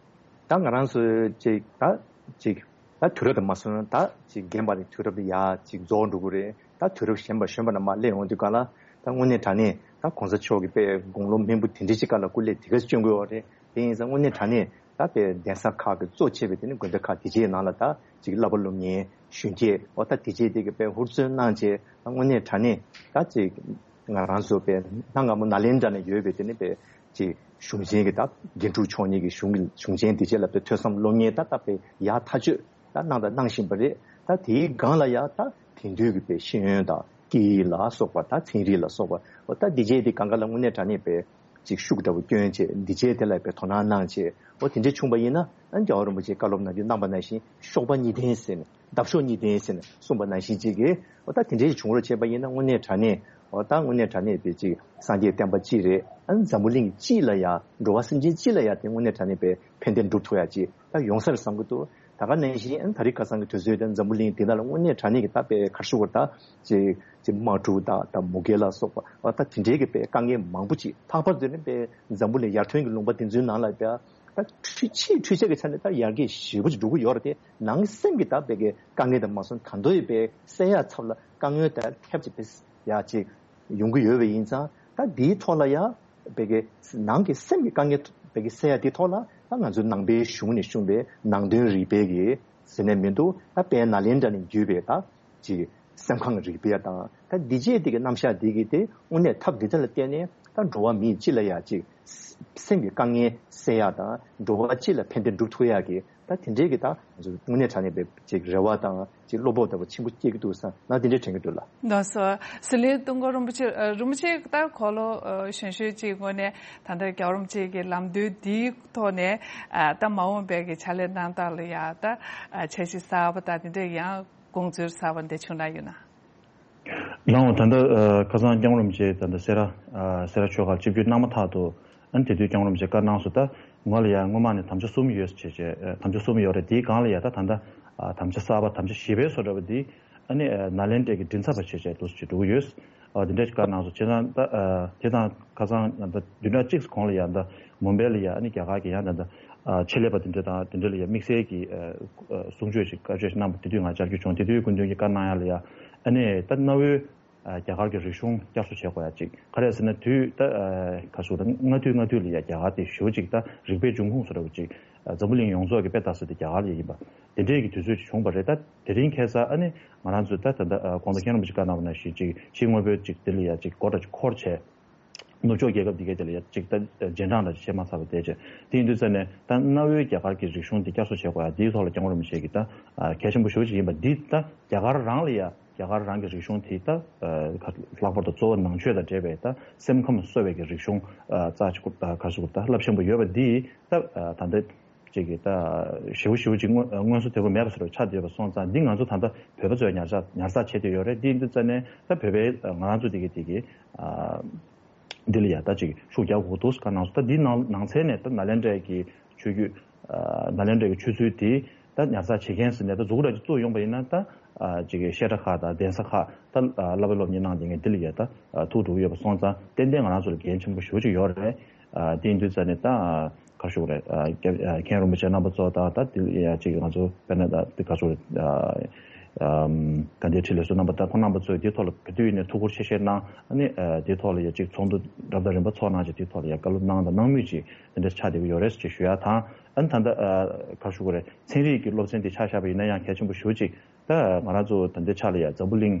ད་ང་རང་ཚོ་ཅིག་ད་ཅིག་ད་དུས་རབས་དང་མ་སོང་ན་ད་ཅིག་རྒན་པ་ནས་དུས་རབས་ལ་ཡ་ཅིག་རྫོགས་འགྲོ་གི་རེད། ད་དུས་རབས་གཞོན་པ་གཞོན་པ་ནས་མར་སླེབས་ཡོང་དུས་སྒང་ལ་ད་དངོས་གནས་དྲང་གནས་ད་༸གོང་ས་མཆོག་གི་དཔེ་དགུང་ལོ་སྨིན་པོ་དེ་འདྲ་ཅིག་སྒང་ལ་སྐུ་ལས་དེ་ག་ཅིག་བསྐྱོན་དགོས་ཡོད་རེད། དེ་ཡིན་ཙང་དངོས་གནས་དྲང་གནས་ད་དཔེ་གདན་ས་ཁག་གི་གཙོ་བྱས་པའི་དེ་ནི་དགོན་སྡེ་ཁག་དེ་ཅིག་ནང་ལ་ད་ཅིག་བསླབ་པ་སློབ་གཉེར་གཞོན་སྐྱེས་འོ་ད་དེ་ཅིག་དེ་གི་དཔེ་ཧུར་བརྩོན་གནང་བྱས་ད་དངོས་གནས་དྲང་གནས་ད་ཅིག་ང་རང་ཚོ་དཔེ་གནའ་སྔ་མོ་ནཱ་ལེནྡྲ་ནས་ཡོད་པའི་དེ་ནི་དཔེ་ཅིག་གཞུང་ཆེན་གྱི་ད་དགེ་ཕྲུག་མཆོག་གཉིས་ཀྱི་གཞུང་གི་གཞུང་ཆེན་དེ་བཅས་ལ་དཔེ་ཐོས་བསམ་སློབ་གཉེར་ད་ད་དཔེ་ཡག་ཐག་ཆོད་ད་གནང་དང་གནང་བཞིན་པ་རེད། ད་དེའི་སྒང་ལ་ཡ་ད་དེང་དུས་ཀྱི་དཔེ་ཤེས་ཡོན་དང་སྐད་ཡིག་ལ་སོགས་པ་ད་ཚན་རིག་ལ་སོགས་པ་འོ་ད་འདི་བྱས་དེ་སྒང་ག་ལ་དངོས་གནས་དྲང་གནས་དཔེ་ ཅིག་ཤུགས་འདྲ་བོ་སྐྱོན་བྱས། འདི་བྱས་དེ་ལ་དཔེ་དོ་སྣང་གནང་བྱས། འོ་དེ་འདྲས་བྱུང་བ་ཡིན་ན། ཨ་ནི་རྒྱལ་བ་རིན་པོ་ཆེས་བཀའ་སློབ་གནང་རྒྱུ་གནང་བ་ནང་བཞིན་གཤོག་པ་གཉིས་ལྡན་ཟེར་ནས། འདབ་གཤོག་གཉིས་ལྡན་ཟེར་ནས་གསུངས་པ་ནང་བཞིན་ཅིག་གིས། འོ་ད་དེ་འདྲས་བྱུང་རོགས་བྱས་པ་ཡིན་ན། དངོས་གནས་དྲང་གནས། འོ་ད་དངོས་གནས་དྲང་གནས་དཔེ་ཅིག་སངས་རྒྱས་བསྟན་པ་སྤྱི་རེད། ཨ་ནི་འཛམ་བུ་གླིང་སྤྱི་ལ་ཡ། འགྲོ་བ་སེམས་ཅན་སྤྱི་ལ་ཡ་དེ་དངོས་གནས་དྲང་གནས་དཔེ་ཕན་བདེ་འགྲུབ་ཐུབ་ཡ་ཅིག་ད་ཡོང་ས་རེད་བསམ་གྱི་འདུག་ད་ག་ནང་བཞིན། ཨ་ནི་ད་རེས་ཁ་སང་གི་དུས་ཚོད་དེ་འཛམ་བུ་གླིང་འདི་ནང་ལ་དངོས་གནས་དྲང་གནས་ཀྱི་ད་དཔེ་ག་རེ་ཞུ་དགོས་རེད། ད་ཅིག་ཅིག་དམག་འཁྲུག་དང་། ད་མུ་གེ་ལ་སོགས་པ། འོ་ད་དེ་འདྲའི་གི་དཔེ་དཀའ་ངལ་མང་པོ་ཅིག་ལྷག་པར་དུ་ནི་དཔེ་འཛམ་བུ་གླིང་ཡར་ཐོན་གྱི་ལུང་པ་འདི་ཚོའི་ནང་ལ་དཔེ་ད་འཕྲུལ་ཆས་འཕྲུལ་ཆས་ཀྱི་ཆ་ནས་ད་ཡར་རྒྱས་ཞེ་པོ་ཅིག་འགྲོ་གི་ཡོད་རེད་དེ། ནང་སེམས་ཀྱི་ད་དཔེ་གི་དཀའ་ངལ་དེ་མ་སོང་། ད་དུང་དཔེ་སེལ་ཡ་ཚབ་ལ་དཀའ་ངལ་དང་ཐབས་ཅིག་དཔེ་ཡ་ཅིག་ཡོང་གི་ཡོད་པ་ཡིན་ཙང་། ད་འདིའི་ཐོག་ལ་ཡ་དཔེ་གི་ནང་གི་སེམས་ཀྱི་དཀའ་ངལ་དཔེ་གི་སེལ་ཡ་འདིའི་ཐོག་ལ། ད་ང་ཚོའི་ནང་པའི་གཞུང་ནས་གསུངས་པའི་ནང་དོན་རིག་པའི་གི་ཟེར་ནས་མི་འདུག་ད་དཔལ་ནཱ་ལེནྡྲ་ནས་བརྒྱུད་པའི་ད་ཅིག་སེམས་ཁམས་རིག་པ་དང་། ད་འདི་བྱས་དེ་གི་རྣམ་གཞག་འདི་གི་དེ་དངོས་གནས་ཐབས་འདི་དག་ལ་བརྟེན་ནས། ད་འགྲོ་བ་མིའི་སྤྱི་ལ་ཡ་ཅིག་སེམས་ཀྱི་དཀའ་ངལ་སེལ་ཡ་དང་། འགྲོ་བ་སྤྱི་ལ་ཕན་བདེ་འགྲུབ་ཐུབ་ཡ་གི། ད་དེ་འདྲའི་གི་ད་དངོས་གནས་དྲང་གནས་པའི་ཅིག་རེ་བ་དང་། ཅིག་བློ་སྤོབས་ལྟ་བུ་ཆེན་པོ་སྐྱེ་གི་འདུག་བསམ། ང་དེ་འདྲའི་དྲན་གྱི་འདུག་ལགས། ལགས་སོ། ཟི་ལིང་ཏུང་ཀོ་རིན་པོ་ཆེ། ཨ། རིན་པོ་ཆེ་ད་གོ་ལོ། ཨ། གཞོན་གཞོན་ཅིག་སྔོན་ནས་ད་ལྟ་རྒྱལ་བ་རིན་པོ་ཆེ་གི་ལམ་སྟོན་འདིའི་ཐོག་ནས། ཨ། ད་མ་འོངས་པའི་གི་ཕྱག་ལས་གནང་སྟངས་ལ་ཡ་ད། ཨ། འཆར་གཞི་གསར་པ་དང་དེ་འདྲ་ཡང་དགོངས་ཚུལ་གསར་པ་འདི་བྱུང་ན་ཡོད་ན། ལགས་འོང་། ད་ལྟ། ཨ། ཁ་སང་སྐྱབས་མགོན་རིན་པོ་ཆེ་ད་ལྟ་སེ་ར། ཨ། སེ་ར་ཆོས་སྒར་ཆིབས་བསྒྱུར་གནང་མ་ཐག་ཏུ། ཨ་ནི་དེ་དུས་སྐྱབས་མགོན་རིན་པོ་ཆེས་བཀའ་གནང་སོང་། ད་ང་ལ་ཡ་སྔོན་མ་ནས་དམ་བཅའ་གསུམ་ཡོད་ཟེར་བྱས། ཨ། དམ་བཅའ་གསུམ་ཡོད་རེད། དེའི་སྒང་ལ་ཡ་ད་ད་ལྟ། ཨ། དམ་བཅའ་གསར་པ། དམ་བཅའ་བཞི་པའི་བཟོ་འདྲ་པོ་འདི། ཨ་ནི། ཨ། ནཱ་ལེནྡྲའི་གི་མགྲིན་ཚབ་པ་བྱས་བྱས་འདུག་སེ་བྱས་འགྲོ་གི་ཡོད། ཨ། དེ་འདྲ་ཞིག་བཀའ་གནང་སོང་། བྱས་ཙང་ད། ཨ། དེ་དང་ཁ་སང་ད་བདུན་ཕྲག་གཅིག་གོང་ལ་ཡ་ད་མུམ་བྷེ་ལ་ཡ། ཨ་ནི་རྒྱ་གར་གྱི་ཡང་ད་ད། ཨ། ཆེད་ལས་པ་དེ་འདྲ་དང་དེ་འདྲ་ལ་ཡ་དམིགས་བསལ་གྱི། ཨ། ཨ། གསུང་ཆོས་ཤིག་བཀའ་ཆོས་ཤིག་གནང་བ་དེ་དུས་ང་བཅར་རྒྱུ་བྱུང་། དེ་དུས་སྐུ་མདུན་གྱིས་བཀའ་གནང་ཡ་ལ་ཡ། ཨ་ནི་ད་གནའ་བོའི། ཨ། རྒྱ་གར་གྱི་རིག་གཞུང་བསྐྱར་གསོ་བྱེད་དགོས་ཡ་ཅིག་ག་རེ་ཟེར་ན། དུས་ད། ཨ། ག་རེ་ཟེར་ན། སྔ་དུས་སྔ་དུས་ལ་ཡ་རྒྱ་གར་དེ་ཞེ་པོ་ཅིག་ད་རིག་པའི་འབྱུང་ཁུངས་བཟོ་འདྲ་པོ་ཅིག་ཨ། འཛམ་བུ་གླིང་ཡོངས་རྫོགས་ཀྱི་དཔེ་ལྟ་ས་དེ་རྒྱ་གར་ལ་ཡ་ཡིན་པ། དེ་འདྲའི་གི་དུས་ཚོད་ཅིག་བྱུང་བ་རེད། ད་དེ་རིང་ཁ་སང་ཨ་ནི་ང་རང་ཚོས་ད་ད་ལྟ། ཨ། གོང་དུ་མཁན་རིན་པོ་ཆེས་བཀའ་གནང་བ་ནང་བཞིན་ཅིག་ཕྱིའི་དངོས་པོའི་ཅིག་དེ་ལ་ཡ་ཅིག་སྒོ་འདྲ་ཅིག་འཁོར་བྱས། ནུབ་ཕྱོགས་རྒྱལ་ཁབ་འདི་གའི་དེ་ལ་ཡ་ཅིག་ད་རྗེས་འབྲང་འདྲ་ཅིག་བྱེད་མ་ཚར་བ་བསྡད་བྱས། དེ་ཡིན་དུས་ཙ་ནས་ད་གནའ་བོའི་རྒྱ་གར་གྱི་རིག་གཞུང་འདི་བསྐྱར་གསོ་བྱེད་དགོས་ཡ་འདིའི་ཐོག་ལ་སྐྱབས་མགོན་རིན་པོ་ཆེ་གིས་ད། ཨ། གལ་ཆེན་པོ་ཞེ་པོ་ཅིག་ཡིན་པ་འདི། ད་རྒྱ་གར་རང་ལ་ཡ། རྒྱ་གར་རང་གི་རིག་གཞུང་དེ་ད། ཨ། ལྷག་པར་དུ་གཙོ་བོ་ནང་ཆོས་དང་འབྲེལ་བའི་ད་སེམས་ཁམས་གསོ་བའི་གི་རིག་གཞུང་། ཨ། རྩ་ཆེ་པོ། ཨ། ག་རེ་ཟེར་དགོས་རེད། ད་རླབས་ཆེན་པོ་ཡོད་པ་འདི་ད། ཨ། ད་ལྟ་ཅིག་གི་ད་ཞེ་པོ་ཞེ་པོ་ཅིག་སྔོན་སྔོན་བཟོ་དོད་པོ་མེད་པ་བཟོ་འདྲ་ཆགས་བསྡད་ཡོད་པ་སོང་ཙང་། འདི་ང་ཚོ་ད་ལྟ་བོད་པ་ཚོས་ཉར་ཚགས་ཉར་ཚགས་བྱེད་བསྡད་ཡོད་རེད། འདི་ཡིན་དུས་ཙ་ནས་ད་བོད་པའི། ཨ། ང་རང་ཚོ་འདི་གི་འདི་གི། ཨ། འདི་ལ་ཡ་ད་ཅིག་ཤུགས་རྒྱག་དགོས་འདུག་བཀའ་གནང་སོང་། ད་འདིའི་ནང་ནང་ཚན་ནས་ད་ནཱ་ལེནྡྲའི་གི་ཆོས་བརྒྱུད། ཨ། ནཱ་ལེནྡྲའི་གི་ཆོས་ཚུལ་དེ་ད་ཉར་ཚགས་བྱེད་མཁན་ཟེར་ནས་ད་གཟུགས་པོ་འདྲ་ཅིག་བཙུགས་ཡོང་བ་ཡིན་ན། ད། ཨ། ཅིག་གི་བཤད་གྲྭ་ཁག་དང་གདན་ས་ཁག་ད། ཨ། བསླབ་པ་སློབ་གཉེར་གནང་བསྡད་མཁན་འདི་ལ་ཡ་ད། ཨ། ཐུགས་སྤྲོ་ཡོད་པ་སོང་ཙང་ཏན་ཏན་ང་རང་ཚོ་ལ་འགན་ཆེན་པོ་ཞེ་པོ་ཅིག་ཡོད་རེད། ཨ། དེ་ཡིན་དུས་ཙ་ནས་ད། ཨ། ག་རེ་ཞུ་དགོས་རེད། ཨ། རྒྱ། ཨ། མཁན་རིན་པོ་ཆེ་རྣམ་པ་ཚོ་དང་། ད་དེ་ཡ་ཅིག་ང་ཚོ་དཔེར་ན་ད་དེ་ག་རེ་ཞུ་དགོས་རེད། ཨ། ཨམ། དགའ་ལྡན་ཁྲི་ལས་ཟུར་རྣམ་པ་དང་ཁོང་རྣམ་པ་ཚོས་དེའི་ཐོག་ལ་ག་དུས་ཡིན་ནའི་ཐུགས་ཁུར་ཆེ་བཞེས་གནང་། ཨ་ནི། ཨ། དེའི་ཐོག་ལ་ཡ་ཅིག་ཚོགས་འདུ་རབ་དང་རིམ་པ་ཚོགས་གནང་བྱས། དེའི་ཐོག་ལ་ཡ་བཀའ་སློབ་གནང་དང་གནང་མུས་ཅིག་དེ་འདྲ་ཆགས་བསྡད་ཀྱི་ཡོད་རེད་ཅེས་ཞུ་ཡ་དང་། ཨ་ནི་ད་ལྟ། ཨ། ག་རེ་ཞུ་དགོས་རེད། ཚན་རིག་གི་སློབ་ཚན་དེ་ཆ་བཞག་པ་ཡིན་ན་ཡང་གལ་ཆེན་པོ་ཞེ་པོ་ཅིག་ད་ང་རང་ཚོ་ད་ལྟའི་ཆ་ལ་ཡ་འཛམ་བུ་གླིང་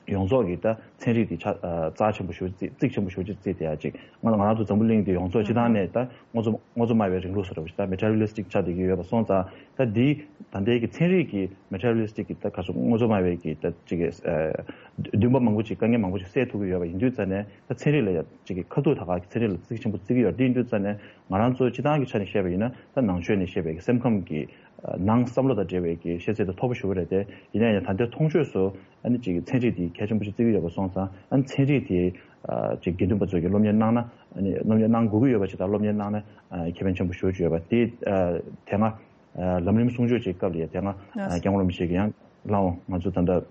ཡོངས་རྫོགས་ཀྱི་ད་ཚན་རིག་དེ་ཆ། ཨ། རྩ་ཆེན་པོ་ཞེ་པོ་ཅིག་རྩིས། རྩིས་ཆེན་པོ་ཞེ་པོ་ཅིག་རྩིས་བསྡད་ཡ་ཅིག་ང་ང་རང་ཚོ་འཛམ་བུ་གླིང་འདི་ཡོངས་རྫོགས་སྤྱི་བཏང་ནས་ད་དངོས་གཙོ་དངོས་གཙོ་སྨྲ་བའི་རིང་ལུགས་ཟེར་བ་ཞིག་ད་མེ་ཊི་རི་ཡལ་ལི་སི་ཊིག་ཆགས་བསྡད་ཀྱི་ཡོད་པ་སོང་ཙང་། ད་འདི་ད་ལྟའི་གི་ཚན་རིག་གི་མེ་ཊི་རི་ཡལ་ལི་སི་ཊིག་གི་ད་ག་རེ་ཟེར། དངོས་གཙོ་སྨྲ་བའི་གི་ད་ཅིག་གི། ཨ། འདུན་པ་མང་པོ་ཅིག་དཀའ་ངལ་མང་པོ་ཅིག་སེལ་ཐུབ་ཀྱི་ཡོད་པ་ཡིན་དུས་ཙ་ནས། ད་ཚན་རིག་ལ་ཡ་ཅིག་གི་ཁ་ཐུག་ད་ག་ཚན་རིག་ལ་རྩིས་ཆེན་པོ་བརྩི་གི་ཡོད། དེ་ཡིན་དུས་ཙ་ནས་ང་རང་ཚོ་སྤྱི་བཏང་གི་ཆ་ནས་བཤད་པ་ཡིན་ན། ད་ནང་ཆོས་ནས་བཤད་པའི་གི་སེམས་ཁམས་ཀྱི། ཨ། ནང་བསམ་བློ་དང་འབྲེལ་བའི་གི་ཤེས་ཚད་དེ་མཐོ་པོ་ཞེ་པོ་རེད་དེ། ཡིན་ན་ཡང་ད་ལྟའི་མཐོང་ཆོས་སུ་ཨ་ནི་ཅིག་ཚན་རིག་དེ་གལ་ཆེན་པོ་ཞིག་བརྩི་གི་ཡོད་པ་སོང་ཙང་། ཨ་ནི་ཚན་རིག་དེ། ཨ། ཅིག་དགེ་འདུན་པ་ཚོས་ཀྱི་སློབ་གཉེར་གནང་ན། ཨ་ནི་སློབ་གཉེར་གནང་དགོས་ཀྱི་ཡོད་པ་ཞིག་དང་། སློབ་གཉེར་གནང་ན། ཨ། ཁེ་ཕན་ཆེན་པོ་ཞེ་པོ་ཅིག་ཡོད་པ་དེ། ཨ། དེ་སྔ། ཨ། ལམ་རིམ་གསུང་ཆོས་ཀྱི་སྐབས་ལ་ཡ་དེ་སྔ། ཨ། སྐྱབས་མགོན་རིན་པོ་ཆེ་གིས་ཡང་། ལགས་འོང་། ང་ཚོ་ད་ལྟ། ཨ།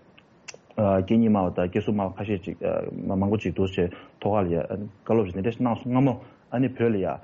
སྐད་གཉིས་སྨྲ་བ་དང་སྐད་གསུམ་སྨྲ་བ་ཁ་ཤས་ཅིག་ཨ། མ་མང་པོ་ཅིག་འདུག་སེ་བྱས་ཐོག་ཁ་ལ་ཡ། ཨ། བཀའ་སློབ་ཅིག་དེ་འདྲ་ཞིག་གནང་སོང་། སྔ་མོ་ཨ་ནི་བོད་ལ་ཡ། ཨ།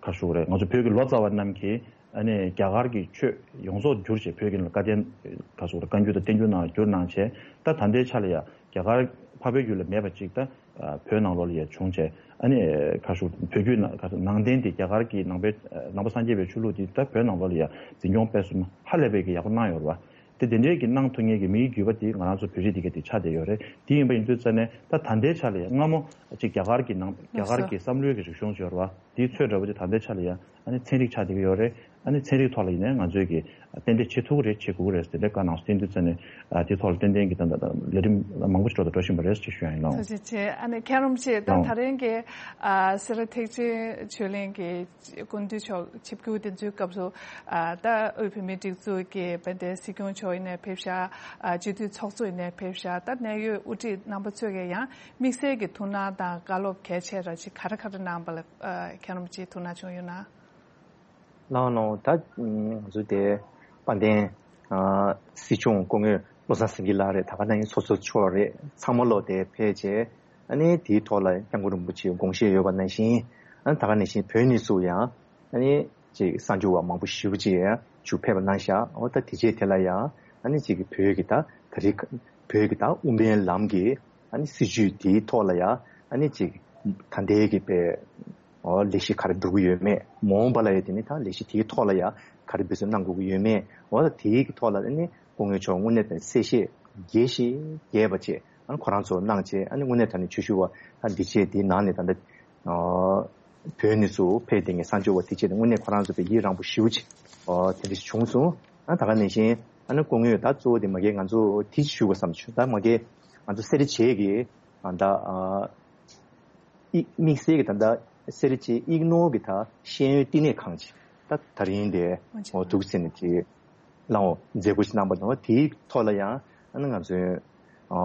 ག་རེ་ཞུ་དགོས་རེད། ང་ཚོ་བོད་ཀྱི་ལོ་ཙཱ་བ་རྣམས་ཀྱིས་ཨ་ནི་རྒྱ་གར་གྱི་ཆོས་ཡོངས་རྫོགས་བསྒྱུར་བྱས། བོད་ཀྱི་ནང་ལ་བཀའ་བསྟན། ག་རེ་ཞུ་དགོས་རེད། བཀའ་འགྱུར་དང་བསྟན་འགྱུར་ནང་བསྒྱུར་གནང་བྱས། ད་ད་ལྟའི་ཆ་ལ་ཡ་རྒྱ་གར་འཕགས་པའི་ཡུལ་ལ་མེད་པ་ཅིག་ད། ཨ། བོད་ནང་ལོགས་ལ་ཡ་བྱུང་བྱས། ཨ་ནི་ག་རེ་ཞུ། བོད་བརྒྱུད་ནང་། ག་རེ་ཟེར། ནང་བསྟན་དེ། རྒྱ་གར་གྱི་ནང་པའི། ནང་པ་སངས་རྒྱས་པའི་ཆོས་ལུགས་དེ་ད་བོད་ནང་ལོགས་ལ་ཡ་འཛིན་སྐྱོང་སྤེལ་གསུམ་ཧ་ལས་པའི་གི་ཡག་པོ་གནང་ཡོད་རེད་པ། དེ་དེ་འདྲའི་གི་གནང་ཐུབ་མཁན་གྱི་མིའི་བརྒྱུད་པ་དེ་ང་རང་ཚོ་བོད་རིགས་དེ་ག་དེ་ཆགས་བསྡད་ཡོད་རེད། དེ་ཡིན་པ་ཡིན་དུས་ཙ་ནས། ད་ད་ལྟའི་ཆ་ལ་ཡ་སྔ་མོ་ཅིག་རྒྱ་གར་གྱི་ནང་། རྒྱ་གར་གྱི་བསམ་བློའི་གི་རིག་གཞུང་ཅིག་ཡོད་རེད་པ། དེའི་ཚོད་འདྲ་པོ་ཅིག་ད་ལྟའི་ཆ་ལ་ཡ་ཨ་ནི་ཚན་རིག་ཆགས་བསྡད་ཀྱི་ཡོད་རེད། ཨ་ནི་ཚན་རིག་ཐོག་ལ་ཡིན་ནའི་ང་ཚོས་ཀྱི་ཏན་ཏན་བྱེད་ཐུབ་ཀྱི་རེད། བྱེད་དགོས་ཀྱི་རེད་ཟེར་ཏེ་བཀའ་གནང་སོང་། དེ་དུས་ཙམ་ནས་ཨ་དེ་ཐོག་ལ་ཏན་ཏན་གྱི་ད་ལྟ་ལས་རིམ་མང་པོ་ཞིག་འགྲོ་དང་འགྲོ་བཞིན་པ་རེད་ཅེས་ཞུ་ཡ་ཡིན། ལགས། ཐུགས་རྗེ་ཆེ། ཨ་ནི་མཁན་རིན་པོ་ཆེ་ད་ལགས་འོང་། ད་རིང་གི་ཨ་སེ་ར་ཐེག་ཆེན་ཆོས་གླིང་གི་སྐུ་མདུན་མཆོག་ཆིབས་བསྒྱུར་དེ་ཚོའི་སྐབས་སུ་ཨ་ད་དབུས་བོད་མིའི་སྒྲིག་འཛུགས་ཀྱི་དཔལ་ལྡན་སྲིད་སྐྱོང་མཆོག་ཡིན་ནའི་ཕེབས་ཤག་ཨ་སྤྱི་འཐུས་ཚོགས་གཙོ་ཡིན་ནའི་ཕེབས་ཤག་ད་གནད་ཡོད་དབུ་ཁྲིད་རྣམ་པ་ཚོས་ཀྱིས་ཡང་དམིགས་བསལ་གྱི་ཐུགས་སྣང་དང་བཀའ་སློབ་གལ་ཆེ་ར་ཅིག་ག་རེ་ག་རེ་གནང་པ་ལ་ཨ་མཁན་རིན་པོ་ཆེའི་ཐུགས་སྣང་བྱུང་ཡོད་ན། ལགས་ལགས། ད་ང་ཚོ་དེ་དཔལ་ལྡན་ཨ་སྲིད་སྐྱོང་སྐུ་ངོ་བློ་བཟང་སེང་གེ་ལགས་རེད། ད་ག་ནང་བཞིན་ཚོགས་གཙོ་མཆོག་རེད། ཚང་མ་ལོག་དེ་ཕེབས་བྱས་ཨ་ནི་དེའི་ཐོག་ལ་སྐྱབས་མགོན་རིན་པོ་ཆེའི་དགོངས་བཞེད་ཡོད་པ་ནང་བཞིན། ཨ་ནི་ད་ག་ནང་བཞིན་བོད་ནས་ཚུར་ཡང་ཨ་ནི་ཅིག་གསར་འབྱོར་བ་མང་པོ་ཞེ་པོ་ཅིག་ཡང་ཚུར་ཕེབས་པ་གནང་ཤག་འོ་ད་དེ་རྗེས་དེ་ལ་ཡང་ཨ་ནི་ཅིག་བོད་ཀྱི་ད་ད་རེས་བོད་ཀྱི་ད་དབུ་མའི་ལམ་གྱི་ཨ་ནི་སྲིད་བྱུས་དེའི་ཐོག་ལ་ཡང་ཨ་ནི་ཅིག་ད་ལྟའི་གི་པའི་ཨོ་ལས་གཞི་ག་རེ་འགྲོ་གི་ཡོད་མེད། མ་འོངས་པ་ལ་ཡང་དེ་ནི་ད་ལས་གཞི་དེའི་ཐོག་ལ་ཡང་ག་རེ་འབད་བརྩོན་གནང་དགོས་ཀྱི་ཡོད་མེད། འོ་ད་དེའི་གི་ཐོག་ལ་ཨ་ནི་སྐུ་ངོ་མཆོག་དངོས་གནས་དང་གསལ་བཤད་རྒྱས་ཤིང་རྒྱས་པ་བྱས་ཨ་ནི་ཁོ་རང་ཚོ་གནང་བྱས། ཨ་ནི་དངོས་གནས་དྲང་གནས་ཆོས་ཞུ་བ་ད་འདི་བྱས་འདིའི་ནང་ནས་ད་ལྟ་ཨོ་བོད་ནས་ཚུར་ཕེབས་བསྡད་མཁན་གསར་འབྱོར་བ་དེ་བྱས་ནས་དངོས་གནས་ཁོ་རང་ཚོ་དཔེ་ཡིད་རངས་པོ་ཞེ་པོ་ཅིག་ཨོ་དེ་འདྲ་ཞིག་བྱུང་སོང་། ཨ་ད་ག་ནང་བཞིན་ཨ་ནི་སྐུ་ངོས་ད་གཙོ་བོ་དེ་མ་གི་ང་ཚོ་དེ་ཞུ་དགོས་བསམ་བྱུང་། ད་མ་གི་ང་ཚོ་སེ་ར་བྱེས་ཀྱི་ཨ་ད་ཨ། དམིགས་བསལ་གྱི་ད་ལྟ་སེ་ར་བྱེས་གཡུ་ནོར་གྱི་ད་ཤེས་ཡོན་བསྟི་གནས་ཁང་ཅིག་ད་ད་རིང་དེ་འོ་འདུག་ཟེར་ནས་ཅིག་ལའང་མཛད་སྒོ་ཞིག་གནང་པ་དང་། དེའི་ཐོག་ལ་ཡང་ཨ་ནི་ང་ཚོའི་ཨ་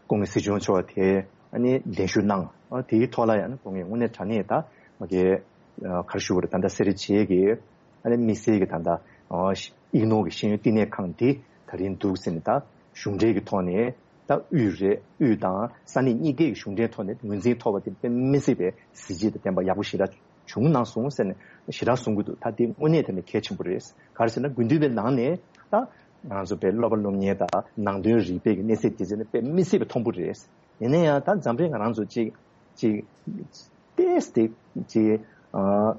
སྐུ་ངོ་སྲིད་སྐྱོང་མཆོག་དེ་ཨ་ནི་གདན་ཞུ་གནང་། ཨ་དེའི་ཐོག་ལ་ཡང་ཨ་ནི་སྐུ་ངོས་དངོས་གནས་དྲང་གནས་ད་མ་གི་ཨ་ག་རེ་ཞུ་དགོས་རེད། ད་ལྟ་སེ་ར་བྱེས་ཀྱི་ཨ་ནི་དམིགས་བསལ་གྱི་ད་ལྟ་ཨ་གཡུ་ནོར་གྱི་ཤེས་ཡོན་བསྟི་གནས་ཁང་འདི་ད་རིང་འདུག་ཟེར་ནས་ད་གཞུང་འབྲེལ་གྱི་ཐོག་ནས་ད་དབུས་རེད། དབུས་དང་ས་གནས་གཉིས་ཀའི་གཞུང་འབྲེལ་ཐོག་ནས་ངོས་འཛིན་ཐོབ་པ་དེ་དཔེ་མི་སྲིད་པའི་གཟི་བརྗིད་དང་ལྡན་པ་ཡག་པོ་ཞེ་དྲག་བྱུང་གནང་སོང་ཟེར་ནས་ཞེ་དྲག་གསུང་གི་འདུག་ད་དེ་དངོས་གནས་དྲང་གནས་གལ་ཆེན་པོ་རེད། ག་རེ་ཟེར་ན་དགེ་འདུན་པའི་ནང་ནས་ད་ང་རང་ཚོ་དཔེ་སློབ་པ་སློབ་གཉེར་དང་ནང་དོན་རིག་པའི་གི་གནས་ཚད་དེ་ཚོ་ནི་དཔེ་མི་སྲིད་པའི་མཐོན་པོ་རེད། ཡིན་ན་ཡང་ད་འཛམ་གླིང་ང་རང་ཚོ་གཅིག་ཅིག་ཏེས་ཏེ་ཅིག་ཨ་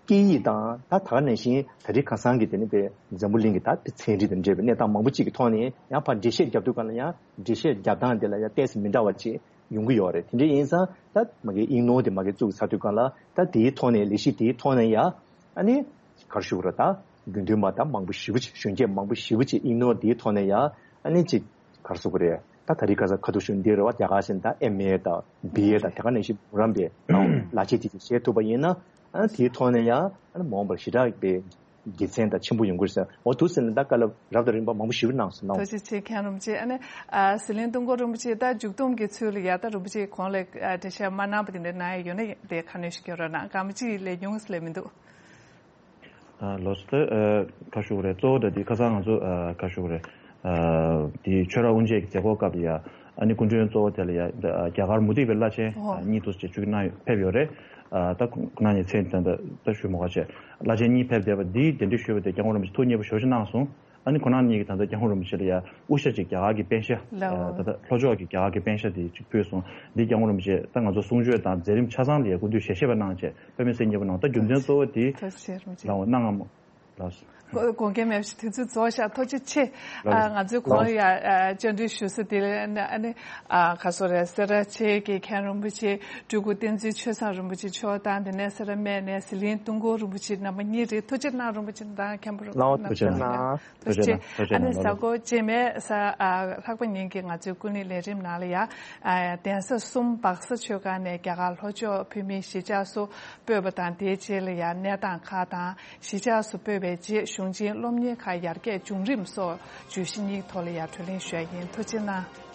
སྐད་ཡིག་དང་ད་ད་ག་ནང་བཞིན་ད་རེས་ཁ་སང་གི་དེ་ནི་དཔེ་འཛམ་བུ་གླིང་གི་ད་དཔེ་ཚན་རིག་དང་འབྲེལ་བའི་གནས་སྟངས་མང་པོ་ཅིག་གི་ཐོག་ནས་ཡང་ཕར་འགྲེལ་བཤད་རྒྱབ་དུས་སྒང་ལ་ཡང་འགྲེལ་བཤད་རྒྱབ་སྟངས་དེ་ལ་ཡང་ཏེས་མི་འདྲ་བ་ཅིག་ཡོང་གི་ཡོད་རེད། དེ་འདྲ་ཡིན་ཙང་ད་མ་གི་གཡུ་ནོར་དེ་མ་གི་བཙུགས་ཚར་དུས་སྒང་ལ་ད་དེའི་ཐོག་ནས་ལས་གཞི་དེའི་ཐོག་ནས་ཡང་ཨ་ནི་ག་རེ་ཞུ་དགོས་རེད། ད་དགེ་འདུན་པ་ད་མང་པོ་ཞེ་པོ་ཅིག་གཞོན་སྐྱེས་མང་པོ་ཞེ་པོ་ཅིག་གཡུ་ནོར་དེའི་ཐོག་ནས་ཡང་ཨ་ནི་ཅིག་ག་རེ་ཟེར་དགོས་རེད། ད་ད་རེས་ཁ་སང་ཁ་ཐུག་ཞུ་འདི་རེད་བ། རྒྱ་གར་ཞིག་ད་ཨེམ་ཨེ་དང་བི་ཨེ་དང་དེ་ག་ནང་བཞིན་འབུམ་རམས་པའི་ལག་ཁྱེར་དེ་ཚོ་བཞེས་ཐུབ་པ་ཡིན་ན་ཨ་ནི་དེའི་ཐོག་ནས་ཡང་ཨ་ནི་མ་འོངས་པར་ཞེ་དྲག་པའི་དགེ་མཚན་དང་ཆེན་པོ་ཡོང་གི་རེད་ཟེར། འོ་འདུག་ཟེར་ནས་ད་བཀའ་སློབ་རབ་དང་རིམ་པ་མང་པོ་ཞེ་པོ་གནང་སོང་། གནང་། ཐུགས་རྗེ་ཆེ་མཁན་རིན་པོ་ཆེ། ཨ་ནི་ཨ་ཟི་ལིང་ཏུང་ཀོ་རིན་པོ་ཆེ་ད་མཇུག་སྡོམ་གྱི་ཚུལ་ལ་ཡ་ད་རིན་པོ་ཆེ་གོང་ལ་ཨ་འགྲེལ་བཤད་མ་གནང་པ་དེ་འདྲ་གནང་ཡ་ཡོད་ན་དེ་ཁ་སྣོན་ཞིག་སྐྱོན་རོགས་གནང་། གང་མ་གཅིག་ལས་ཉུང་ཟེར་ལས་མི་འདུག་ཨ་ལགས་སོ། ད་ཨ་ག་རེ་ཞུ་དགོས་རེད། གཙོ་བོ་ད་འདི་ཁ་སང་ང་ཚོ་ཨ་ག་རེ་ཞུ་དགོས་རེད། ཨ་འདི་ཆོས་ར་དབུ་འབྱེད་ཀྱི་མཛད་སྒོ་སྐབས་ལ་ཡ་ཨ་ནི་སྐུ་མགྲོན་གཙོ་བོ་དེ་ལ་ཡ་ད་རྒྱ་གར་མུ་སྟེགས་པའི་བླ་ཆེན་ཨོ་ཨ་གཉིས་འདུག་ཅེས་བཅུག་གནང་ཕེབས་ཡོད་རེད། ཨ་ད་ཁོང་ཁོང་རྣམ་གཉིས་མཚན་ད་ད་ཞུ་མ་དགོས་བྱས་བླ་ཆེན་གཉིས་ཕེབས་བསྡད་པ་འདིའི་གདན་འདྲེན་ཞུས་པ་དེ་སྐྱབས་མགོན་རིན་པོ་ཆེ་ཐུགས་མཉེས་པོ་ཞེ་པོ་ཅིག་གནང་སོང་། ཨ་ནི་ཁོང་རྣམ་གཉིས་ཀྱིས་ད་ལྟ་སྐྱབས་མགོན་རིན་པོ་ཆེ་ལ་ཡ་དབུ་ཞྭ་ཅིག་རྒྱ་གར་གྱི་པེན་ཤ་ལའོ། ཨ་ད་ལྟ་ལྷོ་ཕྱོགས་ཀྱི་རྒྱ་གར་གྱི་པེན་ཤ་དེ་ཅིག་ཕུལ་སོང་། འདི་སྐྱབས་མགོན་རིན་པོ་ཆེ་ད་ང་ཚོ་གསུང་ཆོས་དང་མཛད་རིམ་ཆ་ཚང་ལ་ཡ་སྐུ་མདུན་ཞལ་བཞེས་པ་གནང་བྱས་དཔེ་མི་སྲིད་མཉེས་པོ་གནང་། ད་རྒྱུ་མཚན་གཙོ་བོ་དེ་ཐུགས་རྗེ་ཆེ་རིན་པོ་ཆེ། ལའོ་གནང་ངམ་ལགས། དགོངས་འགལ་མེད་པ་ཞིག་དུས་ཚོད་རྫོགས་ཤག་ཐུགས་རྗེ་ཆེ། ལགས། ཨ་ང་ཚོས་གོང་ལ་ཡ་ཨ་བཅར་འདྲི་ཞུ་ས་དེ་ལ་ཨ་ནི་ཨ་ག་རེ་ཟེར་དགོས་རེད། སེ་ར་བྱེས་ཀྱི་མཁན་རིན་པོ་ཆེ་སྤྲུལ་སྐུ་བསྟན་འཛིན་ཆོས་བཟང་རིན་པོ་ཆེ་མཆོག་དང་དེ་ནས་སེ་ར་སྨད་ནས་ཟི་ལིང་ཏུང་ཀོ་རིན་པོ་ཆེ་རྣམ་པ་གཉིས་རེད། ཐུགས་རྗེ་གནང་རིན་པོ་ཆེ་དང་མཁན་པོ་ལའོ་རྣམ་ཐུགས་རྗེ་གནང་། ཐུགས་རྗེ་གནང་། ཐུགས་རྗེ་གནང་། ཨ་ནི་གཟའ་འཁོར་རྗེས་མའི་གཟའ་ཨ་ལྷག་པ་ཉིན་གྱི་ང་ཚོའི་ཀུན་གླེང་ལས་རིམ་ནང་ལ་ཡ་ཨ་གདན་ས་གསུམ་སྦག་ས་ཆོས་སྒར་ནས་རྒྱ་གར་ལྷོ་ཕྱོགས་བོད་མིའི་གཞིས་ཆགས་སུ་སྤོས་པ་དང་དེའི་རྗེས་ལ་ཡང་གནས་སྟངས་ཁག་དང་གཞིས་ཆགས་སུ་སྤོས་པའི་རྗེས་གཞུང་ཆེན་སློབ་གཉེར་ཁག་ཡར་རྒྱས་བྱུང་རིམ་སོགས་བརྗོད་གཞི་གཉིས་ཐོག་ལ་ཡང་གྲོས་གླེང་ཞུ་ཡ་ཡིན། ཐུགས་རྗེ་གནང་།